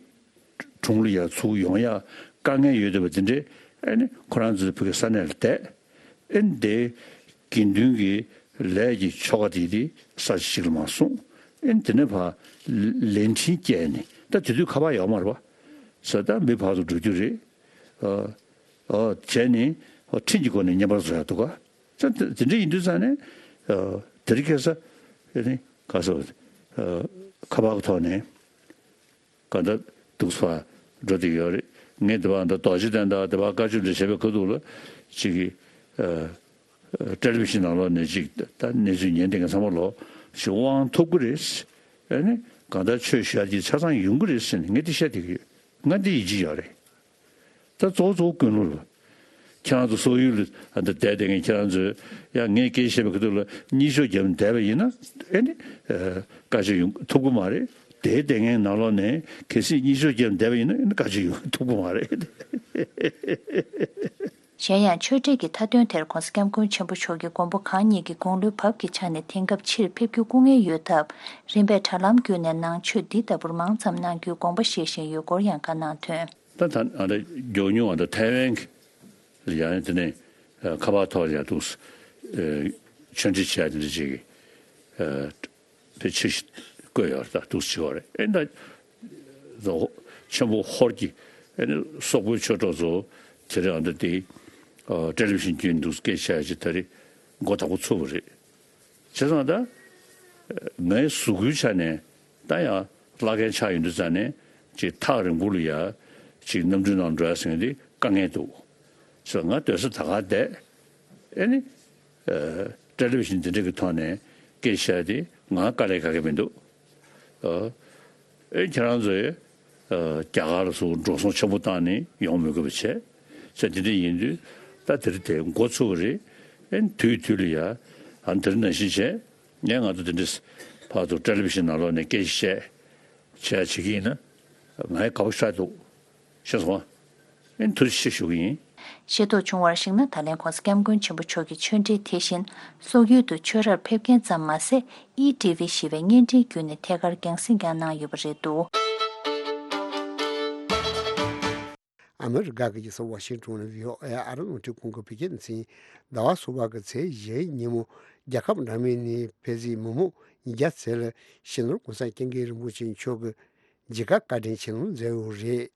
དྲུང་ལ་ཡ་ཚུར་ཡོང་ཡ་དཀའ་ངལ་ཡོད་བསྡད་པ་དེ་འདྲས། ཨེ་ནི་ཁོ་རང་ཚོའི་ཕ་གི་ས་གནས་ལ་བསྡད། ཨེ་ནི་དེ་དགེ་འདུན་གྱི་ལས་ཀྱི་ཆོ་ག་དེ་དེ་ས་ཆ་གཅིག་ལ་མར་གསུངས། ཨེ་ནི་དེ་ནས་ཕར་ལས་འཕྲིན་བསྐྱལ་ནས། ད་དེ་དུས་ཁ་པར་ཡོད་མ་རེད་པ། ས་ད་མི་ཕར་ཚུར་འགྲོ་རྒྱུ་རེད། ཨ། ཨ། བྱས་ནས་ཁྲིམས་ཀྱི་སྒོ་ནས་བསྙེན་པར་བཟོ་ཡག་འདུག་ག་ད་དེ་འདྲ་ཡིན་དུས་ཙང་ནས། ཨ། དེ་རིང་ཁ་སང་ཨེ་ནི་ག་ས། ཨ། ཁ་པར་གྱི་ཐོག་ནས་གང་ལྟར་འདུག་སེ་འགྲོ་བསྡད་ཡོད་རེད། ངས་དེ་བར་འདི་རྡོ་རྗེ་གདན་དང་དེ་བར་བཀའ་ཆོས་འདྲ་བྱས་པའི་ཁ་ཐུག་ལ་ཅིག་གིས། ཨ། ཨ། ཊེ་ལི་བི་ཤན་ནང་ལོགས་ནས་ཅིག་ད་གནས་ཚུལ་ཉན་བསྡད་མཁན་ཚང་མ་ལོག་ཅིག་དབང་ཐོབ་ཀྱི་རེད། ཨེ་ནི་གང་ལྟར་ཆོས་ཞུ་ཡག་ཅིག་ཆ་ཚང་ཡོང་གི་རེད་ཟེར་ནས་ངས་འདི་བཤད་བསྡད་ཀྱི་ཡོད། ང་འདི་ཡིད་ཆེས་ཡོད་རེད། ད་གཙོ་བོ་གཙོ་བོ་ཀུན་སློང་རེད། ཁྱེད་རང་ཚོ་སོག་ཡུལ་ལ་ཨ་འདི་བསྡད་བསྡད་མཁན་ཁྱེད་རང་ཚོས་ཡང་ངས་སྐད་ཆ་བཤད་པའི་ཁ་ཐུག་ལ་གཉིད་ཤོག་བརྒྱབ་བསྡད་པ་ཡིན་ན་ཨེ་ནི། ཨ། བཀའ་ཆོས་ཡོང་ཐུབ་ཀྱི་མ་རེད། དེ་བསྡད་མཁན་ནང་ལོགས་ནས་གལ་སྲིད་གཉིད་ཤོག་བརྒྱབ་བསྡད་པ་ཡིན་ན་ཨེ་ནི་བཀའ་ཆོས་ཡོང་ཐུབ་ཀྱི་མ་རེད། གཞན་ཡང་ཆོས་འབྲེལ་གྱི་མཐའ་དོན་དེར་༸གོང་ས་༸སྐྱབས་མགོན་ཆེན་པོ་མཆོག་གིས་མགོན་པོ་གང་ཉིད་ཀྱི་དགུང་ལོའི་བབས་ཀྱི་ཆ་ནས་དེང་སྐབས་ཕྱིར་ཕེབས་རྒྱུ་སྐུ་ངལ་ཡོད་སྟབས། རིམ་པས་དྲ་ལམ་བརྒྱུད་ནས་ནང་ཆོས་འདི་ལྟ་བུར་མང་ཙམ་གནང་རྒྱུའི་དགོངས་པ་བཞེས་བཞིན་ཡོད་སྐོར་ཡང་བཀའ་གནང་དོན། ད་ད་ཨ་ད་མགྱོགས་མྱུར་ཨ་ད་ཐའེ་ཝན་གྱི་ལ་ཡང་དེ་ནས་ཁ་པར་ཐོག་ལ་ཡང་འདུག་ཆོས་འབྲེལ་བྱས་དེ་འདྲ་ཅིག་གི། དེ་ཆེ་ཞིག་བཀོད་ཡོད་རེད། ད་འདུག་སེ་བྱས་པ་རེད། ཨེ་ད་ཆེན་པོ་ཧོར་གྱི་ཨེ་ནི་སོག་པོའི་ཆོས་གྲོགས་ཚོ་དེ་རིང་ཨ་ད་དེ་ཊེ་ལི་བི་ཤན་བརྒྱུད་འདུག་སྐད་ཆ་ཅིག་ད་རེས་མགོ་དག་པོ་ཚུགས་པ་རེད། བྱས་ཙང་ད་ངའི་གཟུགས་པོའི་ཆ་ནས་ད་ཡང་བླ་རྒན་ཆགས་ཡོང་དུས་ཙང་ནས་ཅིག་ཐག་རིང་པོ་ལ་ཡ་ཅིག་གནམ་གྲུའི་ནང་འགྲོ་ཡ་ཟེར་མཁན་དེ་དཀའ་ངལ་འདུག་བྱས་ཙང་ང་སྡོད་ས་ད་ག་བསྡད། ཨེ་ནི། ཨ། ཊེ་ལི་བི་ཤན་འདི་འདྲ་གི་ཐོག་ནས་སྐད་ཆ་དེ་ང་དཀའ་ལས་ཁག་གི་མི་འདུག་ཨ། ཨེ་ཁྱེད་རང་ཚོས། ཨ། རྒྱ་གར་ལ་སོགས་འགྲོ་སོང་ཆེན་པོ་བཏང་ནས་ཡོང་མི་དགོས་པ་བྱས། ཚེ་འདི་འདྲ་ཡིན་དུས་ད་དེ་རིང་དེ་འགོ་ཚུགས་པ་རེད། ཨེ་དུས་དུས་ལ་ཡ། ཨ་འདིར་ནང་བཞིན་བྱས། ངས་ང་ཚོ་དེ་འདྲ་ཕར་ཚུར་ཊེ་ལི་བི་ཤན་ནང་ལོགས་ནས་སྐད་ཆ་བཤད། བྱས་བྱེད་ཀྱི་ཡིན་ན་ང་ཡང་དགའ་པོ་ཞེ་དྲག་འདུག་ཤེས་སོང་ཨ། ཨེ་ཐུགས་རྗེ་ཆེ་ཞུ་གི་ཡིན། ཤེས་རྟོགས་བྱུང་བར་གཞིགས་ན། ད་ལན་༸གོང་ས་༸སྐྱབས་མགོན་ཆེན་པོ་མཆོག་གིས་ཆོས་འབྲེལ་དེ་བཞིན་སོག་ཡུལ་དུ་ཆོས་རར་ཕེབས་མཁན་ཙམ་མ་ཟད། ཨི་ཊི་ཝི་ཞེས་པའི་བརྙན་འཕྲིན་བརྒྱུད་ནས་ཐད་ཀར་རྒྱང་སྲིང་ཀྱང་གནང་ཡོད་པ་རེད་འདུག་ཨ་མི་རི་ཀ་གི་རྒྱལ་ས་ཝ་ཤིང་ཊོན་ནས་བྷི་ཨོ་ཨེ་ཨ་རི་རླུང་འཕྲིན་ཁང་གི་བོད་སྐད་སྡེ་ཚན། ཟླ་བ་གསུམ་པ་གི་ཚེས་བཞི་ཉིན་མོ་རྒྱལ་ཁབ་འདྲ་མིན་ནས་ཕེབས་བསུའི་མི་མང་ཉིས་བརྒྱ་ཙམ་ལ་སྤྱི་ནོར་༸གོང་ས་༸སྐྱབས་མགོན་རིན་པོ་ཆེ་མཆོག་གི་མཇལ་ཁ་བཀའ་དྲིན་ཆེ་ལུང་མཛད་ཡོད་རེད།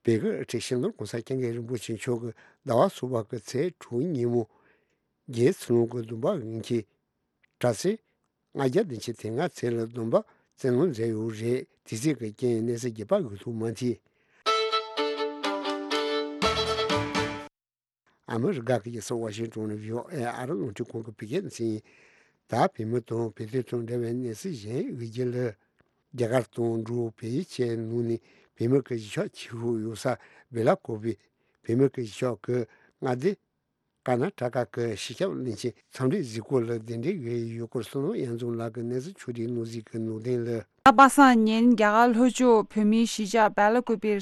བོད་ཀྱི་སྤྱི་ནོར་༸གོང་ས་༸སྐྱབས་མགོན་རིན་པོ་ཆེ་མཆོག་གིས་ཟླ་བ་གསུམ་པ་གི་ཚེས་དྲུག་ཉིན་མོ་རྒྱལ་བའི་ཚེ་ལུང་གི་སྡོམ་པ་འོས་འཁྱེར་གྲྭ་ཚན་ལྔ་བརྒྱ་བདུན་ཅུ་དོན་ལྔ་ཙམ་ལ་སྡོམ་པ་བསྩལ་གནང་མཛད་ཡོད་རེད། དེ་ཚོའི་རྐྱེན་གནས་ཚུལ་རྒྱས་པ་འོས་ཐུབ་མ་ཐལ། ཨ་མི་རི་ཀ་གི་རྒྱལ་ས་ཝ་ཤིང་ཊོན་ནས་བྷི་ཨོ་ཨེ་ཨ་རི་རླུང་འཕྲིན་ཁང་གི་བོད་སྐད་སྡེ་ཚན། ད་བོད་མི་དང་བོད་དོན་དང་འབྲེལ་བའི་གནས་ཚུལ་གཞན་འོས་བསྡུ་ལ། རྒྱ་གར་དང་འབྲུག་བལ་ཡུལ་བཅས་ནང་ནས་བོད་མི་གི་གཞིས་ཆགས་ཆེ་ཤོས་ཡོད་ས་བེ་ལ་ཀོ་པི། བོད་མི་གི་གཞིས་ཆགས་ཀྱི་མངའ་སྡེ་ཀར་ན་ཊ་ཀ་གི་སྤྱི་ཁྱབ་བློན་ཆེན་འཚམས་འདྲིའི་གཟིགས་སྐོར་ལ་གདན་འདྲེན་ཡོད་སྐོར་བསོད་ནམས་དབྱངས་འཛོམས་ལགས་ཀྱིས་གནས་ཚུལ་ཕྱོགས་སྒྲིག་གནང་གཟིགས་ཀྱི་ནང་དོན་ལ། ད་པ་སངས་ཉིན་རྒྱ་གར་ལྷོ་ཕྱོགས་བོད་མིའི་གཞིས་ཆགས་སྦེ་ལ་ཀུ་པིར།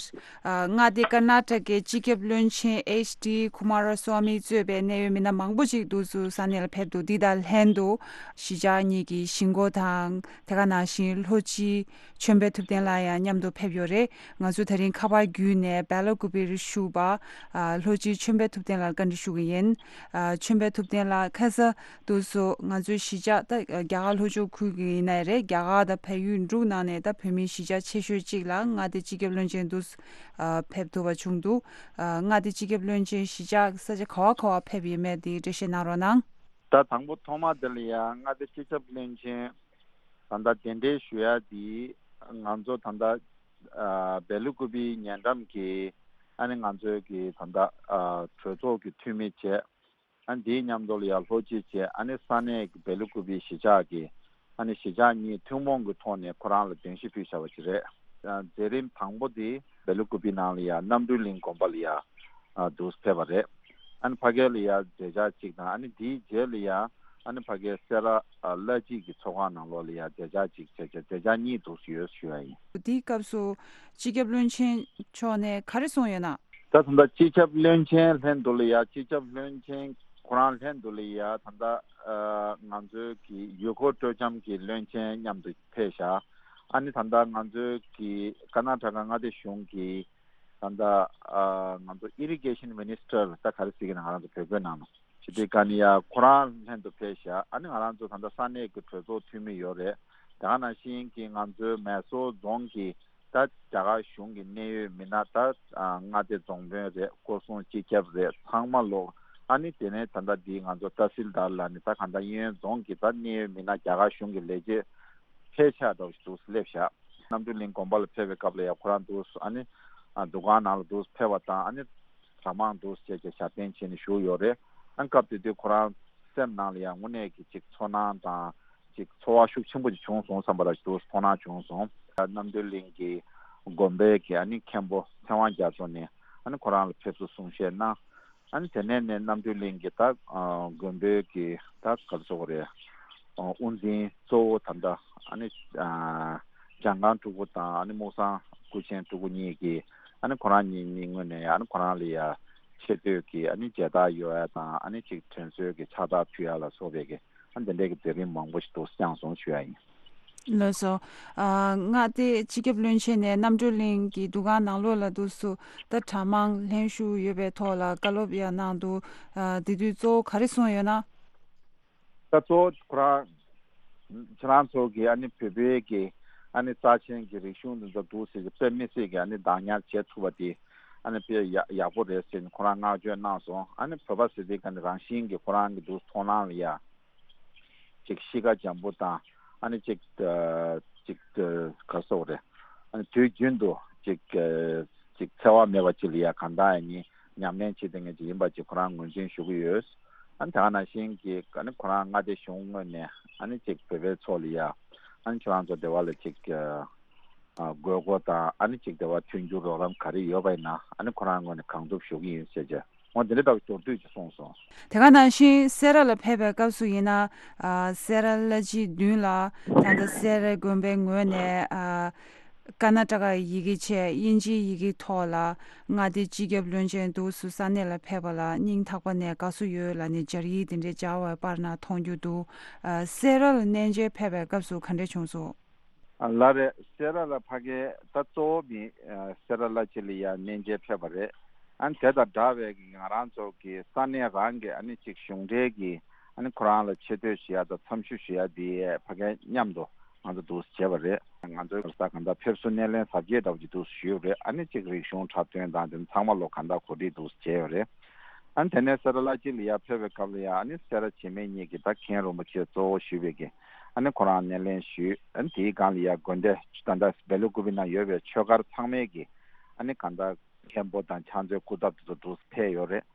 ཨ། མངའ་སྡེ་ཀར་ནཱ་ཊ་ཀའི་སྤྱི་ཁྱབ་བློན་ཆེན་ཨེཆ་ཌི་ཀུ་མཱ་ར་སྭ་མི་གཙོས་པའི་གནད་ཡོད་མི་སྣ་མང་པོ་ཅིག་འདུག་སེ་ས་གནས་ལ་ཕེབས་འདུག་འདི་དང་ལྷན་དུ་གཞིས་ཆགས་གཉིས་ཀྱི་གཞིས་འགོ་དང་དེ་ག་ནང་བཞིན་ལྷོ་སྤྱི་ཆོས་འཕེལ་ཐུབ་བསྟན་ལགས་ཡང་མཉམ་དུ་ཕེབས་ཡོད་རེད། ང་ཚོ་དེ་རིང་ཁ་པར་བརྒྱུད་ནས་སྦེ་ལ་ཀུ་པིར་བཞུགས་པ། ཨ། ལྷོ་སྤྱི་ཆོས་འཕེལ་ཐུབ་བསྟན་ལགས་བཀའ་འདྲི་ཞུ་གི་ཡིན། ཨ། ཆོས་འཕེལ་ཐུབ་བསྟན་ལགས། ཁ་ས་དུས་སུ་ང་ཚོའི་གཞིས་ཆགས་ད་རྒྱ་གར་ལྷོ་ཕྱོགས་ཁུལ་གྱི་ཡིན་ནའི་རེད། རྒྱ་གར་དང་བལ་ཡུལ་འབྲུག་ནང་ནས་ད་བོད་མིའི་གཞིས་ཆགས་ཆེ་ཤོས་གཅིག་ལ་མངའ་སྡེ་སྤྱི་ཁྱབ་བློན་ཆེན་དུ། ཨ། ཕེབས་ཐུབ་པ་བྱུང་འདུག་ཨ། མངའ་སྡེ་སྤྱི་ཁྱབ་བློན་ཆེན་གཞིས་ཆགས་ས་ཆ་ག་བ་ག་བ་ཕེབས་ཡོད་མེད་དེ་འགྲེལ་བཤད་གནང་རོགས་གནང་། ད་དང་པོ་ཐོག་མ་དེ་ལ་ཡང་མངའ་སྡེ་སྤྱི་ཁྱབ་བློན་ཆེན་ད་ལྟ་གདན་འདྲེན་ཞུ་ཡ་དེ་ང་ཚོ་ད་ལྟ། ཨ། སྦེ་ལ་ཀུ་པིའི་ཉེ་འགྲམ་གྱི་ཨ་ནི་ང་ཚོའི་གི་ད་ལྟ། ཨ། གྲོས་ཚོགས་ཀྱི་འཐུས་མི་བྱས། ཨ་ནི་དེའི་མཉམ་དུ་ལ་ཡང་ལྷོ་སྤྱི་བྱས། ཨ་ནི་ས་གནས་ཀྱི་སྦེ་ལ་ཀུ་པི་གཞིས་ཆགས་ཀྱི་ཨ་ནི་གཞིས་ཆགས་གཉིས་ཐུན་མོང་གི་ཐོག་ནས་ཁོ་རང་ལ་གདན་ཞུ་ཕུལ་བཞག་པ་ཅིག་རེད། ཨ། མཛད་རིམ་དང་པོ་དེ་སྦེ་ལ་ཀུ་པི་ནང་ལ་ཡང་རྣམ་གྲོལ་གླིང་དགོན་པ་ལ་ཡང་། ཨ། འདུག་སེ་ཕེབས་པ་རེད། ཨ་ནི་ཕ་གི་ལ་ཡང་མཛད་འཆར་གཅིག་དང་། ཨ་ནི་དེའི་རྗེས་ལ་ཡང་ཨ་ནི་ཕ་གིའི་སེ་ར། ཨ། བླ་སྤྱི་གི་ཚོགས་ཁང་ནང་ལོགས་ལ་ཡང་མཛད་འཆར་གཅིག་བྱས་བྱས། མཛད་འཆར་གཉིས་འདུག་སེ་ཡོད་ཞུ་ཡ་ཡིན། དེའི་སྐབས་སུ་སྤྱི་ཁྱབ་བློན་ཆེན་མཆོག་ནས་ག་རེ་གསུངས་ཡོད་ན། ད་ད་ལྟ་སྤྱི་ཁྱབ་བློན་ཆེན་ལྷན་དུ་ལ་ཡང་། སྤྱི་ཁྱབ་བློན་ཆེན་ཁོ་རང་ལྷན་དུ་ལ་ཡང་ད་ལྟ། ཨ། ང་ཚོའི་གི་ཡུལ་སྐོར་སྤྲོ་འཆམ་གྱི་བློན་ཆེན་མཉམ་དུ་ཕེབས་བཞག་ཨ་ནི་ད་ལྟ་ང་ཚོའི་གི་ཀར་ནཱ་ཊ་ཀ་མངའ་སྡེ་གཞུང་གི་ད་ལྟ། ཨ། ང་ཚོ་ཨི་རི་གེ་ཤན་མི་ནི་སི་ཊར། ད་ག་རེ་ཟེར་གི་ན་ང་རང་ཚོ་བོད་སྐད་ནང་ལ། ཇི་ཏི་ཀ་ནི་ཡ་ཁོ་རང་ལྷན་དུ་ཕེབས་ཤག་ཨ་ནི་ང་རང་ཚོ་ད་ལྟ་ས་གནས་ཀྱི་གྲོས་ཚོགས་འཐུས་མི་ཡོད་རེད། དེ་ག་ནང་བཞིན་གྱི་ང་ཚོའི་མེ་སོར་རྫོང་གི་ད་རྒྱ་གར་གཞུང་གི་གནད་ཡོད་མི་སྣ། ད་མངའ་སྡེ་རྫོང་དཔོན་རེད། སྐོར་སྲུང་སྤྱི་ཁྱབ་རེད། ཚང་མ་ལོག་ཨ་ནི་དེ་ནས་ད་ལྟ་འདི་ང་ཚོ་ཏ་སིལ་དར་ལ་ནི་ད་ག་ད་གཡས་གཡོན་རྫོང་གི་ད་གནད་ཡོད་མི་སྣ། རྒྱ་གར་གཞུང་གི་ལས་བྱེད་ཕལ་ཆེར་འདྲ་བོ་ཞིག་འདུག་སླེབས་ཤག་རྣམ་གྲོལ་གླིང་དགོན་པ་ལ་ཕེབས་པའི་སྐབས་ལ་ཡང་ཁོ་རང་འདུག་ཨ་ནི། ཨ། འདུ་ཁང་ནང་ལ་འདུག་ཕེབས་པ་དང་། ཨ་ནི་གྲྭ་མང་འདུག་བྱས་བྱས་ཞབས་བརྟན་བྱས་ནས་བཞུགས་ཡོད་རེད། ཨ་ནི་སྐབས་དེ་དུས་ཁོ་རང་སེམས་ནང་ལ་ཡང་དངོས་གནས་ཀྱི་ཅིག་ཚོར་སྣང་དང་། ཅིག་ཚོར་བ་ཤུགས་ཆེན་པོ་ཅིག་བྱུང་སོང་བསམ་པ་ར་འདུག་མཐོང་སྣང་བྱུང་སོང་། རྣམ་གྲོལ་གླིང་གི་དགོན་པའི་གི་ཨ་ནི་མཁན་པོ་ཚེ་དབང་རྒྱ་མཚོ་ནས་ཨ་ནི་ཁོ་རང་ལ་ཕེབས་བསུ་གསུང་བཤད་གནང་། ཨ་ནི་དེ་ནས་ནས་རྣམ་གྲོལ་གླིང་གི་ད། ཨ། དགོན་པའི་གི་ད་ག་རེ་ཟེར་དགོས་རེད། ཨ། དབུ་འཛིན་གཙོ་བོ་ད་ལྟ་ཨ་ནི། ཨ། འཇམ་དགའ་སྤྲུལ་སྐུ་དང་ཨ་ནི་སྨུག་སང་སྐུ་ཆེན་སྤྲུལ་སྐུ་གཉིས་ཀྱིས་ཨ་ནི་ཁོ་རང་གཉིས་གཉིས་ངོས་ནས་ཨ་ནི་ཁོ་རང་ལ་ཡ་ཆེ་བསྟོད་ཀྱི་ཨ་ནི་མཇལ་དར་གཡོག་ཡ་དང་། ཨ་ནི་ཅིག་དྲན་གསོའི་གི་ཕྱག་རྟགས་ཕུལ་ཡ་ལ་སོགས་པའི་གི་ཨ་ནི་དེ་འདྲའི་གི་མཛད་རིམ་མང་པོ་ཞིག་འདུག་བསྐྱངས་སོང་ཞུ་ཡ་ཡིན། ལགས་སོ། ཨ། མངའ་སྡེ་སྤྱི་ཁྱབ་བློན་ཆེན་ནས་རྣམ་གྲོལ་གླིང་གི་འདུ་ཁང་ནང་ལོགས་ལ་འདུག་སེ་ད་གྲྭ་མང་ལྷན་ཞུགས་ཡོད་པའི་ཐོག་ལ་བཀའ་སློབ་ཡང་གནང་འདུག་ཨ། དེ་དུས་གཙོ་བོ་ག་རེ་གསུངས་ཡོད་ན། ད་གཙོ་བོ་ཁོ་རང་། ཁྱེད་རང་ཚོ་གི་ཨ་ནི་བོད་པའི་གི་ཨ་ནི་རྩ་ཆེན་གྱི་རིག་གཞུང་འདི་ཚོ་འདུག་སེ་གི་དཔེ་མི་སྲིད་གི་ཨ་ནི་བདག་ཉར་བྱེད་ཐུབ་པ་དེ་ཨ་ནི་དཔེ་ཡག་ཡག་པོ་རེད་ཟེར་ནས་ཁོ་རང་བསྔགས་བརྗོད་གནང་སོང་། ཨ་ནི་བོད་པ་ཟེར་དུས་ཀ་ནི་རང་བཞིན་གྱི་ཁོ་རང་གི་འདུག་མཐོང་སྣང་ལ་ཡ། ཅིག་གཤིས་ཀ་འཇམ་པོ་དང་། ཨ་ནི་ཅིག་ཨ། ཅིག་ཨ། ག་རེ་ཟེར་དགོས་རེད། ཨ་ནི་དུས་རྒྱུན་དུ་ཅིག་ཨ། ཅིག་འཚེ་བ་མེད་པ་ཅིག་ལ་ཡ་གང་ལྟར་ཡང་ནི་ཉམས་ལེན་བྱེད་མཁན་ཅིག་ཡིན་པ་ཅིག་ཁོ་རང་ངོས་འཛིན་ཞུ་གི་ཡོད། ཨ་ནི་དེ་ག་ནང་བཞིན་གྱི་ཨ་ནི་ཁོ་རང་མངའ་སྡེ་གཞུང་ངོས་ནས་ཨ་ནི་ཅིག་བོད་པའི་ཚོགས་ལ་ཡ་ཨ་ནི་ཁྱེད་རང་ཚོ་སྡེ་བ་ལ་ཅིག་ཨ། དགོས་མཁོ་དང་། ཨ་ནི་ཅིག་སྡེ་བ་མཐུན་འགྱུར་རོགས་རམ་ག་རེ་ཡོད་པ་ཡིན་ན་ཨ་ནི་ཁོ་རང་ངོས་ནས་གང་ཐུབ་ཞུ་གི་ཡིན་ཟེར་བྱས། འོ་དེ་འདྲ་ལྟ་བུ་མདོར་བསྡུས་ཀྱིས་གསུངས་སོང་། དེ་ག་ནང་བཞིན་སེ་ར་ལ་ཕེབས་པའི་སྐབས་སུ་ཡིན་ན། ཨ། སེ་ར་བླ་སྤྱིའི་མདུན་ལ་ད་ལྟ་སེ་ར་དགོན་པའི་ངོས་ནས། ཨ། ཀར་ནཱ་ཊ་ཀ་ཡི་གེ་བྱས་དབྱིན་ཇིའི་ཡི་གེ་ཐོག་ལ་མངའ་སྡེ་སྤྱི་ཁྱབ་བློན་ཆེན་འདུག་སེ་ས་གནས་ལ་ཕེབས་པ་ལ་སྙིང་ཐག་པ་ནས་དགའ་བསུ་ཡོད་ལབ་ནས་སྦྱར་ཡིག་དེ་འདྲའི་སྦྱར་བའི་པར་ནང་མཐོང་རྒྱུ་འདུག་ཨ། སེ་ར་ལ་གནས་མཇལ་ཕེབས་པའི་སྐབས་སུ་ག་འདྲས་བྱུང་སོང་། ལགས་རེད། སེ་ར་ལ་ཕ་གི་ད་གཙོ་བོ་མི་སེ་ར་བླ་སྤྱི་ལ་ཡ་གནས་མཇལ་ཕེབས་པ་རེད། ཨ་ནི་དེ་དང་འདྲ་བའི་གི་ང་རང་ཚོ་གི་ས་གནས་རང་གི་ཨ་ནི་ཅིག་གཞུང་འབྲེལ་གྱི་ཨ་ནི་ཁོ་རང་ལ་ཆེ་བསྟོད་ཞུ་ཡ་དང་འཚམས་ཞུ་ཞུ་ཡ་དེ་ཕ་གི་མཉམ་དུ་ང་ཚོ་འདུག་སེ་བྱས་པ་རེད། ང་ཚོའི་ས་གང་ལྟར་ཕེབས་བསུ་སྣེ་ལེན་གཟབ་རྒྱས་འདྲ་བོ་ཅིག་འདུག་སེ་ཞུས་པ་རེད། ཨ་ནི་ཅིག་རིག་གཞུང་འཁྲབ་སྟོན་དང་དེ་ཚང་མ་ལོ་གང་ལྟར་གོ་སྒྲིག་འདུག་སེ་བྱས་ཡོད་རེད། ཨ་ནི་དེ་ནས་སེ་ར་བླ་སྤྱི་ལ་ཡ་ཕེབས་པའི་སྐབས་ལ་ཡ་ཨ་ནི་སེ་ར་བྱེས་སྨད་གཉིས་ཀྱི་ད་མཁན་རིན་པོ་ཆེ་གཙོ་བོ་ཞུས་པའི་གི་ཨ་ནི་ཁོ་རང་སྣེ་ལེན་ཞུས། ཨ་ནི་དེའི་སྒང་ལ་ཡ་དགོན་སྡེ་ད་ལྟ་སྦེ་ལ་ཀུ་པི་ན་ཡོད་པའི་ཆོས་སྒར་ཚང་མའི་གི་ཨ་ནི་གང་ལྟར་མཁན་པོ་དང་ཕྱག་མཛོད་སྐུ་ཚབ་དེ་ཚོ་འདུག་སེ་ཕེབས་ཡོད་རེད།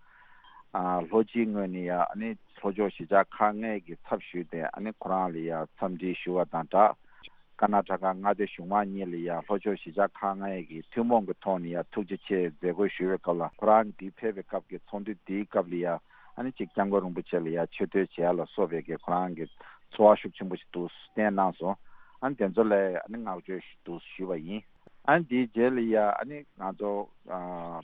ཨ། ལྷོ་སྤྱིའི་ངོས་ནས་ཡ་ཨ་ནི་ལྷོ་ཕྱོགས་གཞིས་ཆགས་ཁག་ལྔའི་གི་ཚབ་ཞུས་ཏེ་ཨ་ནི་ཁོ་རང་ལ་ཡ་འཚམས་འདྲི་ཞུ་བ་དང་སྦྲགས། ཀར་ནཱ་ཊ་ཀ་མངའ་སྡེ་གཞུང་མང་གཉིས་ལ་ཡ་ལྷོ་ཕྱོགས་གཞིས་ཆགས་ཁག་ལྔའི་གི་ཐུན་མོང་གི་ཐོག་ནས་ཡ་ཐུགས་རྗེ་ཆེ་མཛད་སྒོ་ཞུ་བའི་སྐབས་ལ་ཁོ་རང་འདི་ཕེབས་པའི་སྐབས་ཀྱི་ཚོགས་འདུ་འདིའི་སྐབས་ལ་ཡ་ཨ་ནི་ཅིག་སྐྱབས་མགོན་རིན་པོ་ཆེ་ལ་ཡ་ཆེ་བསྟོད་བྱེད་ཡ་ལ་སོགས་པའི་གི་ཁོ་རང་གི་ཚོར་བ་ཤུགས་ཆེན་པོ་ཞིག་འདུག་སེ་བསྟན་གནང་སོང་། ཨ་ནི་དེ་ཚོ་ལ་ཨ་ནི་བསྔགས་བརྗོད་ཞུ་འདུག་ཞུས་པ་ཡིན། ཨ་ནི་དེའི་རྗེས་ལ་ཡ་ཨ་ནི་ང་ཚོ་ཨ་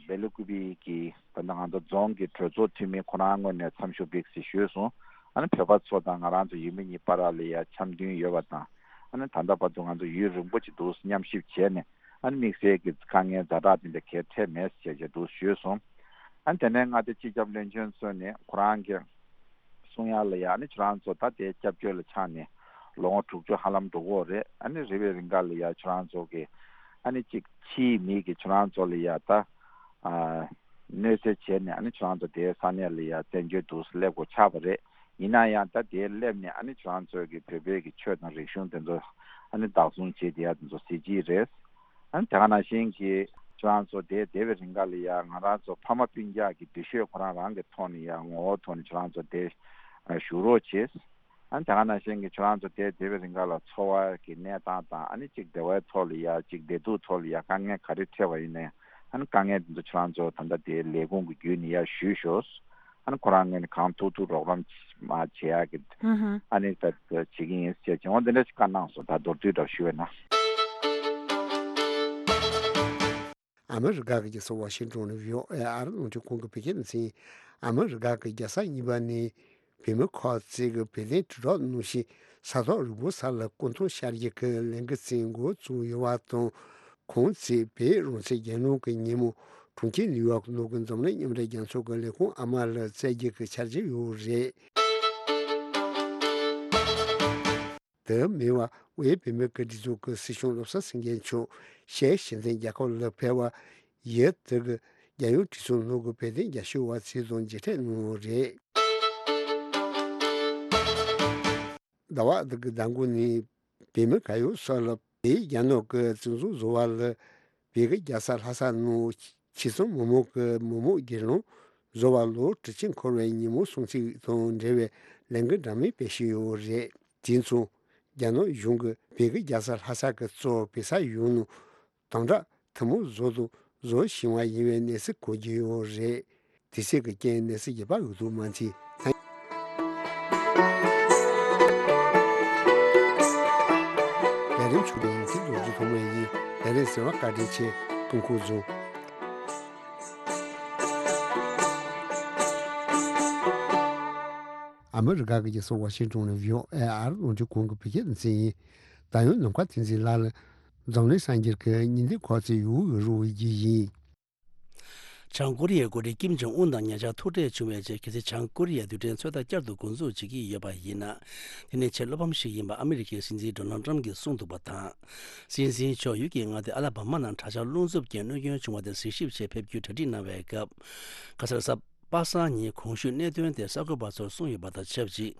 སྦེལ་ཀུ་པེ་གི་ད་ལྟ་ང་ཚོ་རྫོང་གི་གྲོས་ཚོགས་འཐུས་མི་ཁོ་རང་ངོས་ནས་འཚམས་ཞུ་བྱེད་ཟེར་ཞུས་སོང་། ཨ་ནི་བོད་པ་ཚོ་དང་ང་རང་ཚོ་ཡུལ་མི་གཉིས་བར་ལ་ཡ་འཆམ་མཐུན་ཡོད་པ་དང་། ཨ་ནི་ད་ལྟ་བར་དུ་ང་ཚོ་ཡུན་རིང་པོ་ཅིག་འདུག་མཉམ་གཤིབ་བྱས་ནས། ཨ་ནི་དམིགས་བསལ་གྱི་དཀའ་ངལ་ཛ་དྲག་དེ་འདྲ་གལ་འཕྲད་མེད་ཅེས་ཀྱི་འདུག་ཞུས་སོང་། ཨ་ནི་དེ་ནས་མངའ་སྡེ་སྤྱི་ཁྱབ་བློན་ཆེན་མཆོག་ནས་ཁོ་རང་གི་གསུང་ཡ་ལ་ཡ་ཨ་ནི་ཁྱོད་རང་ཚོ་ད་དེ་སྐྱབས་བཅོལ་ལ་ཆགས་ནས་ལོ་ངོ་དྲུག་ཅུ་ཧ་ལམ་འགྲོ་གི་ཡོད་རེད། ཨ་ནི་རེ་བའི་རིང་ག་ལ་ཡ་ཁྱོད་རང་ཚོ་གི་ཨ་ནི་གཅིག་ཕྱིའི་མི་གི་ཁྱོད་རང་ཚོ་ལ་ཡ་ད་ཨ་གནོད་འཚེ་བྱས་ནས་ཨ་ནི་ཁྱོད་རང་ཚོ་དེའི་ས་གནས་ལ་ཡ་བཙན་བྱོལ་དུ་སླེབས་དགོས་ཆགས་པ་རེད། ཡིན་ན་ཡང་ད་དེའི་སླེབས་ནས་ཨ་ནི་ཁྱོད་རང་ཚོ་གི་བོད་པའི་གི་ཆོས་དང་རིག་གཞུང་དེ་ཚོ་ཨ་ནི་བདག་བཟུང་བྱེད་བསྡད་ཡ་དེ་ཚོ་གཟི་བརྗིད་རེད། ཨ་ནི་དེ་ག་ནང་བཞིན་གྱི་ཁྱོད་རང་ཚོ་དེ་བསྡད་པའི་རིང་ག་ལ་ཡ་ང་རང་ཚོ་ཕ་མ་སྤུན་ཀྱག་གི་འདུ་ཤེས་ཁོ་རང་རང་གི་ཐོག་ནས་ཡ་ངོ་བོ་ཐོག་ནས་ཁྱོད་རང་ཚོ་དེ་བཞུགས་རོགས་བྱེད། ཨ་ནི་དེ་ག་ནང་བཞིན་གྱི་ཁྱོད་རང་ཚོ་དེ་བསྡད་པའི་རིང་ག་ལ་འཚོ་བ་གི་གནས་སྟངས་དང་ཨ་ནི་གཅིག་བདེ་བའི་ཐོག་ལ་ཡ་གཅིག་བདེ་སྡུག་ཐོག་ལ་ཡ་དཀའ་ངལ་ག་རེ་འཕྲད་པ་ཡིན་ནའི་ཨ་ནི་དཀའ་ངལ་དེ་ཚོ་ཁྱོད་རང་ཚོ་ད་ལྟ་དེ་ལས་ཁུངས་ཀྱི་བརྒྱུད་ནས་ཡ་ཞུས་ཤོག་ཨ་ནི་ཁོ་རང་ངོས་ནས་གང་ཐུབ་ཐུབ་རོགས་རམ་མ་བྱེད་ཡག་གི་ཨ་ནི་ད་བྱེད་ཀྱི་ཡིན་ཟེར་བྱུང་བ་འདི་འདྲ་ཞིག་བཀའ་གནང་སོང་། ད་མདོར་བསྡུས་འདྲ་ཞུ་བས་ན། ཨ་མི་རི་ཀ་གི་རྒྱལ་ས་ཝ་ཤིང་ཏོན་ནས་བྷི་ཨོ་ཨེ་ཨ་རི་རླུང་འཕྲིན་ཁང་གི་བོད་སྐད་སྡེ་ཚན། ཨ་མི་རི་ཀ་གི་རྒྱལ་ས་གཉིས་པ་ནི་བོད་མི་ཁག་ཅིག་གི་བོད་དོན་དྲིལ་སྒྲོག་གནང་ཞིང་ས་ཐོག་རིང་པོ་ས་ལ་སྐུ་མདུན་ཤར་རྒྱུ་གི་ལས་འགུལ་ཅིག་འགོ་བཙུགས་ཡོད་པ་དང་། ཁོང་ཚོས་བོད་རང་བཙན་རྒྱལ་ནང་གི་ཉིན་མོ་གྲོང་ཁྱེར་ནིའུ་ཡོག་ནང་གི་འཛམ་གླིང་མཉམ་འབྲེལ་རྒྱལ་ཚོགས་ཀྱི་ལས་ཁུངས་ཨ་མ་ལ་བསྩལ་རྒྱུ་གི་འཆར་གཞི་ཡོད་རེད། དེ་མིན་པ་དབུས་བོད་མིའི་སྒེར་སྡེ་ཚོགས་ཀྱི་སྲིད་སྐྱོང་བློ་བཟང་སེང་གེ་མཆོག་ཤར་ཕྱོགས་ཞི་མཐུན་རྒྱལ་ཁབ་ལ་ཕེབས་པ་ཡིན། དེ་གི་རྒྱལ་ཡོངས་གྲོས་ཚོགས་ནང་གི་བོད་དོན་རྒྱབ་སྐྱོར་བ་ཚོ་དང་མཇལ་འཕྲད་གནང་བ་རེད། ཟླ་བ་འདི་གི་ཟླ་འགོ་ནས་བོད་མི་ག་ཡོད་ས་ལ་བོད་རྒྱ་ནག་གི་བཙན་འཛུལ་བཟོ་བ་ལ་བོད་ཀྱི་རྒྱལ་ས་ལྷ་ས་ནང་ཆེད་གཙང་མི་མང་གི་མི་མང་སྒེར་ལངས་བཟོ་བ་ལོ་དྲུག་ཅུ་འཁོར་བའི་ཉིན་མོ་སྲུང་བརྩི་དང་འབྲེལ་བའི་ལས་འགུལ་འདྲ་མིན་སྤེལ་བཞིན་ཡོད་རེད། དེ་མཚུངས་རྒྱ་ནག་གཞུང་གིས་བོད་ཀྱི་རྒྱལ་ས་ལྷ་ས་ཀྱི་གཙོ་བོ་བོད་ས་ཡོངས་ནང་དམ་དྲག་ཐུན་མོང་བཟོ་དང་བཟོ་བཞིན་པ་ཡིན་པའི་གནས་ཚུལ་གོ་རྒྱུ་ཡོད་རེད། དེ་ཚོ་གི་རྐྱེན་གནས་ཚུལ་རྒྱས་པ་ཡོད་དུ་མ་མཐོང་། ལས་རིམ་ཆུང་དུ་ཡིན་ཚུལ་རྡོ་རྗེ་ཐོགས་མེད་ཡིན། ལས་རིམ་གསན་པར་བཀའ་དྲིན་ཆེ། སྐུ་ཁམས་བཟང་། ཨ་མི་རི་ཀ་གི་རྒྱལ་ས་ཝ་ཤིང་ཏོན་ནས་བྷི་ཨོ་ཨེ་ཨ་རི་རླུང་འཕྲིན་ཁང་གི་བོད་སྐད་སྡེ་ཚན་ཡིན། ད་ཡང་ནམ་མཁའ་བསྟན་འཛིན་ལགས་ལ་འཛམ་གླིང་གསར་འགྱུར་གྱི་སྙིང་བསྡུས་ཁག་ཅིག་ཡོད་རུ་བའི་རྒྱུ་ཡིན། བྱང་ཀོ་རི་ཡའི་འགོ་ཁྲིད་ཀིམ་ཇོང་ཨུན་དང་ཉེ་ཆར་ཐུག་འཕྲད་བྱུང་བའི་རྗེས། གལ་སྲིད་བྱང་ཀོ་རི་ཡས་རྡུལ་ཕྲན་ཚོད་ལྟ་བསྐྱར་དུ་འགོ་འཛུགས་བྱེད་ཀྱི་ཡོད་པ་ཡིན་ན། དེ་ནི་ཆེས་བློ་ཕམ་ཞིག་ཡིན་པ་ཨ་མི་རི་ཀའི་སྲིད་འཛིན་ཌོ་ནལ་ཏྲམ་གྱིས་གསུངས་འདུག་པ་དང་། སྲིད་འཛིན་མཆོག་ཡུལ་གྱི་མངའ་སྡེ་ཨ་ལ་བྷ་མ་ནང་གྲྭ་ཤག་རླུང་འཚུབ་ཀྱིས་གནོད་སྐྱོན་བྱུང་བ་དེ་གཟིགས་ཞིབ་ཆེད་ཕེབས་རྒྱུའི་གྲ་སྒྲིག་གནང་བའི་སྐབས། ཁ་སང་གཟའ་པ་སངས་ཉིན་གོང་ཞུས་གནད་དོན་དེ་གསར་འགོད་པ་ཚོར་གསུངས་ཡོད་པ་དང་ཆབས་ཅིག།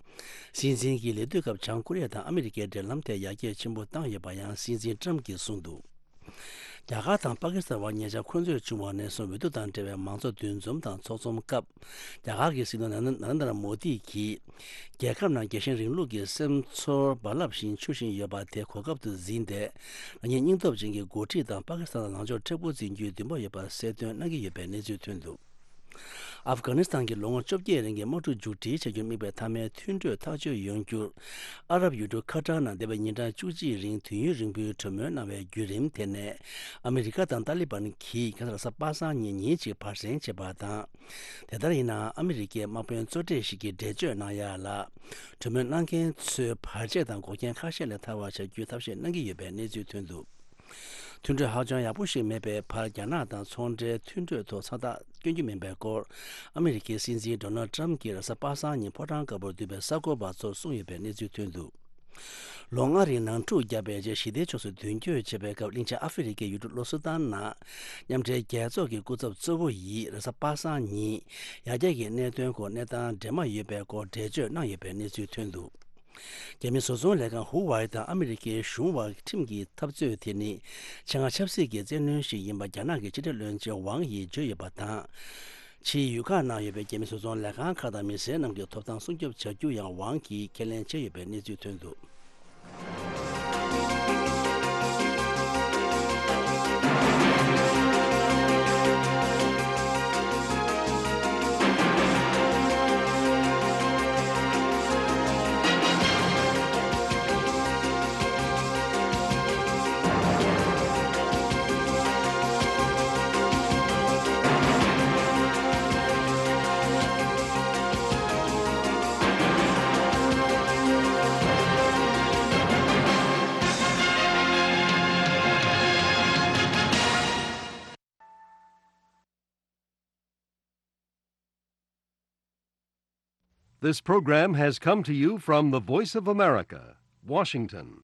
སྲིད་འཛིན་གྱིས་ལས་དུས་སྐབས་བྱང་ཀོ་རི་ཡ་དང་ཨ་མི་རི་ཀའི་འབྲེལ་ལམ་དེ་ཡར་རྒྱས་ཆེན་པོ་བཏང་ཡོད་པ་ཡང་སྲིད་འཛིན་ཏྲམ་གྱིས་གསུངས་འདུག། རྒྱ་གར་དང་པ་ཀི་སི་ཐན་བར་ཉེ་ཆར་འཁོན་རྩོད་བྱུང་བ་ནས་བཟུང་འོས་བསྡུ་དང་འབྲེལ་བའི་མང་གཙོ་འདུ་འཛོམས་དང་ཚོགས་འཛོམས་སྐབས། རྒྱ་གར་གྱི་སྲིད་བློན་ན་རེན་དྲ་མོ་དི་གིས། རྒྱལ་ཁབ་ནང་རྒྱལ་ཞེན་རིང་ལུགས་ཀྱི་སེམས་ཚོར་རྦ་རླབས་བཞིན་འཕྱུར་བཞིན་ཡོད་པ་དེ་གོ་སྐབས་སུ་འཛིན་ཏེ། རང་ཉིད་སྙིང་སྟོབས་ཅན་གྱི་འགོ་ཁྲིད་དང་པ་ཀི་སི་ཐན་ལ་ལངས་ཕྱོགས་མཁྲེགས་པོ་འཛིན་རྒྱུའི་འདུན་པ་ཡོད་པ་གསལ་སྟོན་གནང་གི་ཡོད་པའི་གནས་ཚུལ་ཐོན་འདུག། ཨབ་གྷ་ནི་སི་ཐན་གྱི་ལོ་ངོ་བཅོ་བརྒྱད་རིང་གི་དམག་འཁྲུག་མཇུག་སྒྲིལ་བྱ་རྒྱུར་དམིགས་པའི་མཐའ་མའི་མཐུན་གྲོས་ཐག་གཅོད་ཡོང་རྒྱུར། ཨ་རབ་ཡུལ་གྲུ་ཁ་ཏར་ནང་འདས་པའི་ཉིན་གྲངས་བཅུ་གཅིག་རིང་དུས་ཡུན་རིང་པོའི་གྲོས་མོལ་གནང་བའི་བརྒྱུད་རིམ་དེ་ནས། ཨ་མི་རི་ཀ་དང་ཏཱ་ལི་བན་གྱིས་ཁ་སང་གཟའ་པ་སངས་ཉིན་ཉིན་གཅིག་བར་གསེང་བྱས་པ་དང་། དེ་ལྟར་ཡིན་ནའང་ཨ་མི་རི་ཀའི་དམག་དཔོན་གཙོ་གྲས་ཤིག་གིས་འགྲེལ་བརྗོད་གནང་ཡ་ལ། གྲོས་མོལ་གནང་མཁན་ཚོའི་བར་ཆད་དང་འགོག་རྐྱེན་ཁ་ཤས་ལས་ཐར་བ་བྱ་རྒྱུའི་ཐབས་ཤེས་གནང་གི་ཡོད་པའི་གནས་ཚུལ་ཐོན་འདུག། མཐུན་གྲོས་ཧ་ཅང་ཡག་པོ་ཞིག་མེད་པའི་བར། རྒྱ་ནག་དང་ཚོང་འབྲེལ་མཐུན་གྲོས་ཐོག་མཚམས་རྟགས་བསྐྱོན་རྒྱུ་མིན་པའི་སྐོར། ཨ་མི་རི་ཀའི་སྲིད་འཛིན་ཌོ་ནལ་ཏྲམ་གྱིས་རེས་གཟའ་པ་སངས་ཉིན་ཕོ་བྲང་དཀར་པོར་བསྡུས་པའི་གསར་འགོད་པ་ཚོར་གསུངས་ཡོད་པའི་གནས་ཚུལ་ཐོན་འདུག། ལོ་ལྔ་རིང་ནང་འཁྲུག་བརྒྱབ་པའི་རྗེས་ཞི་བདེའི་ཕྱོགས་སུ་མདུན་སྐྱོད་བྱེད་པའི་སྐབས། གླིང་ཆེན་ཨ་ཧྥེ་རི་ཁའི་ཡུལ་གྲུ་ལོ་སུ་ཏན་ནང་མཉམ་འབྲེལ་རྒྱལ་ཚོགས་ཀྱི་སྐུ་ཚབ་གཙོ་བོ་ཡིས་རེས་གཟའ་པ་སངས་ཉིན་ཡར་རྒྱས་ཀྱི་གནད་དོན་སྐོར་གནས་སྟངས་འདྲེས་མ་ཡོད་པའི་སྐོར་འགྲེལ་བརྗོད་གནང་ཡོད་པའི་གནས་ཚུལ་ཐོན་འདུག། རྒྱ་མི་བཟོ་ཚོང་ལས་ཁང་ཧུ་ཝའེ་དང་ཨ་མི་རི་ཀའི་གཞུང་དབར་ཁྲིམས་ཀྱི་འཐབ་རྩོད་དེ་ནི་ཆེད་མངགས་ཆབ་སྲིད་ཀྱི་བཙན་གནོན་ཞིག་ཡིན་པ་རྒྱ་ནག་གི་ཕྱི་དྲིལ་བློན་ཆེན་ཝང་ཡིས་བརྗོད་ཡོད་པ་དང་། ཕྱིའི་ཡུལ་ཁག་ནང་ཡོད་པའི་རྒྱ་མི་བཟོ་ཚོང་ལས་ཁང་ཁག་དང་མི་སེར་རྣམས་ཀྱི་ཐོབ་ཐང་སྲུང་སྐྱོབ་བྱ་རྒྱུ་ཡང་ཝང་གིས་ཁས་ལེན་བྱས་ཡོད་པའི་གནས་ཚུལ་ཐོན་འདུག། This program has come to you from the Voice of America, Washington.